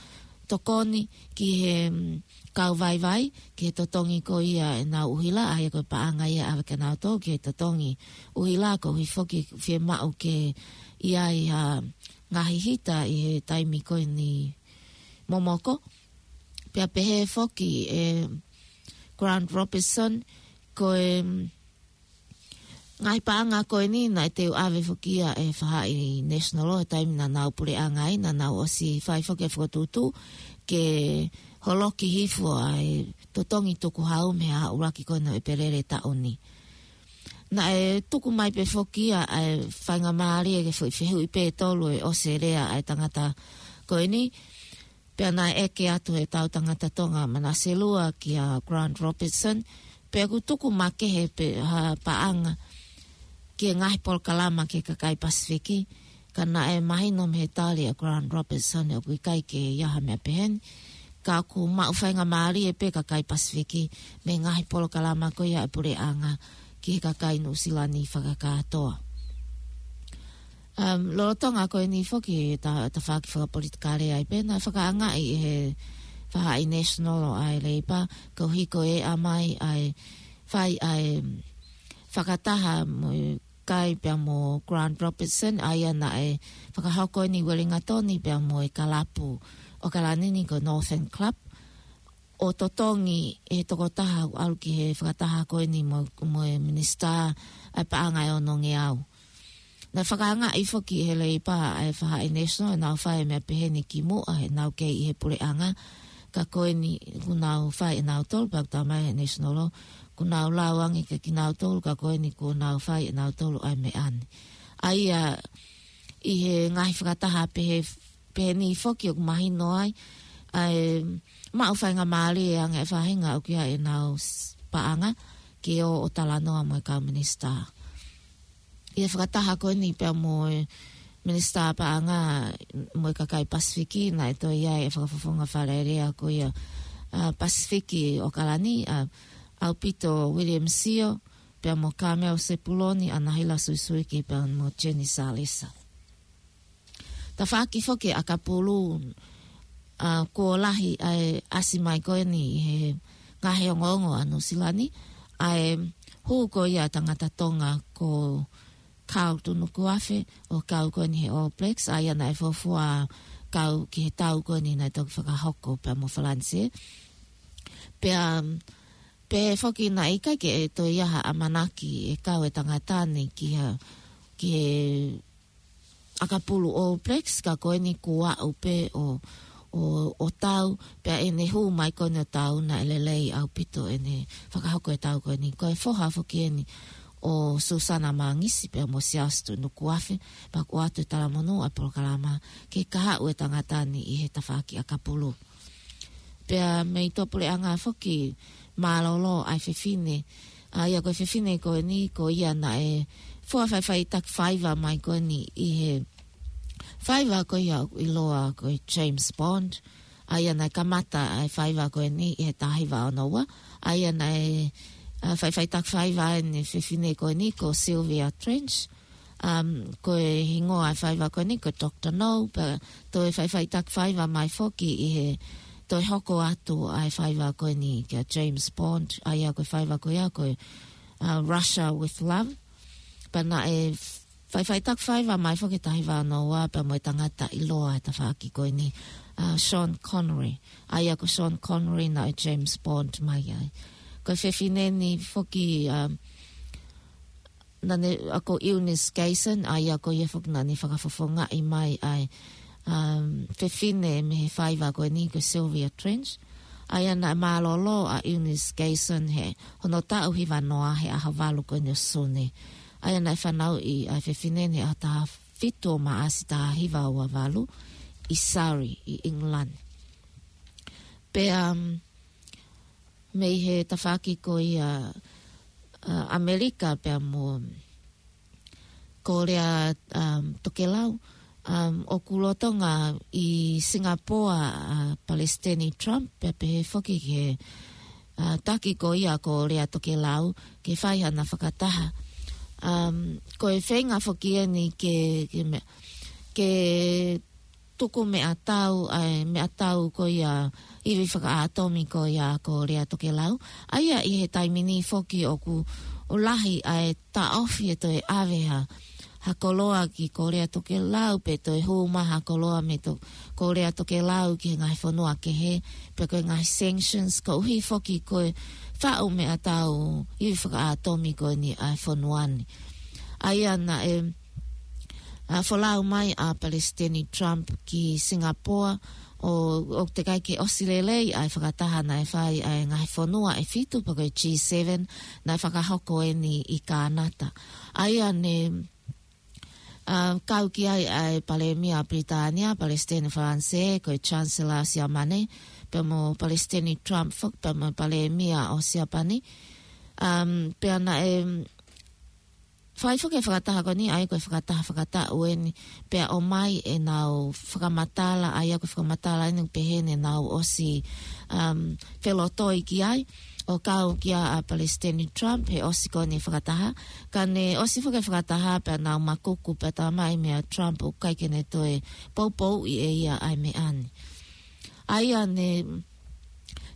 tokoni ki he, mm, kau vaivai, ki he totongi ko ia ʻenau ʻuhila, ʻa ia ko e paʻanga ia ʻave kia nautolu, ki he totongi ʻuhila, koeʻuhi foki fiemaʻu ke ʻi ai ha ngaahi hita ʻi he taimi ko eni momoko. Pea pehē foki ʻe Grant Robertson, ko e, mm, ngaahi paʻanga ko eni naʻe teu ʻave foki ia ʻe he Faʻahi National ʻi he taimi naʻa nau puleʻanga ai, naʻa nau ʻosi fai foki e fokotuʻutuʻu ke holoki hifo ʻa e totongi tukuhau mei he ʻuluaki ko eni ʻo ʻEpeleli taʻu ni. Naʻe tuku mai pē foki ia ʻa e faingamālie ke foʻi fehuʻi pē ʻe tolu ʻe ʻosi e lea ʻa e tangata ko eni, pea naʻe ʻeke atu ʻe he tau tangata Tonga Manase Lua kia Grant Robertson, pe ʻoku tuku makehe pē ha paʻanga ki he ngaahi polokalama ki he kakai Pasifiki, ka naʻe mahino mei he tali ʻa Grant Robertson ʻoku ʻikai ke ʻi ai ha meʻa peheni, ka ʻoku maʻu faingamālie pē kakai Pasifiki mei he ngaahi polokalama ko ia ʻa e puleʻanga ki he kakai Nuʻusila ni fakakātoa. Um, lolotonga ko eni foki ta-, tafaʻaki fakapolitikale ai pē, naʻe fakaangaʻi ʻe he Faʻahi National ʻa e Leipa, koeʻuhi ko e ʻomai ʻa e fai ʻa e fakataha mo e kai pea mo Grant Robertson, ʻa ia naʻe fakahoko ʻi Uelingatoni pea mo e kalapu ʻAokalani ni ko e Northern Club, ʻo totongi ʻe he tokotaha ʻoku ʻalu ki he fakataha ko eni mo, mo e Minisitā ʻa e Paʻanga ʻe Onongeau. Naʻe fakaangaʻi foki ʻe he Leipa ʻa e Faʻahi National ʻenau fai e meʻa peheni kimuʻa heʻenau kei ʻi he puleʻanga, ka ko eni kuo nau fai ʻe nautolu, pea ʻoku talamai ʻe he National, kuo nau lau ange kia kinautolu, ka ko eni kuo nau fai ʻe nautolu ʻa e meʻa ni. ʻA ia ʻi he ngaahi fakataha pehē, peheni foki ʻoku mahino ai ʻa e maʻu faingamālie ange ʻa e faʻahinga ʻoku ʻi ai ʻenau s-, paʻanga ke ō ʻo talanoa mo e kau minisitā. ʻI he fakataha ko eni pea mo e Minisitā Paʻanga mo e kakai Pasifiki, naʻe toe ʻi ai e fakafofonga Fale Alea ko ia, ʻa, Pasifiki ʻAokalani, ʻa, ʻAupito William Sio, pea mo Carmel Sepuloni, ʻAnahila Suisuiki, pea mo Jenny Salesa. Tafaʻaki foki ʻa ʻAkapulu, ʻa, kuo lahi ʻa e ʻasi mai ko eni ʻi he ngaahi ongoongo ʻa Nuʻusila ni, ʻa e hū ko ia tangata Tonga ko Carl Tunukuafe ʻo kau ko eni he All Blacks, ʻa ia naʻe fuofua kau ki he tau ko eni naʻe toki fakahoko pea mo Falanisē. Pea, pea foki naʻe ʻikai ke toe ʻi ai ha ʻamanaki ʻe kau e tangata ni ki ha, ki he ʻAkapulu All Blacks, ka ko eni kuo aʻu pē ʻo, ʻo, ʻo tau, pea ʻene hū mai ko eni ʻo tau naʻe lelei ʻaupito ʻene fakahoko e tau ko eni. Ko e foha foki eni ʻo Susana Mangisi pea mo Siaosi Tunukuafe, pea ʻoku ʻoatu e talamonū ʻa e polokalama ke kahaʻu e tangata ni ʻi he tafaʻaki ʻakapulu. Pea mei tuʻapuleʻanga foki mālōlō ʻa e fefine, ʻa ia ko e fefine ko eni ko ia naʻe fua faʻifaʻitaki faiva mai ko eni ʻi he faiva ko ia ʻoku ʻiloa ko e James Bond, ʻa ia naʻe kamata ʻa e faiva ko eni ʻi he taha hiva ono ua, ʻa ia naʻe, ʻa, faʻifaʻitaki faiva ʻa e fefine ko eni ko Sylvia Trench, um, ko e hingoa ʻa e faiva ko eni ko Doctor No, pea toe faʻifaʻitaki faiva mai foki ʻi he toe hoko atu ʻa e faiva ko eni kia James Bond, ʻa ia ko e faiva ko ia ko e, uh, Russia with Love. Pea naʻe faʻifaʻitaki faiva mai foki taha hiva ono ua pea mo e tangata ʻiloa he tafaʻaki ko eni, uh, Sean Connery. ʻA ia ko Sean Connery naʻe James Bond mai ai. Ko e fefine ni foki, um, naʻa ne, ʻa ko Eunice Gayson, ʻa ia ko ia foki naʻa ne fakafofongaʻi mai ʻa e, um, fefine mei he faiva ko eni ko Sylvia Trench. ʻA ia naʻe mālōlō ʻa Eunice Gayson he hono taʻu hiva noa he ʻaho valu ko eni ʻo Sune. ʻA ia naʻe fanauʻi ʻa e fefine ni he ʻaho taha fitu ʻo Maʻasi taha hiva ua valu ʻi Surrey, ʻi England. Pea, um, mei he tafaʻaki ko ia, uh, ʻAmelika pea mo Kōlea, um, Tokelau, um, ʻoku lolotonga ʻi Singapore ʻa Palesiteni Trump, pea pehē foki ki he, uh, taki ko ia Kōlea Tokelau, ke fai hana fakataha. Um, ko e feinga foki eni ke, ke me-, ke tuku meʻatau, ʻa e meʻatau ko ia ivi fakaʻātomi ko ia Kōlea Tokelau. ʻA ia ʻi he taimi ni foki ʻoku, ʻoku lahi ʻa e taʻofi ʻe toe ʻave ha, ha koloa ki Kōlea Tokelau, pe toe hū mai ha koloa mei to-, Kōlea Tokelau ki he ngaahi fonua kehe, pe ko e ngaahi sanctions, koeʻuhi foki ko e faʻu meʻatau ivi fakaʻātomi ko eni ʻa e fonua ni. ʻA ia naʻe, ʻa, folau mai ʻa Palesiteni Trump ki Singapore, ʻo, ʻoku teʻeki ai ke ʻosi lelei ʻa e fakataha naʻe fai ʻa e ngaahi fonua ʻe fitu pe ko e G seven naʻe fakahoko eni ʻi Kānata. ʻA ia ne, ʻa, kau ki ai ʻa e Palēmia Pilitānia, Palesiteni Falanisē, ko e Chancellor Siamane, pea mo Palesiteni Trump foki, pea mo Palēmia ʻo Siapani. Um, pea naʻe, fai foki e fakataha ko eni, ʻa ia ko e fakataha fakataʻu eni, pea ʻomai ʻenau fakamatala, ʻa ia ko e fakamatala eni pehē ne nau ʻosi, um, felotoi ki ai, ʻo kau kia ʻa Palesiteni Trump, he ʻosi ko eni fakataha, ka ne ʻosi foki e fakataha, pea nau makuku, pea talamai meia Trump ʻoku ʻikai ke ne toe poupouʻi ʻe ia ʻa e meʻa ni. ʻA ia ne,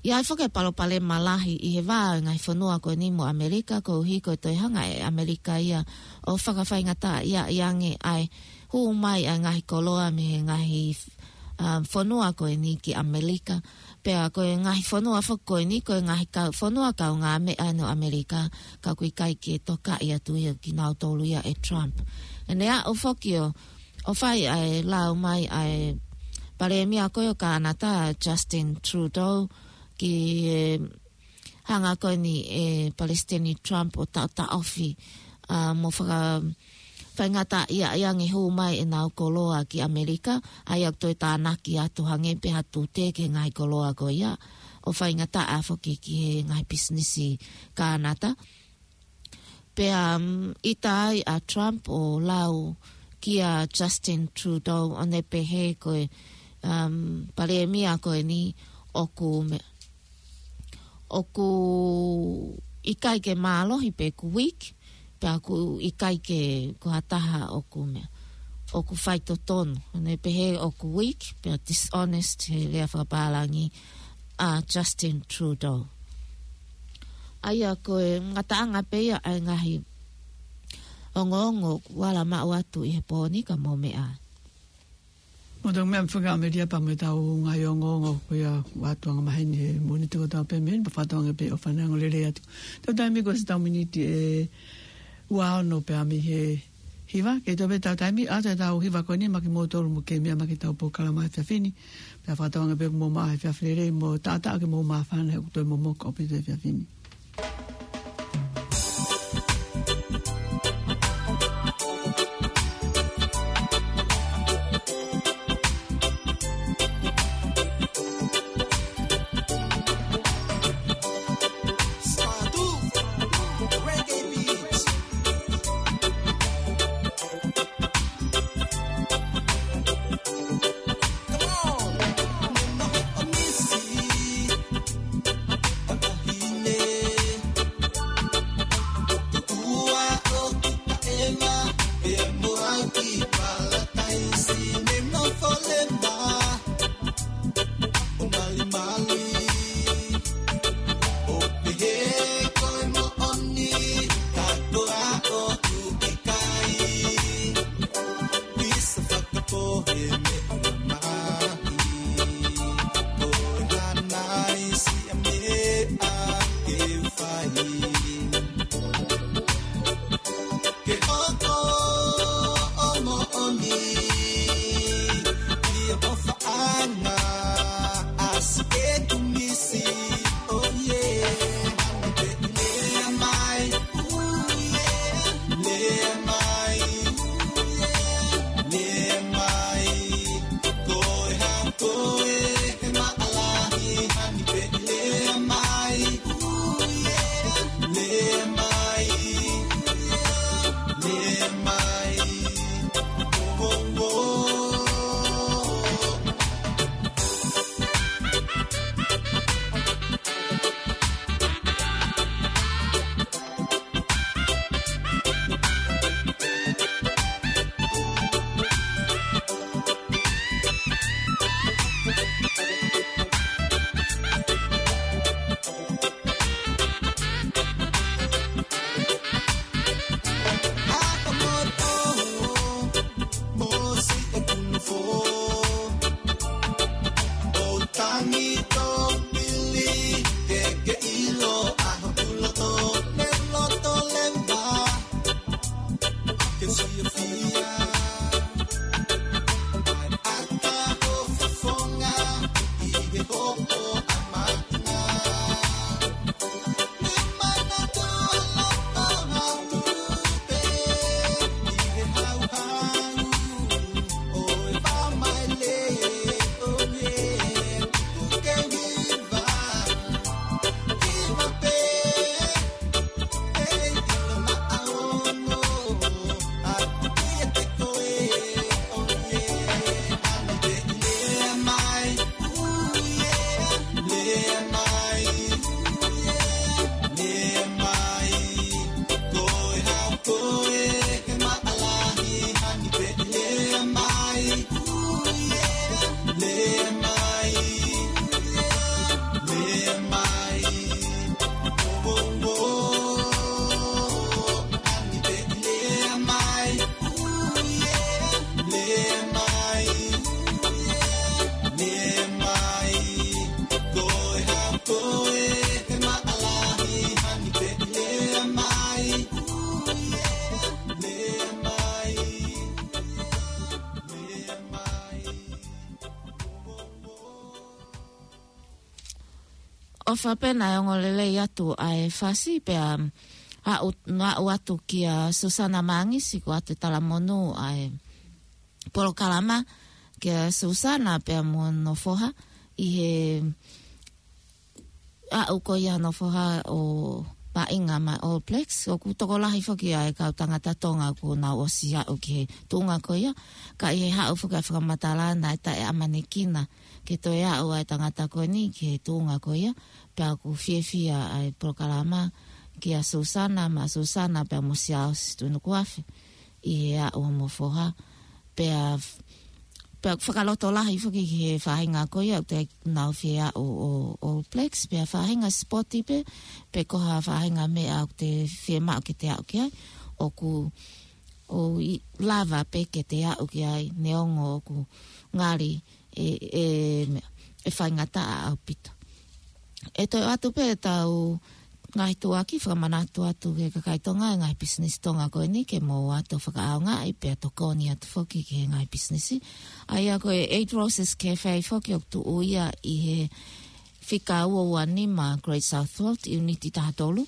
ʻi ai foki e palopalema lahi ʻi he vā ʻo e ngaahi fonua ko eni mo ʻAmelika, koeʻuhi ko e toe hanga ʻe ʻAmelika ia ʻo fakafaingataʻaʻiaʻi ange ʻa e hū mai ʻa e ngaahi koloa mei he ngaahi, um, fonua ko eni ki ʻAmelika. Pea ko e ngaahi fonua foki ko eni, ko e ngaahi kau, fonua kaungāmeʻa ʻo ʻAmelika, ka ʻoku ʻikai ke tokaʻi atu ia kinautolu ia ʻe Trump. ʻEne aʻu foki ʻo ʻo fai ʻa e lau mai ʻa e Palēmia ko ē ʻo Kānata, Justin Trudeau, ki he hanga ko eni ʻe Palesiteni Trump ʻo taʻotaʻofi, ʻa, mo faka-, faingataʻaʻiaʻi ange hū mai ʻenau koloa ki ʻAmelika, ʻa ia ʻoku toe tānaki atu hangē pē ha tute ki he ngaahi koloa ko ia, ʻo faingataʻa foki ki he ngaahi pisinisi Kānata. Pea, um, ʻita ai ʻa Trump ʻo lau kia Justin Trudeau ʻo ne pehē ko e, um, Palēmia ko eni ʻoku me-, ʻoku ʻikai ke mālohi pe ʻoku weak, pea ʻoku ʻikai ke ko ha taha ʻoku me-, ʻoku faitotonu. ʻO ne pehē ʻoku weak, pea dishonest he lea fakapālangi ʻa Justin Trudeau. ʻA ia ko e ngataʻanga pē ia ʻa e ngaahi ongoongo kuo ala maʻu atu ʻi he pō ni ka mou meʻa. Mo tau meʻa fakaʻamelia pea mo ʻetau ngaahi ongoongo ko ia ʻoku ʻoatu angamaheni he Mōnite kotoa pē mei heni pea fakatauange pē ʻo fanongo lelei atu. Tau taimi ko e siʻi tau miniti ʻe ua ono pea mei he hiva, kei toe pē tau taimi, ʻa ʻetau hiva ko eni maʻa kimoutolu mo kei meʻa mai ki heʻetau polokalama he efiafi ni. Pea fakatauange pē kuo mou maʻu ha efiafi lelei mo taʻataʻa ke mou māfana he ʻoku toe momoko ʻaupito e efiafi ni. Fapena e ongo lelei atu ʻa e fasi pea aʻu, aʻu atu kia Susana Mangisi ko atu talamonū ʻa e polokalama kia Susana pea mo hono foha ʻi he aʻu ko ia hono foha ʻo vaʻinga mai All Blacks. ʻOku tokolahi foki ʻa e kau tangata Tonga ʻoku nau ʻosi aʻu ki he tuʻunga ko ia. Ka ʻi he haʻu foki ʻa e fakamatala naʻe taʻeʻamanekina ke toe aʻu ʻa e tangata ko eni ki he tuʻunga ko ia. Pea ʻoku fiefia ʻa e polokalama kia Susana, maʻa Susana pea mo Siaosi Tunukuafe ʻi he aʻu homo foha. Pea, pea fakalotolahi foki ki he faʻahinga ko ia ʻoku te nau fie aʻu ʻo, ʻo All Blacks, pea faʻahinga sipoti pē, pe ko ha faʻahinga meʻa ʻoku te fiemaʻu ke te aʻu ki ai, ʻoku, ʻoku lava pē ke te aʻu ki ai, neongo ʻoku ngali ʻe, ʻe, ʻe faingataʻa ʻaupito. ʻE toe ʻoatu pē ʻetau ngaahi tuʻuaki fakamanatu atu ki he kakai Tonga, e ngaahi pisinisi Tonga ko eni ke mou ō atu ʻo fakaʻaongaʻi pea tokoni atu foki ki he ngaahi pisinisi. ʻA ia ko e Eight Roses Cafe foki ʻoku tuʻu ia ʻi he fika ua ua nima Great South Road, ʻiuniti taha tolu.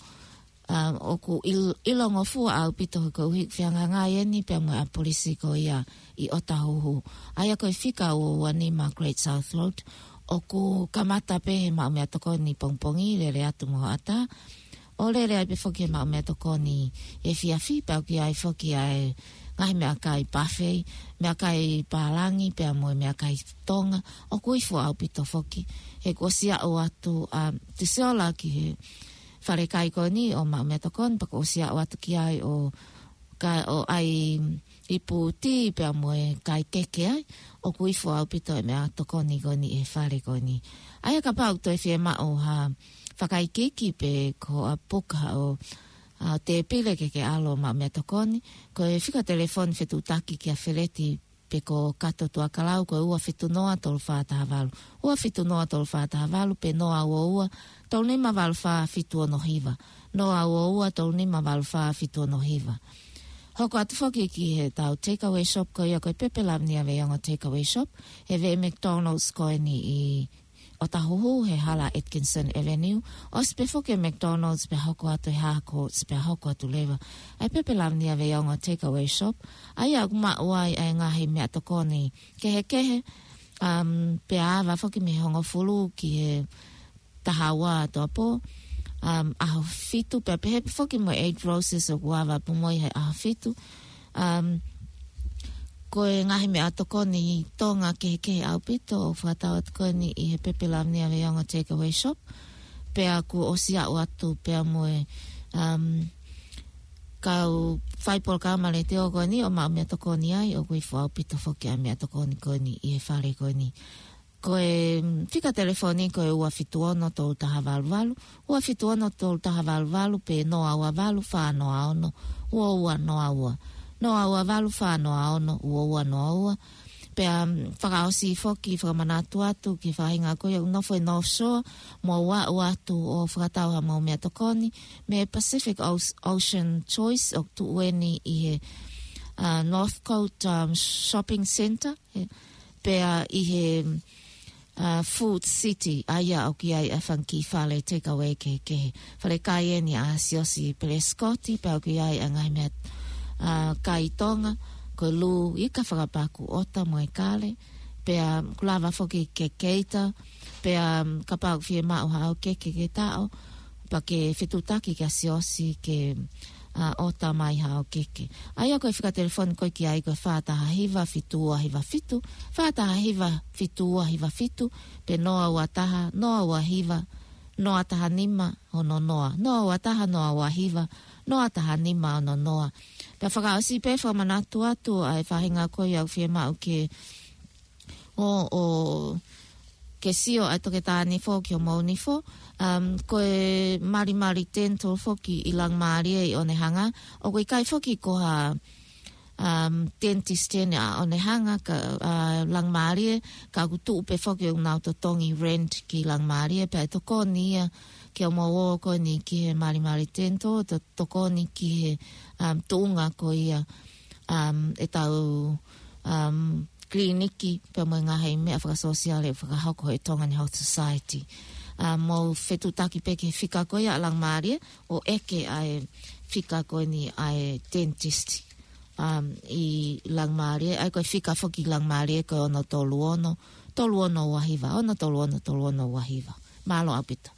Um, ʻoku ʻil-, ʻilongofua ʻaupito he koeʻuhi ʻoku fehangahangai eni pea mo e ʻapi polisi ko ia ʻi ʻOtahuhu. ʻA ia ko e fika ua ua nima Great South Road, ʻoku kamata pē he maʻu meʻatokoni pongipongi, lele atu mo hoʻatā. ʻO lele ai pē foki he maʻu meʻatokoni efiafi, pea ʻoku ʻi ai foki ʻa e ngaahi meʻakai buffet, meʻakai pālangi, pea mo e meʻakai Tonga. ʻOku ifo ʻaupito foki. He kuo ʻosi aʻu atu, um, Tusiola ki he falekai ko eni ʻo maʻu meʻatokoni, pea kuo ʻosi aʻu atu ki ai ʻo ka, ʻo ʻai ipu tī pea mo e kai keke ai, ʻoku ifo ʻaupito e meʻatokoni ko eni he fale ko eni. ʻA ia kapau ʻoku toe fiemaʻu ha fakaikiiki pe ko ha puka ʻo, ʻa, tēpile ke ke ʻalu ʻo maʻu meʻatokoni, ko e fika telefoni fetuʻutaki kia Feleti pe ko Kato Tuakalau ko e ua fitu noa tolu fā taha valu. Ua fitu noa tolu fā taha valu pe noa ua ua tolu nima valu fā fitu ono hiva. Noa ua ua tolu nima valu fā fitu ono hiva. Hoko atu foki ki heʻetau takeaway shop ko ia ko e Pepe Lavenia Veiongo Takeaway Shop, he veʻe McDonald's ko eni ʻi ʻOtahuhu he hala Atkinson Avenue, ʻosi pē foki e McDonald's pea hoko atu e Hā Courts pea hoko atu leva ʻa e Pepe Lavenia Veiongo Takeaway Shop, ʻa ia ʻoku maʻu ai ʻa e ngaahi meʻatokoni kehekehe, um, pea ava foki mei he hongofulu ki he taha ua ʻato ʻapō, um, ʻaho fitu, pea pehē pē foki mo e Eight Roses ʻoku ava pē mo ia he ʻaho fitu. Um, ko e ngaahi meʻatokoni Tonga kehekehe ʻaupito ʻoku fakatau atu ko eni ʻi he Pepe Lavenia Veiongo Takeaway Shop. Pea kuo ʻosi aʻu atu pea mo e, um, kau fai polokalama letiō ko eni ʻo maʻu meʻatokoni ai, ʻoku ifo ʻaupito foki ʻa e meʻatokoni ko eni ʻi he fale ko eni. Ko e, mm, fika telefoni ko e ua fitu ono tolu taha valu valu, ua fitu ono tolu taha valu valu pe noa ua valu fā noa ono ua ua noa ua. Noa ua valu fā noa ono ua ua noa ua. Pea, mm, fakaʻosi foki fakamanatu atu ki he faʻahinga ko ia ʻoku nofo ʻi North Shore, mou aʻu atu ʻo fakatau haʻamou meʻatokoni mei he Pacific Oce-, Ocean Choice ʻoku tuʻu eni ʻi he, uh, Northcote, um, Shopping Centre. He, pea ʻi he, uh, Food City, ʻa ia ʻoku ʻi ai ʻa e fanga kiʻi fale takeaway kehekehe. Falekai eni ʻa Siaosi Pelesicotti, pea ʻoku ʻi ai ʻa e ngaahi meʻa, uh, kai Tonga, ko e lū ika fakapaku ʻota mo e kale, pea ʻoku lava foki ke cater, pea, um, kapau ʻoku fiemaʻu haʻo keke ke taʻo, pea ke fetuʻutaki kia Siaosi ke, uh, ʻota mai haʻo keke. ʻA ia ko e fika telefoni ko ē ki ai ko e fā taha hiva fitu ua hiva fitu, fā taha hiva fitu ua hiva fitu, pe noa ua taha, noa ua hiva, noa taha nima, ono noa, noa ua taha, noa ua hiva, noa taha nima, ono noa. Pea fakaʻosi pē fakamanatu atu ʻa e faʻahinga ko ia ʻoku fiemaʻu ke ʻo, ʻo ke sio ʻa e toketā nifo ki hoʻomou nifo. Um, ko e Malimali Dental foki ʻi Langamalie ʻi ʻOnehanga. ʻOku ʻikai foki ko ha, um, dentist eni ʻa ʻOnehanga ka, uh, Langamalie, ka ʻoku tuʻu pē foki ʻoku nau totongi rent ki Langamalie, pea ʻe tokoni ia ke ʻomou ō ko eni ki he Malimali Dental, to-, tokoni ki he, um, tuʻunga ko ia, um, ʻetau, um, kiliniki, pea mo e ngaahi meʻa fakasōsiale fakahoko ʻe he Tongan Health Society. ʻa, mou fetuʻutaki pē ki he fika ko ia ʻa Langamalie, ʻo ʻeke ʻa e fika ko eni ʻa e dentist. Um, ʻi Langamalie, ʻa ia ko e fika foki ʻi Langamalie ko e ono tolu ono, tolu ono ua hiva, ono tolu ono, tolu ono ua hiva. Mālō ʻaupito.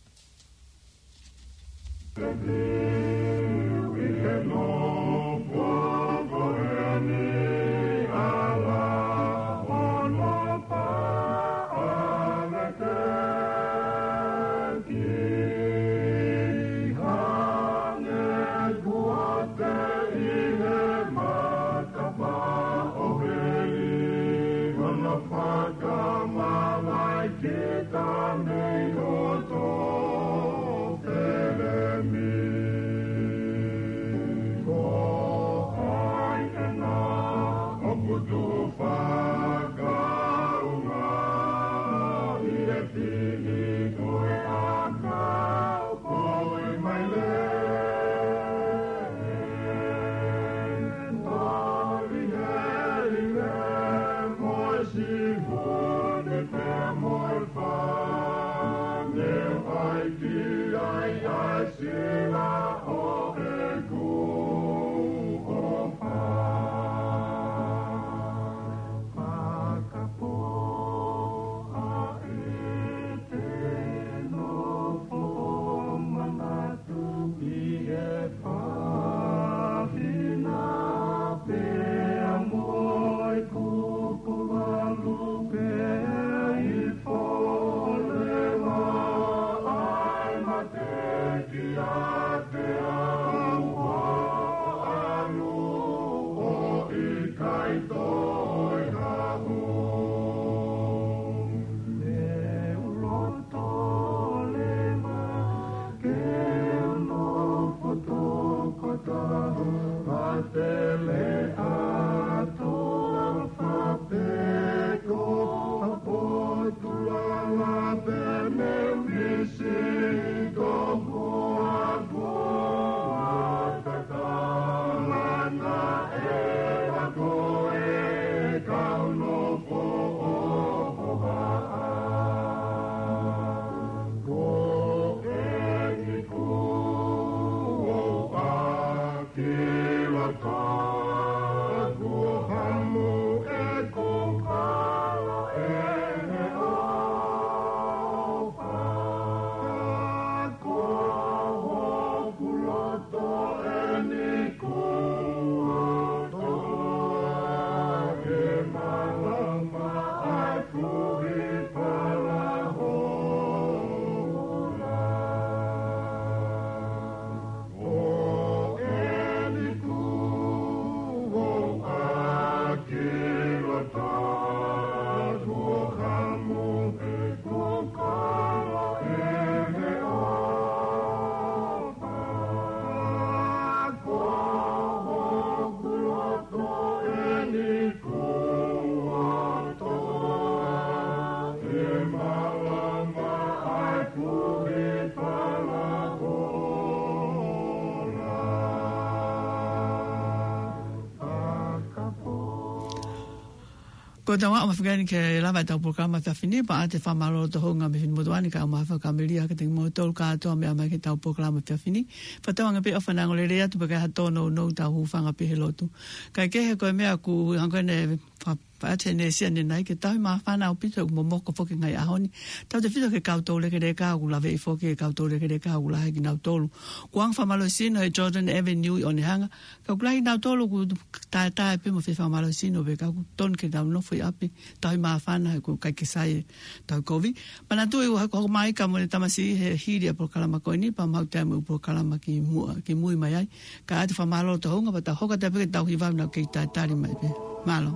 Ko e tau ʻaho mahuʻinga eni ke lava ʻetau polokalama efiafi ni, pea ʻoatu e fakamālō tohunga mei he finemotuʻa ni kae ʻumaʻā e fakamelino kiate kimoutolu kātoa meʻa mai ki heʻetau polokalama efiafi ni. Fakatauange pē ʻofa ngolelei atu pea ʻikai ha tōnounou, tau hūfanga pē he lotu. Kae kehe ko e meʻa ʻoku hangē ko eni fa-, faʻa te ne sia ne nai ke tauhi māfana ʻaupito ʻoku momoko foki he ngaahi ʻaho ni. Tautefito ki he kau toulekeleka ʻoku laveʻi foki, e kau toulekeleka ʻoku lahi kinautolu. Kuo ʻoange fakamālohisino he Jordan Avenue ʻi ʻOnehunga. Ka ʻoku lahi kinautolu ʻoku taetae pē mo e fai fakamālohisino pē ka ʻoku totonu ke tau nofo ʻi ʻapi, tauhi māfana he ʻoku ʻikai ke sai e tau kovi. Manatuʻi ʻoku hoko mai ka mo e tamasiʻi he hili ʻa e polokalama ko eni, pea maʻu taimi ʻo e polokalama ki muʻa, ki mui mai ai. Kae ʻoatu e fakamālō tohunga pea tau hoko atu pē ki heʻetau hiva ʻo kei talitali mai pē. Mālō.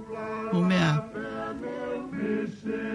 Mou meʻa ā.